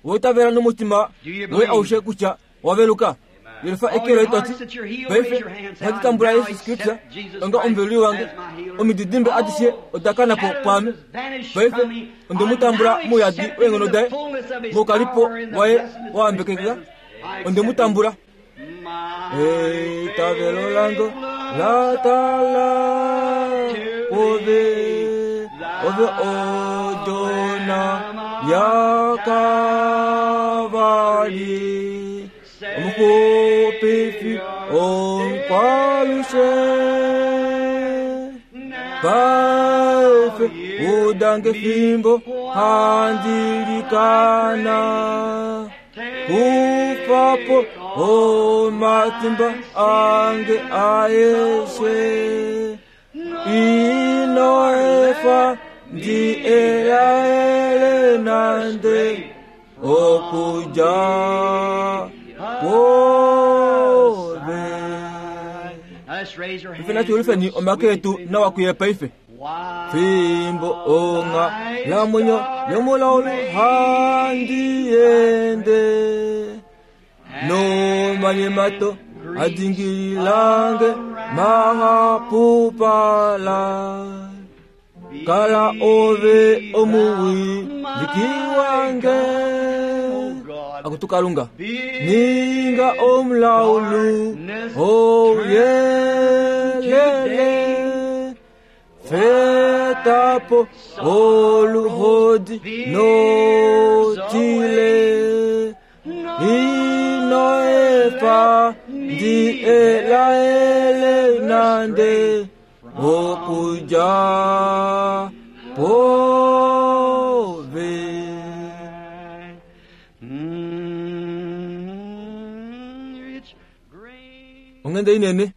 Owa itavela nomutima woye aushe kutya owa veluka? Yelifa eke loye to ti, Paife ohandi tambula Jesus Kristus onga omuveluli wange. Omididimbe adishe oda kana po kwaame. Paife onde mu tambula mouyadi weenghono daye, moukalipo waye wa wambekekeka. Onde mu tambula. Eitavelo lange la tala ove, ove odona yaKavari, omuxupifi omukwalushe. Paife udange fimbo handi likana. Kufapo omatimba ange aeshe ino efa ndi elaele nande okuja kwove. Ife natu yelifeni omake etu nawa kuye paife. Fimbo onga lamwenyo yomulaulu handi ende nomanyemato adingililange mahapupala kala ove omuwiliki wange akutu kalunga ninga omulaulu ouyelele Fetapo oluhodi notile ino efa ndi elaele nande okuja pove. Onghenda inene.